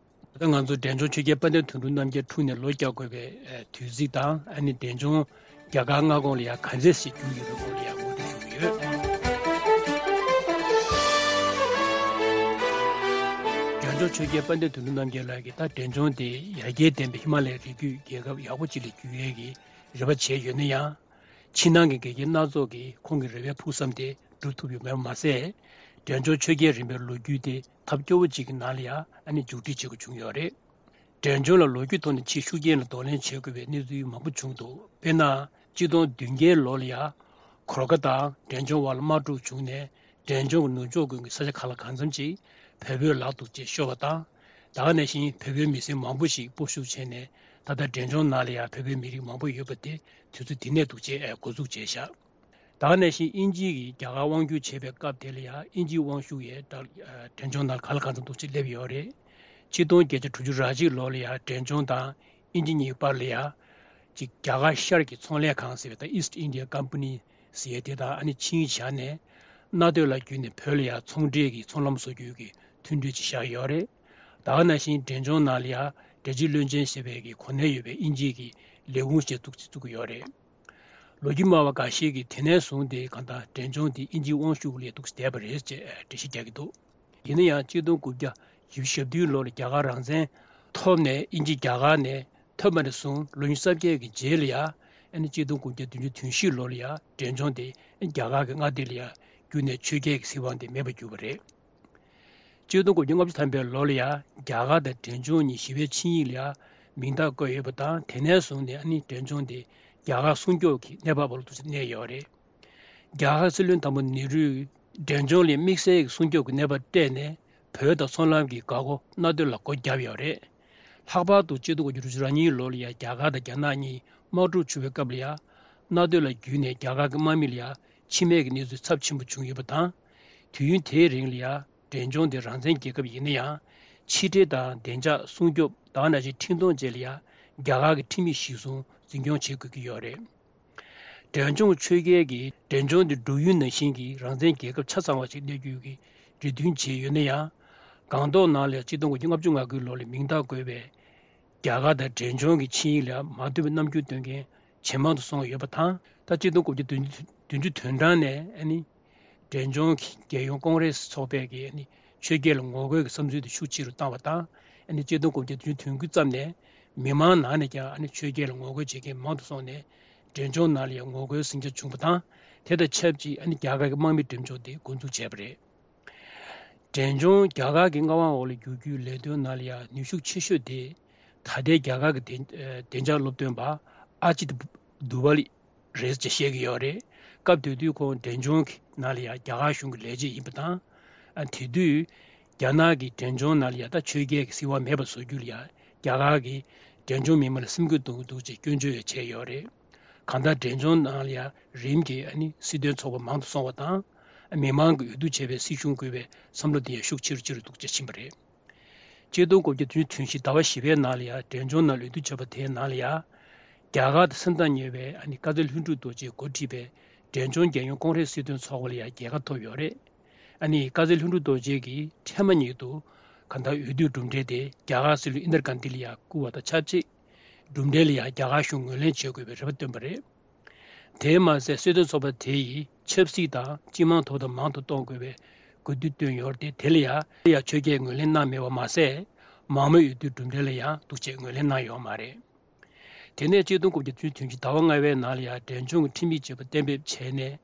ད་ང་ཚོ་འབྲས་ལྗོངས་ཆོས་རྒྱལ་དཔལ་ལྡན་དོན་གྲུབ་རྣམ་རྒྱལ་འཁྲུངས་ནས་ལོ་བརྒྱ་འཁོར་བའི་ཨ་དུས་ཚིགས་དང་། ཨ་ནི་འབྲས་ལྗོངས་རྒྱ་གར་མངའ་ཁོངས་ལ་ཡ་ག་ཚད་ཞིག་གྱུར་ཡོད་པའི་སྐོར་ལ་ཡ་ངོ་སྤྲོད་ཞུ་གི་ཡོད། འབྲས་ལྗོངས་ཆོས་རྒྱལ་དཔལ་ལྡན་དོན་གྲུབ་རྣམ་རྒྱལ་ལགས་ཀྱིས་ད་འབྲས་ལྗོངས་དེ་ཡར་རྒྱས་ལྡན་པའི་ཧི་མ་ལའི་རི་རྒྱུད་རྒྱལ་ཁབ་ཡག་པོ་ཅིག་ལ་འགྱུར་ཡས་ཀྱི་རེ་བ་བྱས་ཡོད་ན་ཡང་། ཕྱི་ནང་གི་འགལ་རྐྱེན་སྣ་ཚོགས་ཀྱིས་ཁོང་གི་རེ་བའི་ཕུགས་བསམ་དེ་འགྲུབ་ཐུབ་ཡོད་མེད་མ་ཟད། འབྲས་ལྗོངས་ཆོས་རྒྱལ་རིམ་པའི་ལོ་རྒྱུས་དེ་ཐབས་སྐྱོ་བོ་ཅིག་གི་ནང་ལ་ཡང་ཨ་ནི་མཇུག་སྒྲིལ་བྱེད་དགོས་བྱུང་ཡོད་རེད། འབྲས་ལྗོངས་ལ་ལོ་རྒྱུས་ཐོག་ནས་ཕྱིའི་ཤུགས་རྐྱེན་ལ་གདོང་ལེན་བྱེད་དགོས་པའི་གནས་ཚུལ་མང་པོ་བྱུང་འདུག་དཔེར་ན། གཅིག་སྟོང་བདུན་བརྒྱའི་ལོ་ལ་ཡང་གོར་ཁ་དང་འབྲས་ལྗོངས་དབར་ལ་དམག་འཁྲུག་བྱུང་ནས། འབྲས་ལྗོངས་ཀྱི་ནུབ་ཕྱོགས་ཀུན་གྱི་ས་ཆ་གང་ལ་གང་འཚམ་ཅིག་བལ་པོའི་ལག་ཏུ་ཅིག་ཤོར་བ་དང་། ད་ག་ནང་བཞིན་བལ་པོའི་མི་སེར་མང་པོ་ཞིག་སྤོ་བཤུག་བྱས་ནས། ད་ལྟ་འབྲས་ལྗོངས་ནང་ལ་ཡང་བལ་པོའི་མི་རིགས་མང་པོ་ཡོད་པ་དེ་དུས་ཚོད་དེ་ནས་འདུག་ཅེས་འགོ་འཛུགས་བྱས་བཞག་ད་ག་ནང་བཞིན་དབྱིན་ཇི་གིས་རྒྱ་གར་དབང་བསྒྱུར་བྱེད་པའི་སྐབས་དེ་ལ་ཡང་དབྱིན་ཇིའི་དབང་ཤུགས་ཡང་ད་འབྲས་ལྗོངས་ནང་ག་ལ་གང་འཚམ་འདུག་ཅེས་སླེབས་ཡོད་རེད། ཆིག་སྟོང་བརྒྱད་བརྒྱ་དྲུག་ཅུ་རེ་གཅིག་ལོ་ལ་ཡང་འབྲས་ལྗོངས་དང་དབྱིན་ཇི་གཉིས་བར་ལ་ཡང་ཅིག་རྒྱ་གར་ཤར་གྱི་ཚོང་ལས་ཁང་ཟེར་བའི་ད་East India Company ཟེར་ཡས་དེ་དང་ཨ་ནི་ཆིངས་བཞག་ནས། རྣ་སྟོད་ལ་བརྒྱུད་ནས་བོད་ལ་ཡང་ཚོང་འབྲེལ་གྱི་ཚོང་ལམ་བཟོ་རྒྱུའི་གི་མཐུན་གྲོས་ཅིག་བཞག་ཡོད་རེད། ད་ག་ནང་བཞིན་འབྲས་ལྗོངས་ནང་ལ་ཡང་འབྲས་ལྗོངས་བློན་ཆེན་ཞེས་པའི་གི་གོ་གནས་ཡོད་པའི་དབྱིན་ཇིའི་གི་ལས་ཁུངས་ཤིག་བཙུགས་བཙུགས་ཀྱི་ཡོད་རེད། ལོ་རྒྱུས་སྨྲ་བ་འགའ་ཤས་ཀྱིས་དེ་ནས་བཟུང་སྟེ་གང་ལྟར་འབྲས་ལྗོངས་དེ་དབྱིན་ཇིའི་དབང་ཤུགས་ལས་འདུག་བསྡད་པ་རེད་ཅེས་འགྲེལ་བཤད་རྒྱག་གི་འདུག་ཡིན་ན་ཡང་གཅིག་སྟོང་དགུ་བརྒྱ་བཞི་བཅུ་ཞེ་བདུན་ལོ་ལ་རྒྱ་གར་རང་བཙན་ཐོབ་ནས། དབྱིན་ཇི་རྒྱ་གར་ནས་ཐོན་པ་ནས་བཟུང་ལོ་ཉི་ཤུ་རྩ་བརྒྱད་ཀྱི་རྗེས་ལ་ཡང་ཨ་ནི་གཅིག་སྟོང་དགུ་བརྒྱ་བདུན་ཅུ་དོན་བཞི་ལོ་ལ་ཡང་འབྲས་ལྗོངས་དེ་རྒྱ་གར་གྱི་མངའ་སྡེ་ལ་ཡང་བསྒྱུར་ནས་ཆོས་རྒྱལ་གྱི་སྲིད་དབང་དེ་མེད་པར་གྱུར་པ་རེད། གཅིག་སྟོང་དགུ་བརྒྱ་ལྔ་བཅུ་ཐམ་པའི་ལོ་ལ་ཡང་རྒྱ་གར་དང་འབྲས་ལྗོངས་གཉིས་ཞི་བའི་ཆིངས་ཡིག་ལ་ཡང་མིང་རྟགས་བཀོད་ཡོད་པ་དང་། དེ་ནས་བཟུང་ནས་ཨ་ནི་འབྲས་ལྗོངས་དེ་རྒྱ་གར་སྲུང་སྐྱོབ་ཀྱི་གནས་བབ་བར་དུ་གནས་ཡོད་རེད། རྒྱ་གར་སྲིད་བློན་དང་པོ་ནེ་རུས་འབྲས་ལྗོངས་ལ་དམིགས་བསལ་གྱི་སྲུང་སྐྱོབ་ཀྱི་གནས་བབ་སྤྲད་ནས། བོད་དང་ཚོང་ལམ་གྱི་འགག་སྒོ་རྣ་སྟོད་ལ་སྒོ་བརྒྱབ་ཡོད་རེད། ལྷག་པར་དུ་གཅིག་སྟོང་དགུ་བརྒྱ་དྲུག་ཅུ་རེ་གཉིས་ལོ་ལ་ཡང་རྒྱ་གར་དང་རྒྱ་ནག་གཉིས་དམག་འཁྲུག་བྱུང་བའི་སྐབས་ལ་ཡང་། རྣ་སྟོད་ལ་བརྒྱུད་ནས་རྒྱ་གར་གྱི་དམག་མི་ལ་ཡང་འཆི་རྨས་ཀྱི་གནས་ཚུལ་ཚབས་ཆེན་པོ་བྱུང་ཡོད་པ་དང་། དུས་ཡུན་དེའི་རིང་ལ་ཡང་འབྲས་ལྗོངས་དེ་རང་བཙན་རྒྱལ་ཁབ་ཡིན་ན་ཡང་། ཕྱི་འབྲེལ་དང་བདེ་འཇགས་སྲུང་སྐྱོབ་དང་ནང་བཞིན་འཕྲིན་གཏོང་བཅས་ལ་ཡང་རྒྱ་གར་གྱི་ཁྲིམས་ཡིག་གཞིར་བཟུང་འཛིན་སྐྱོང་བྱེད་དགོས་ཀྱི་ཡོད་རེད། འབྲས་ལྗོངས་ཆོས་རྒྱལ་གྱིས་འབྲས་ལྗོངས་འདི་འབྲུག་ཡུལ་ནང་བཞིན་གྱི་རང་བཙན་རྒྱལ་ཁབ་ཆ་ཚང་བ་ཞིག་གནས་རྒྱུའི་གི་རེ་འདུན་བྱས་ཡོད་ན་ཡང་། སྒང་ཏོག་ནང་ལ་ཆིག་སྟོང་དགུ་བརྒྱ་ལྔ་བཅུ་ང་དགུའི་ལོ་ལ་མིང་རྟགས་བཀོད་པའི་རྒྱ་གར་དང་འབྲས་ལྗོངས་ཀྱི་ཆིངས་ཡིག་ལ་མ་བསྟུན་པའི་རྣམ་འགྱུར་སྟོན་མཁན་ཇེ་མང་དུ་སོང་ཡོད་པ་དང་། ད་ཆིག་སྟོང་དགུ་བརྒྱ་བདུན་ཅུ་དོན་གྲངས་ནས་ཨ་ནི། འབྲས་ལྗོངས་ཀྱི་རྒྱལ་ཡོངས་ཀོང་རེ་སི་ཚོགས་པས་ཀྱིས་ཨ་ནི་ཆོས་རྒྱལ་ལ་ངོ་རྒོལ་གྱི་བསམ་ཚུལ་དེ་ཤུགས་ཆེ་རུ་བཏང་བ་དང་། ཨ་ནི་ཆིག་སྟོང་དགུ་བརྒྱ་བདུན་ཅུ་དོན་དགུ་ཙམ་ནས་མི་མང་ནང་ནས་ཀྱང་ཨ་ནི་ཆོས་རྒྱལ་ལ་ངོ་རྒོལ་བྱེད་མཁན་མང་དུ་སོང་ནས། འབྲས་ལྗོངས་ནང་ལ་ཡང་ངོ་རྒོལ་ཟིང་ཆ་བྱུང་བ་དང་། དེ་དང་ཆབས་ཅིག་ཨ་ནི་རྒྱ་གར་གྱི་དམག་མི་འགྲེམས་འཇོག་དེ་འགོ་འཛུགས་བྱས་པ་རེད། འབྲས་ལྗོངས་རྒྱ་གར་གྱི་མངའ་དབང་འོག་ལ་བསྒྱུར་རྒྱུའི་ལས་དོན་ནང་ལ་ཡང་ནུས་ཤུགས་ཆེ་ཤོས་དེ། ད་ལྟའི་རྒྱ་གར་གྱི་བདེ་བདེ་འཇགས་སློབ་སྟོན་པ་ཨ་ཇིད་དུ་ཝ་ལི་རེད་ཅེས་བཤད་ཀྱི་ཡོད་རེད། སྐབས་དེ་དུས་ཁོང་འབྲས་ལྗོངས་ཀྱི་ནང་ལ་ཡང་རྒྱ་གར་གཞུང་གི་ལས་བྱེད་ཡིན་པ་དང་། ཨ་དེ་དུས་རྒྱ་ནག་གིས་འབྲས་ལྗོངས་ནང་ལ་ཡང་ད་ཆོས་རྒྱལ་གྱི་སྲིད་དབང་མེད་པ་བཟོ་རྒྱུ་ལ་ཡང་རྒྱ་གར་གྱིས་འབྲས་ལྗོངས་མི་མང་ལ་སེམས་འགུལ་གཏོང་གི་འདུག་ཅེས་སྐྱོན་བརྗོད་ཡང་བྱས་ཡོད་རེད། གང་ལྟར་འབྲས་ལྗོངས་ནང་ལ་ཡང་རིམ་གྱིས་ཨ་ནི་སྲིད་དོན་ཚོགས་པ་མང་དུ་སོང་བ་དང་། མི་མང་གིས་འོས་བསྡུ་བྱས་པའི་སྲིད་གཞུང་དགོས་པའི་བསམ་བློ་དེ་ཡང་ཤུགས་ཆེ་རུ་ཆེ་རུ་འདུག་ཅེས་ཕྱིན་པ་རེད། ཆིག་སྟོང་དགུ་བརྒྱ་བདུན་ཅུ་དོན་བཞི་ཟླ་བ་བཞི་པའི་ནང་ལ་ཡང་འབྲས་ལྗོངས་ནང་ལ་འོས་བསྡུ་བྱས་པ་དེའི་ནང་ལ་ཡང་། རྒྱ་གར་དང་སེམས་ཐག་ཉེ་བའི་ཨ་ནི་དཀར་མཛེས་ལྷུན་གྲུབ་རྡོ་རྗེས་འགོ་ཁྲིད་པའི་འབྲས་ལྗོངས་རྒྱལ་ཡོངས་ཀོང་རེས་སྲིད་དོན་ཚོགས་པ་ལ་ཡང་རྒྱལ་ཁ་ཐོབ་ཡོད་རེད། ཨ་ནི་དཀར་མཛེས་ལྷུན་གྲུབ་རྡོ་རྗེ་གིས་ཐེངས་མ་ཉིད་དུ་གང་ལྟར་འོས་བསྡུའི་གྲུབ་འབྲས་དེ་རྒྱ་གར་སྲིད་བློན་ཨིན་དར་གྷན་དྷི་ལ་ཡང་བསྐུར་བ་དང་ཆབས་ཅིག་གྲུབ་འབྲས་ལ་ཡང་རྒྱ་གར་གཞུང་ངོས་ལེན་བྱེད་དགོས་པའི་རེ་བ་བཏོན་པ་རེད། དེས་མ་ཟད་སྲིད་དོན་ཚོགས་པ་དེ་ཡིས་ཆབ་སྲིད་དང་སྤྱི་དམངས་དོ་དམ་མང་དུ་གཏོང་དགོས་པའི་དགོས་འདུན་བཏོན་ཡོད་དེ། དེ་ལ་ཡང་ཆོས་རྒྱལ་ངོས་ལེན་གནང་མེད་པ་མ་ཟད། མང་མོས་འོས་བསྡུའི་གྲུབ་འབྲས་ལ་ཡང་འདུག་ཅེས་ངོས་ལེན་གནང་ཡོད་མ་རེད། དེ་ནས་ཆིག་སྟོང་དགུ་བརྒྱ་བདུན་ཅུ་དོན་བཞི་ཟླ་བ་ལྔ་པའི་ནང་ལ་ཡང་འབྲས་ལྗོངས་ཀྱི་ཁྲིམས་ཡིག་ཅེས་པ་གཏན་འབེབས་བྱས་ནས།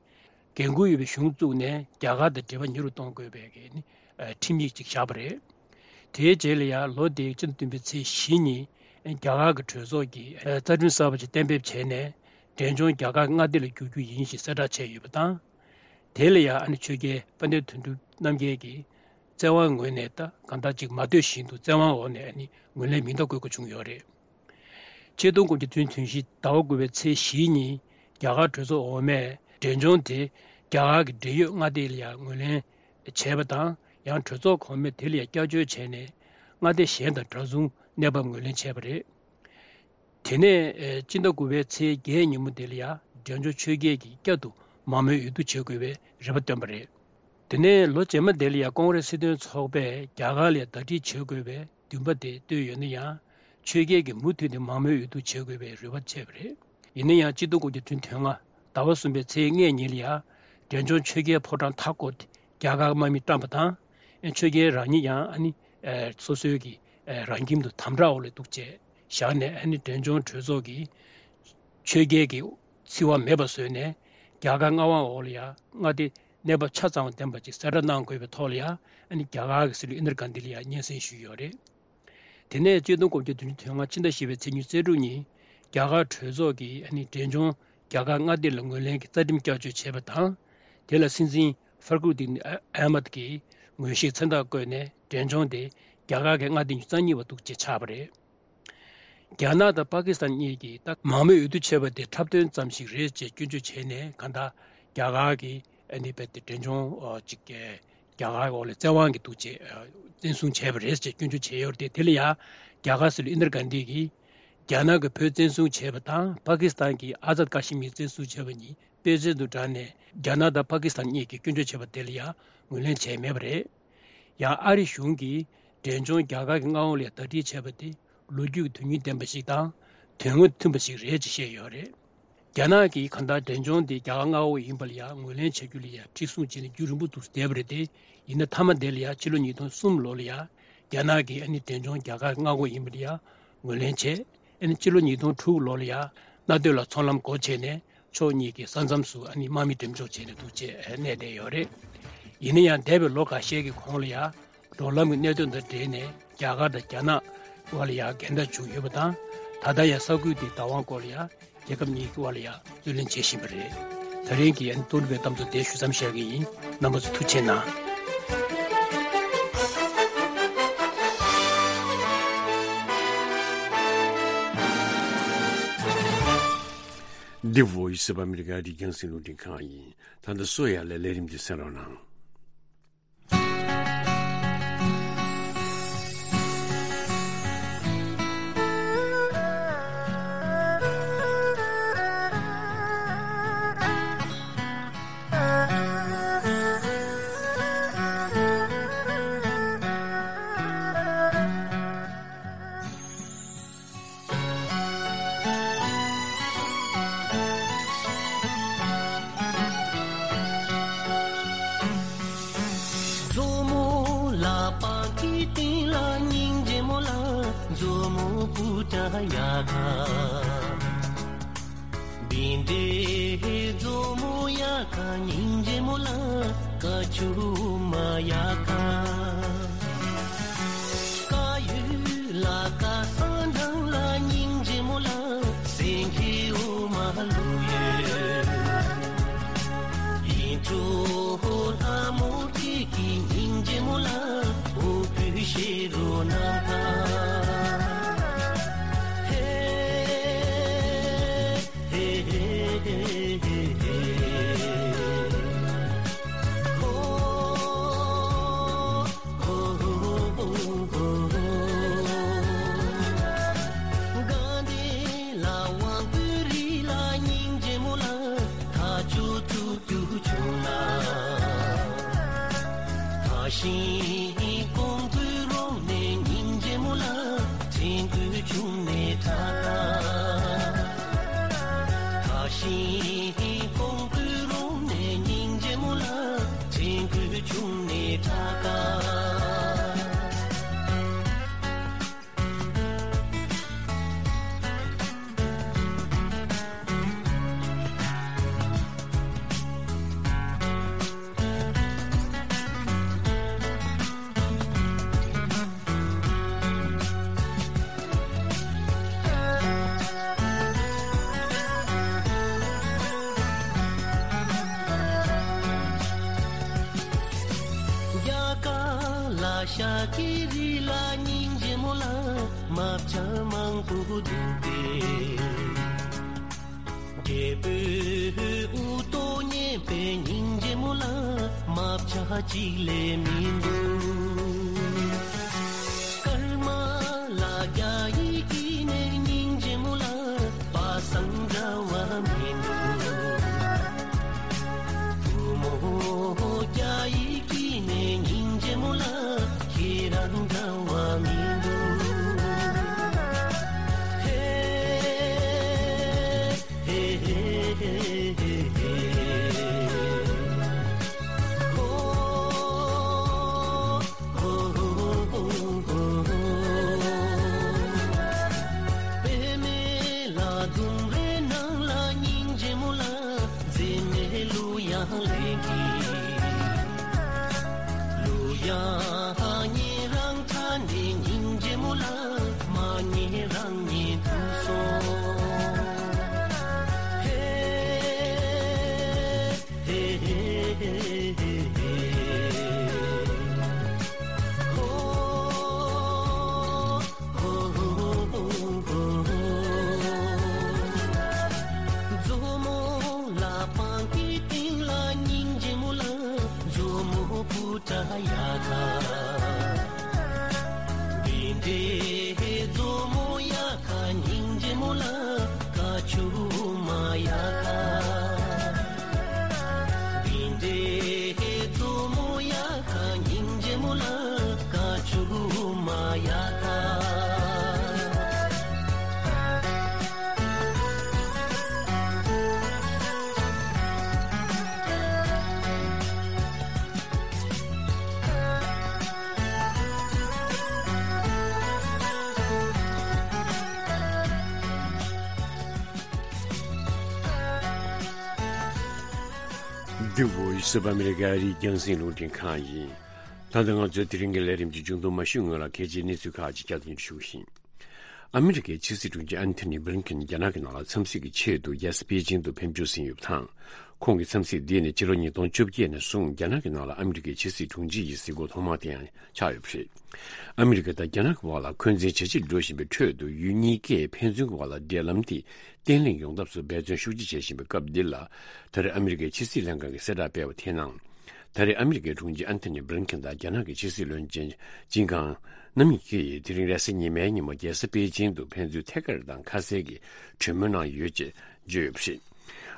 འགན་འཁུར་ཡོད་པའི་གཞུང་བཙུགས་ནས་རྒྱ་གར་དང་འབྲེལ་བ་ཉེ་རུ་གཏོང་དགོས་པའི་གི་ནི་ཁྲིམས་ཡིག་ཅིག་བཞག་པ་རེད། དེའི་རྗེས་ལ་ཡང་ལོ་དེའི་སྤྱི་ཟླ་བདུན་པའི་ཚེས་བཞི་ཉིན་རྒྱ་གར་གྱི་གྲོས་ཚོགས་ཀྱིས་རྩ་ཁྲིམས་གསར་པ་ཅིག་གཏན་འབེབས་བྱས་ནས། འབྲས་ལྗོངས་རྒྱ་གར་གྱི་མངའ་སྡེ་ལ་བསྒྱུར་རྒྱུ་ཡིན་ཞེས་གསལ་བསྒྲགས་བྱས་ཡོད་པ་དང་། དེ་ལ་ཡང་ཨ་ནི་ཆོས་རྒྱལ་དཔལ་ལྡན་དོན་གྲུབ་རྣམ་རྒྱལ་གྱིས་བཙན་དབང་ངོས་ནས་ད་གང་ལྟར་ཅིག་མ་ལྟོས་བཞིན་དུ་བཙན་དབང་འོག་ནས་ཨ་ནི་ངོས་ལེན་མིང་རྟགས་བཀོད་དགོས་བྱུང་ཡོད་རེད། ཆིག་སྟོང་དགུ་བརྒྱ་བདུན་ཅུ་དོན་བཞི་ཟླ་བ་དགུ་པའི་ཚེས་བཞི་ཉིན་ རྒྱ་གར་གྲོས་ཚོགས་འོག་མས་འབྲས་ལྗོངས་དེ་རྒྱ་གར་གྱི་འབྲེལ་ཡོད་མངའ་སྡེ་ལ་ཡང་ངོས་ལེན་བྱས་པ་དང་། ཡང་གྲོས་ཚོགས་གོང་མས་དེ་ལ་ཡང་བསྐྱར་བཅོས་བྱས་ནས་མངའ་སྡེ་གཞན་དང་འདྲ་མཚུངས་གནས་བབ་ངོས་ལེན་བྱས་པ་རེད། དེ་ནས་ཨེ་སྤྱི་ཟླ་དགུ་པའི་ཚེས་བརྒྱད་ཉིན་མོ་དེ་ལ་ཡང་འབྲས་ལྗོངས་ཆོས་རྒྱལ་གྱིས་བསྐྱར་དུ་མང་མོས་འོས་བསྡུ་བྱེད་དགོས་པའི་རེ་བ་བཏོན་པ་རེད། དེ་ནས་ལོ་རྗེས་མ་དེ་ལ་ཡང་ཀོང་རེས་སྲིད་དོན་ཚོགས་པས་རྒྱ་གར་ལ་ཡང་ཟླ་སྒྲིལ་བྱེད་དགོས་པའི་འདུན་པ་དེ་བཏོན་ཡོད་ན་ཡང་། ཆོས་རྒྱལ་གྱིས་མུ་མཐུད་དེ་མང་མོས་འོས་བསྡུ་བྱེད་དགོས་པའི་རེ་བ་བྱས་པ་རེད། ཡིན་ན་ཡང་གཅིག་སྟོང་དགུ་བརྒྱ་བདུན་ཅུ་དོན་ལྔ་ཟླ་བ་གསུམ་པའི་ཚེས་ལྔ་ཉིན་ལ་ཡང་འབྲས་ལྗོངས་ཆོས་རྒྱལ་ཕོ་བྲང་མཐའ་བསྐོར་ཏེ་རྒྱ་གར་དམག་མི་བཀྲམ་པ་དང་། ཨེ་ཆོས་རྒྱལ་རང་ཉིད་ཡང་ཨ་ནི་ཨེ་སོ་སོའི་གི་ཨེ་རང་ཁྱིམ་དུ་དམ་དྲག་འོག་ལ་འདུག་ཅེས་བཞག་ནས། ཨ་ནི་འབྲས་ལྗོངས་གྲོས་ཚོགས་ཀྱིས་ཆོས་རྒྱལ་གྱི་བརྩི་བ་མེད་པ་བཟོས་ནས་རྒྱ་གར་མངའ་དབང་འོག་ལ་ཡང་མངའ་སྡེ་གནས་བབ་ཆ་ཚང་བ་ལྡན་པ་ཅིག་གསལ་བསྒྲགས་གནང་དགོས་པའི་ཐོག་ལ་ཡང་། ཨ་ནི་རྒྱ་གར་གྱི་སྲིད་བློན་ཨིན་དྲ་གྷན་དྷི་ལ་ཡང་སྙན་སེང་ཞུས་ཡོད་རེད། དེ་ནས་གཅིག་སྟོང་དགུ་བརྒྱ་བདུན་ཅུ་དོན་ལྔ་ཕྱི་ཟླ་བཞི་པའི་ཚེས་ཉི་ཤུ་རྩ་དྲུག་ཉིན་རྒྱ་གར་གྲོས་ཚོགས་ཀྱིས་ཨ་ནི་འབྲས་ལྗོངས་རྒྱ་གར་མངའ་སྡེ་ལ་ངོས་ལེན་གྱི་རྩ་ཁྲིམས་བསྐྱར་བཅོས་བྱས་པ་དང་། དེ་ལ་སྲིད་འཛིན་ཧྥར་གུར་དིན་ཨ་མད་ཀྱིས་ངོས་བཞེས་མཚན་རྟགས་བཀོད་ནས་འབྲས་ལྗོངས་དེ་རྒྱ་གར་གྱི་མངའ་སྡེ་ཉི་ཤུ་རྩ་གཉིས་པ་འདུག་ཅེས་ཆགས་པ་རེད། རྒྱ་ནག་དང་པ་ཀི་སི་ཐན་གཉིས་ཀྱིས་ད་མང་མོས་འོས་བསྡུ་བྱས་པ་དེ་འཁྲབ་སྟོན་ཙམ་ཞིག་རེད་ཅེས་སྐྱོན་བརྗོད་བྱས་ནས། གང་ལྟར་རྒྱ་གར་གྱིས་ཨ་ནི་རྦད་དེ་འབྲས་ལྗོངས་ཨ་ཅིག་རྒྱ་གར་འོག་ལ་བཙན་དབང་གིས་འདུག་ཅེས་ཨ་བཙན་བཟུང་བྱས་པ་རེད་ཅེས་སྐྱོན་བརྗོད་བྱས་ཡོད་རེད་དེ། དེ་ལ་ཡང་རྒྱ་གར་སྲིད་བློན་ཨིན་དྲ་གྷན་དྷི་གིས་རྒྱ་ནག་གིས་བོད་བཙན་བཟུང་བྱས་པ་དང་པ་ཀི་སི་ཐན་གྱིས་ཨ་ཛད་ཀ་ཤི་མིར་བཙན་བཟུང་བྱས་པ་གཉིས་དཔེ་མཚོན་དུ་བགྲངས་ནས། རྒྱ་ནག་དང་པ་ཀི་སི་ཐན་གཉིས་ཀྱིས་སྐྱོན་བརྗོད་བྱས་པ་དེ་ལ་ཡང་ངོས་ལེན་བྱས་མེད་པ་རེད། ཡང་ཨ་རི་གཞུང་གིས་འབྲས་ལྗོངས་རྒྱ་གར་གྱི་མངའ་དབང་ལ་ཟླ་སྒྲིལ་བྱས་པ་དེ་ལོ་རྒྱུས་ཀྱི་དོན་སྙིང་ལྡན་པ་ཞིག་དང་དོན་དངོས་མཐུན་པ་ཞིག་རེད་ཅེས་བཤད་ཡོད་རེད། རྒྱ་ནག་གིས་གང་ལྟར་འབྲས་ལྗོངས་དེ་རྒྱ་གར་མངའ་འོག་ཡིན་པ་ལ་ཡང་ངོས་ལེན་བྱ་རྒྱུ་ལ་ཡང་མཁྲེགས་བཟུང་བྱས་ནས་རྒྱུན་རིང་པོ་དུ་བསྡད་པ་རེད་དེ། ཡིན་ན་མཐའ་མ་དེ་ལ་ཡང་ཕྱི་ལོ་ཉིས་སྟོང་གསུམ་ལོ་ལ་ཡང་རྒྱ་ནག་གིས་ཨ་ནི་འབྲས་ལྗོངས་རྒྱ་གར་མངའ་འོག་ཡིན་པ་ལ་ཡང་ངོས་ལེན་བྱས། ཨ་ནི་ཕྱི་ལོ་ཉིས་སྟོང་དྲུག་ལོ་ལ་ཡང་མནའ་སྟོད་ལ་ཚོང་ལམ་སྒོ་ཕྱེ་ནས་ཕྱོགས་གཉིས་ཀྱི་ས་མཚམས་སུ་ཨ་ནི་དམག་མི་འགྲེམས་འཇོག་བྱས་ནས་འདུག་ཅེས་གནས་བསྡད་ཡོད་རེད། ཡིན་ན་ཡང་འདས་པའི་ལོ་འགའ་ཤས་ཀྱི་གོང་ལ་ཡང་འབྲོག་ལམ་གྱི་གནད་དོན་དང་འབྲེལ་ནས་རྒྱ་གར་དང་རྒྱ་ནག་དབར་ལ་ཡང་འགལ་ཟླ་བྱུང་ཡོད་པ་དང་། ད་ལྟ་ཡང་ས་ཁུལ་དེའི་བདག་དབང་སྐོར་ལ་ཡང་རྒྱལ་ཁབ་གཉིས་ཀྱི་དབར་ལ་ཡང་རྩོད་གླེང་བྱེད་བཞིན་པ་རེད། ད་རིང་གི་ཨ་ནི་ཏོག་དབྱིབས་པའི་གཏམ་ཚོགས་དེ་ཞུ་མཚམས་བཞག་གི་ཡིན། རྣམ་པ་ཚོ་ཐུགས་རྗེ་གནང་། The Voice of America རྒྱང་སྲིང་རླུང་འཕྲིན་ཁང་ཡིན། ད་ལྟ་སོ་ཡ་ལས་ལས་རིམ་འདི་གསན་རོགས་གནང་། མཛོ་མོ་ལ་པང་གི་སྟེང་ལ་སྙིང་རྗེ་མོ་ལ། མཛོ་མོ་པུ་ཏ་ཡ་ག་བིན་དེ་མཛོ་མོ་ཡ་ག་སྙིང་རྗེ་མོ་ལ། ཀ་ཆུ་མ་ཡ་ག་ཀ་ཡུ་ལ་ཀ་ས་འདང་ལ་སྙིང་རྗེ་མོ་ལ། སེང་གེ་འོ་མ་ལུ་ཡོད། ཡིན་གྲོ་ལྷ་མོ་ཁྱེད་ཀྱི་སྙིང་རྗེ་མོ་ལ། འོ་བུ་ཤེ་རོ་ན་ད། ཧེ། ཧེ་ཧེ་ཧེ་ཧེ་ཧེ། ཧོ། ཧོ་ཧོ་ཧོ་ཧོ། དགའ་ལྡན་ལ་དབང་བསྐུར་རི་ལ་སྙིང་རྗེ་མོ་ལ། ཐག་ཆོད་ཚུགས་རྒྱུ་བྱུང་ལ། ཐག་ཤིང་ཀོང་ཀུ་རོང་ནས་སྙིང་རྗེ་མོ་ལ། ཕྲེང་ཀུ་ཆུང་ནས་ཁྲ་ཁྲ། ཐག་ཤིང་ཀོང་ཀུ་རོང་ནས་སྙིང་རྗེ་མོ་ལ། ཕྲེང་ཀུ་ཆུང་ནས་ཁྲ་ཁྲ། རྒྱ་གར་ལ་ཤ་ཀི་རི་ལ་སྙིང་རྗེ་མོ་ལ། མ་བྱ་མང་པོ་འདུག་པས། རྒྱལ་པོའི་དབུ་ཏོ་མཉེས་པའི་སྙིང་རྗེ་མོ་ལ་རྨ་བྱ་གཅིག་ལས་མི་འདུག་སྐར་མ་ལ་རྒྱ་ཡིས་བསྐྱིས་ནས་སྙིང་རྗེ་མོ་ལ་པ་སངས་འདྲ་བ་མི་འདུག་བུ་མོ་རྒྱ་ཡིས་བསྐྱིས་ནས་སྙིང་རྗེ་མོ་ལ་ཁྱེད་རང་འདྲ་བ་མི་འདུག་ཧེ། འདི་བོ་ཡི་སི་ཨོཕ་ཨ་མི་རི་ཀ་རི་རྒྱང་སྲིང་རླུང་འཕྲིན་ཁང་ཡིན། ད་ལྟ་ང་ཚོའི་དེ་རིང་གི་ལས་རིམ་གྱི་མཇུག་སྡོམ་མ་ཞུས་སྔོན་ལ་གལ་ཆེའི་གནས་ཚུལ་ཁག་ཅིག་བསྐྱར་དུ་ཞུ་བཞིན། ཨ་མི་རི་ཀའི་ཕྱི་སྲིད་དྲུང་ཆེ་ཨན་ཐོ་ནི་བྷི་ལིན་ཀིན་རྒྱ་ནག་གི་ནང་ལ་འཚམས་གཟིགས་ཀྱི་ཆེད་དུ་རྒྱལ་ས་པེ་ཅིང་དུ་ཕེབས་འབྱོར་ཟིན་ཡོད་པ་དང་། ཁོང་གི་འཚམས་གཟིགས་འདི་ནི་ཕྱི་ལོ་ཉིས་སྟོང་བཅོ་བརྒྱད་ནས་བཟུང་རྒྱ་ནག་གི་ནང་ལ་ཨ་མི་རི་ཀའི་ཕྱི་སྲིད་དྲུང་ཆེ་ཡི་གཟིགས་སྐོར་ཐོག་མ་དེ་ཡང་ཆགས་ཡོད་པ་རེད། ཨ་མི་རི་ཀ་དང་རྒྱ་ནག་གི་བར་ལ་འཁོན་འཛིན་ཇེ་ཆེར་འགྲོ་བཞིན་པའི་ཁྲོད་དུ་ཡུལ་གཉིས་ཀས་ཕན་ཚུན་གྱི་བར་ལ་འབྲེལ་ལམ་དེ་བརྟན་ལྷིང་ཡོང་ཐབས་སུ་འབད་བརྩོན་ཤུགས་ཆེ་བྱེད་བཞིན་པའི་སྐབས་འདི་ལ། ད་རེས་ཨ་མི་རི་ཀའི་ཕྱི་སྲིད་ལྷན་ཁང་གིས་གསལ་བསྒྲགས་སྤེལ་བ་དེའི་ནང་། ད་རེས་ཨ་མི་རི་ཀའི་དྲུང་ཆེ་ཨན་ཐོ་ནི་བྷི་ལིན་ཀིན་དང་རྒྱ་ནག་གི་ཕྱི་སྲིད་བློན་ཆེན་ཅིན་ཀང་། རྣམ་གཉིས་ཀྱིས་དེ་རིང་རེས་གཟའ་ཉི་མའི་ཉིན་མོ་རྒྱལ་ས་པེ་ཅིང་དུ་ཕན་ཚུན་ཐད་ཀར་དང་ཁ་གསལ་གྱི་གྲོས་མོལ་གནང་ཡོད་ཅེས་བརྗོད་ཡོད་པ་རེད།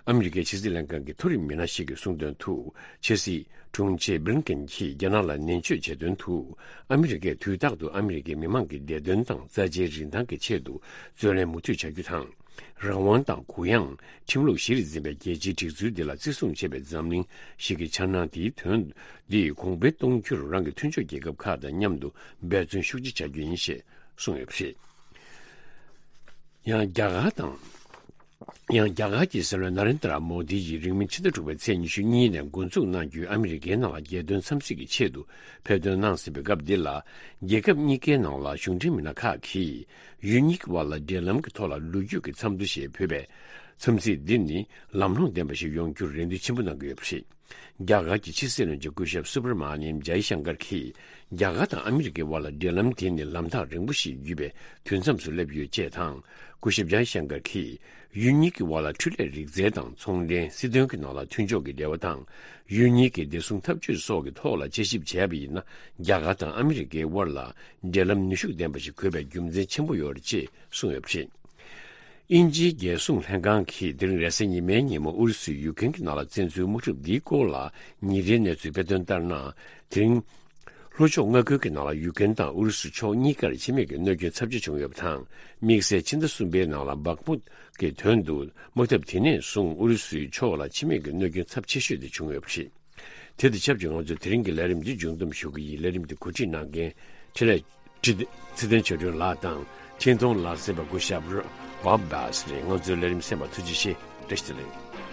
ཨ་མི་རི་ཀའི་ཕྱི་སྲིད་ལྷན་ཁང་གི་མཐོ་རིམ་མི་སྣ་ཞིག་གིས་གསུངས་དོན་དུ། ཕྱི་སྲིད་དྲུང་ཆེ་བྷི་ལིན་ཀིན་གྱིས་རྒྱ་ནག་ལ་ནན་བརྗོད་བྱས་དོན་དུ། ཨ་མི་རི་ཀས་དུས་རྟག་ཏུ་ཨ་མི་རི་ཀའི་མི་མང་གི་བདེ་དོན་དང་རྩ་ཆེའི་རིན་ཐང་གི་ཆེད་དུ་རྩོད་ལེན་མུ་མཐུད་བྱ་རྒྱུ་དང་། རང་དབང་དང་གུ་ཡངས། ཁྲིམས་ལུགས་གཞིར་འཛིན་པའི་རྒྱལ་སྤྱིའི་སྒྲིག་འཛུགས་འདི་ལ་བརྩི་སྲུང་བྱེད་པའི་འཛམ་གླིང་ཞིག་གི་འཆར་སྣང་དེའི་དོན་འདི་གོང་འཕེལ་གཏོང་རྒྱུར་རང་གི་མཐུན་ཕྱོགས་རྒྱལ་ཁབ་ཁག་དང་མཉམ་དུ་འབད་བརྩོན་ཤུགས་ཆེ་བྱ་རྒྱུ་ཡིན་ཞེས་གསུངས་ཡོད་པ་རེད། ཡང་རྒྱ་གར་དང་། ཡང་རྒྱ་གར་གྱི་སྲིད་བློན་ན་རེན་དྲ་མོ་དི་ཡིས་རིང་མིན་ཕྱི་ཟླ་དྲུག་པའི་ཚེས་ཉི་ཤུ་གཉིས་ནས་འགོ་འཛུགས་གནང་རྒྱུའི་ཨ་མི་རི་ཀའི་ནང་ལ་རྒྱལ་དོན་འཚམས་གཟིགས་ཀྱི་ཆེད་དུ་ཕེབས་ཐོན་གནང་ཟིན་པའི་སྐབས་འདི་ལ། རྒྱལ་ཁབ་གཉིས་ཀའི་ནང་ལ་གཞུང་འབྲེལ་མི་སྣ་ཁག་གིས་ཡུལ་གཉིས་ཀྱི་བར་ལ་འབྲེལ་ལམ་གྱི་ཐོག་ལ་ལོ་རྒྱུས་ཀྱི་འཚམས་འདྲི་ཞེས་འབོད་པའི་འཚམས་གཟིགས་འདི་ནི་ལམ་ལྷོང་ལྡན་པ་ཞིག་ཡོང་རྒྱུར་རེ་འདུན་ཆེན་པོ་གནང་གི་ཡོད་པ་རེད། རྒྱ་གར་གྱི་ཕྱི་སྲིད་བློན་ཆེན་སྐུ་ཞབས་སུ་བྷར་མ་ནིམ་ཇའི་ཤང་ཀར་གྱིས། རྒྱ་གར་དང་ཨ་མི་རི་ཀའི་དབར་ལ་འབྲེལ་ལམ་དེ་ནི་ལམ་ཐག་རིང་པོ་ཞིག་བརྒྱུད་པའི་དུས་མཚམས་སུ་སླེབས་ཡོད་ཅེས་དང་། སྐུ་ཞབས་ཇའི་ཤང་ཀར་གྱིས། ཡུལ་གཉིས་ཀྱི་དབར་ལ་འཕྲུལ་ལས་རིག་རྩལ་དང་ཚོང་འབྲེལ། སྲིད་དོན་གྱི་ནང་ལ་མཐུན་ཕྱོགས་ཀྱི་འབྲེལ་བ་དང་། ཡུལ་གཉིས་ཀྱི་བདེ་སྲུང་འཐབ་ཇུས་སོགས་ཀྱི་ཐོག་ལ་དཔྱད་ཞིབ་བྱས་པ་ཡིན་ན། རྒྱ་གར་དང་ཨ་མི་རི་ཀའི་དབར་ལ་འབྲེལ་ལམ་ནུས་ཤུགས་ལྡན་པ་ཞིག་དགོས་པའི་རྒྱུ་མཚན་ཆེན་པོ་ཡོད་རེད་ཅེས་གསུངས་ཡོད་པ་རེད། དབྱིན་ཇིའི་རྒྱལ་སྲུང་ལྷན་ཁང་གིས་དེ་རིང་རེས་གཟའ་ཉི་མའི་ཉིན་མོ་ཨུ་རུ་སུས་ཡུཀ་རེན་གྱི་ནང་ལ་བཙན་འཛུལ་དམག་འཁྲུག་འདིའི་སྐོར་ལ་ཉིན་རེའི་གནས་ཚུལ་སྤེལ་དོན་ལྟར་ན། དེ་རིང་ལྷོ་ཕྱོགས་མངའ་ཁུལ་གྱི་ནང་ལ་ཡུཀ་རེན་དང་ཨུ་རུ་སུ་ཕྱོགས་གཉིས་ཀར་འཆི་རྨས་ཀྱི་གནོད་སྐྱོན་ཚབས་ཆེ་བྱུང་ཡོད་པ་དང་། དམིགས་བསལ་ཕྱི་ཟླ་གསུམ་པའི་ནང་ལ་སྦག་མུད་ཀྱི་དོན་དུ་དམག་འཐབ་དེ་ནས་བཟུང་ཨུ་རུ་སུའི་ཕྱོགས་ལ་འཆི་རྨས་ཀྱི་གནོད་སྐྱོན་ཚབས་ཆེ་ཤོས་དེ་བྱུང་ཡོད་པ་རེད། དེ་དང་ཆབས་ཅིག་ང་ཚོས་དེ་རིང་གི་ལས་རིམ་འདི་མཇུག་བསྡོམས་ཞུ་གི་ཡིན། ལས་རིམ་འདི་གོ་སྒྲིག་གནང་མཁན་འཕྲིན་ལས་ཚེ་བརྟན་ཆོས་སྒྲོན་ལགས་དང་འཕྲིན་གཏོང་ལ་གསན་པ་སྐུ་ཞབས་བྷོབ་བྷས་རེད། ང་ཚོའི་ལས་རིམ་གསན་པར་ཐུགས་རྗེ་ཆེ། བཀྲ་ཤིས་བདེ་ལེགས།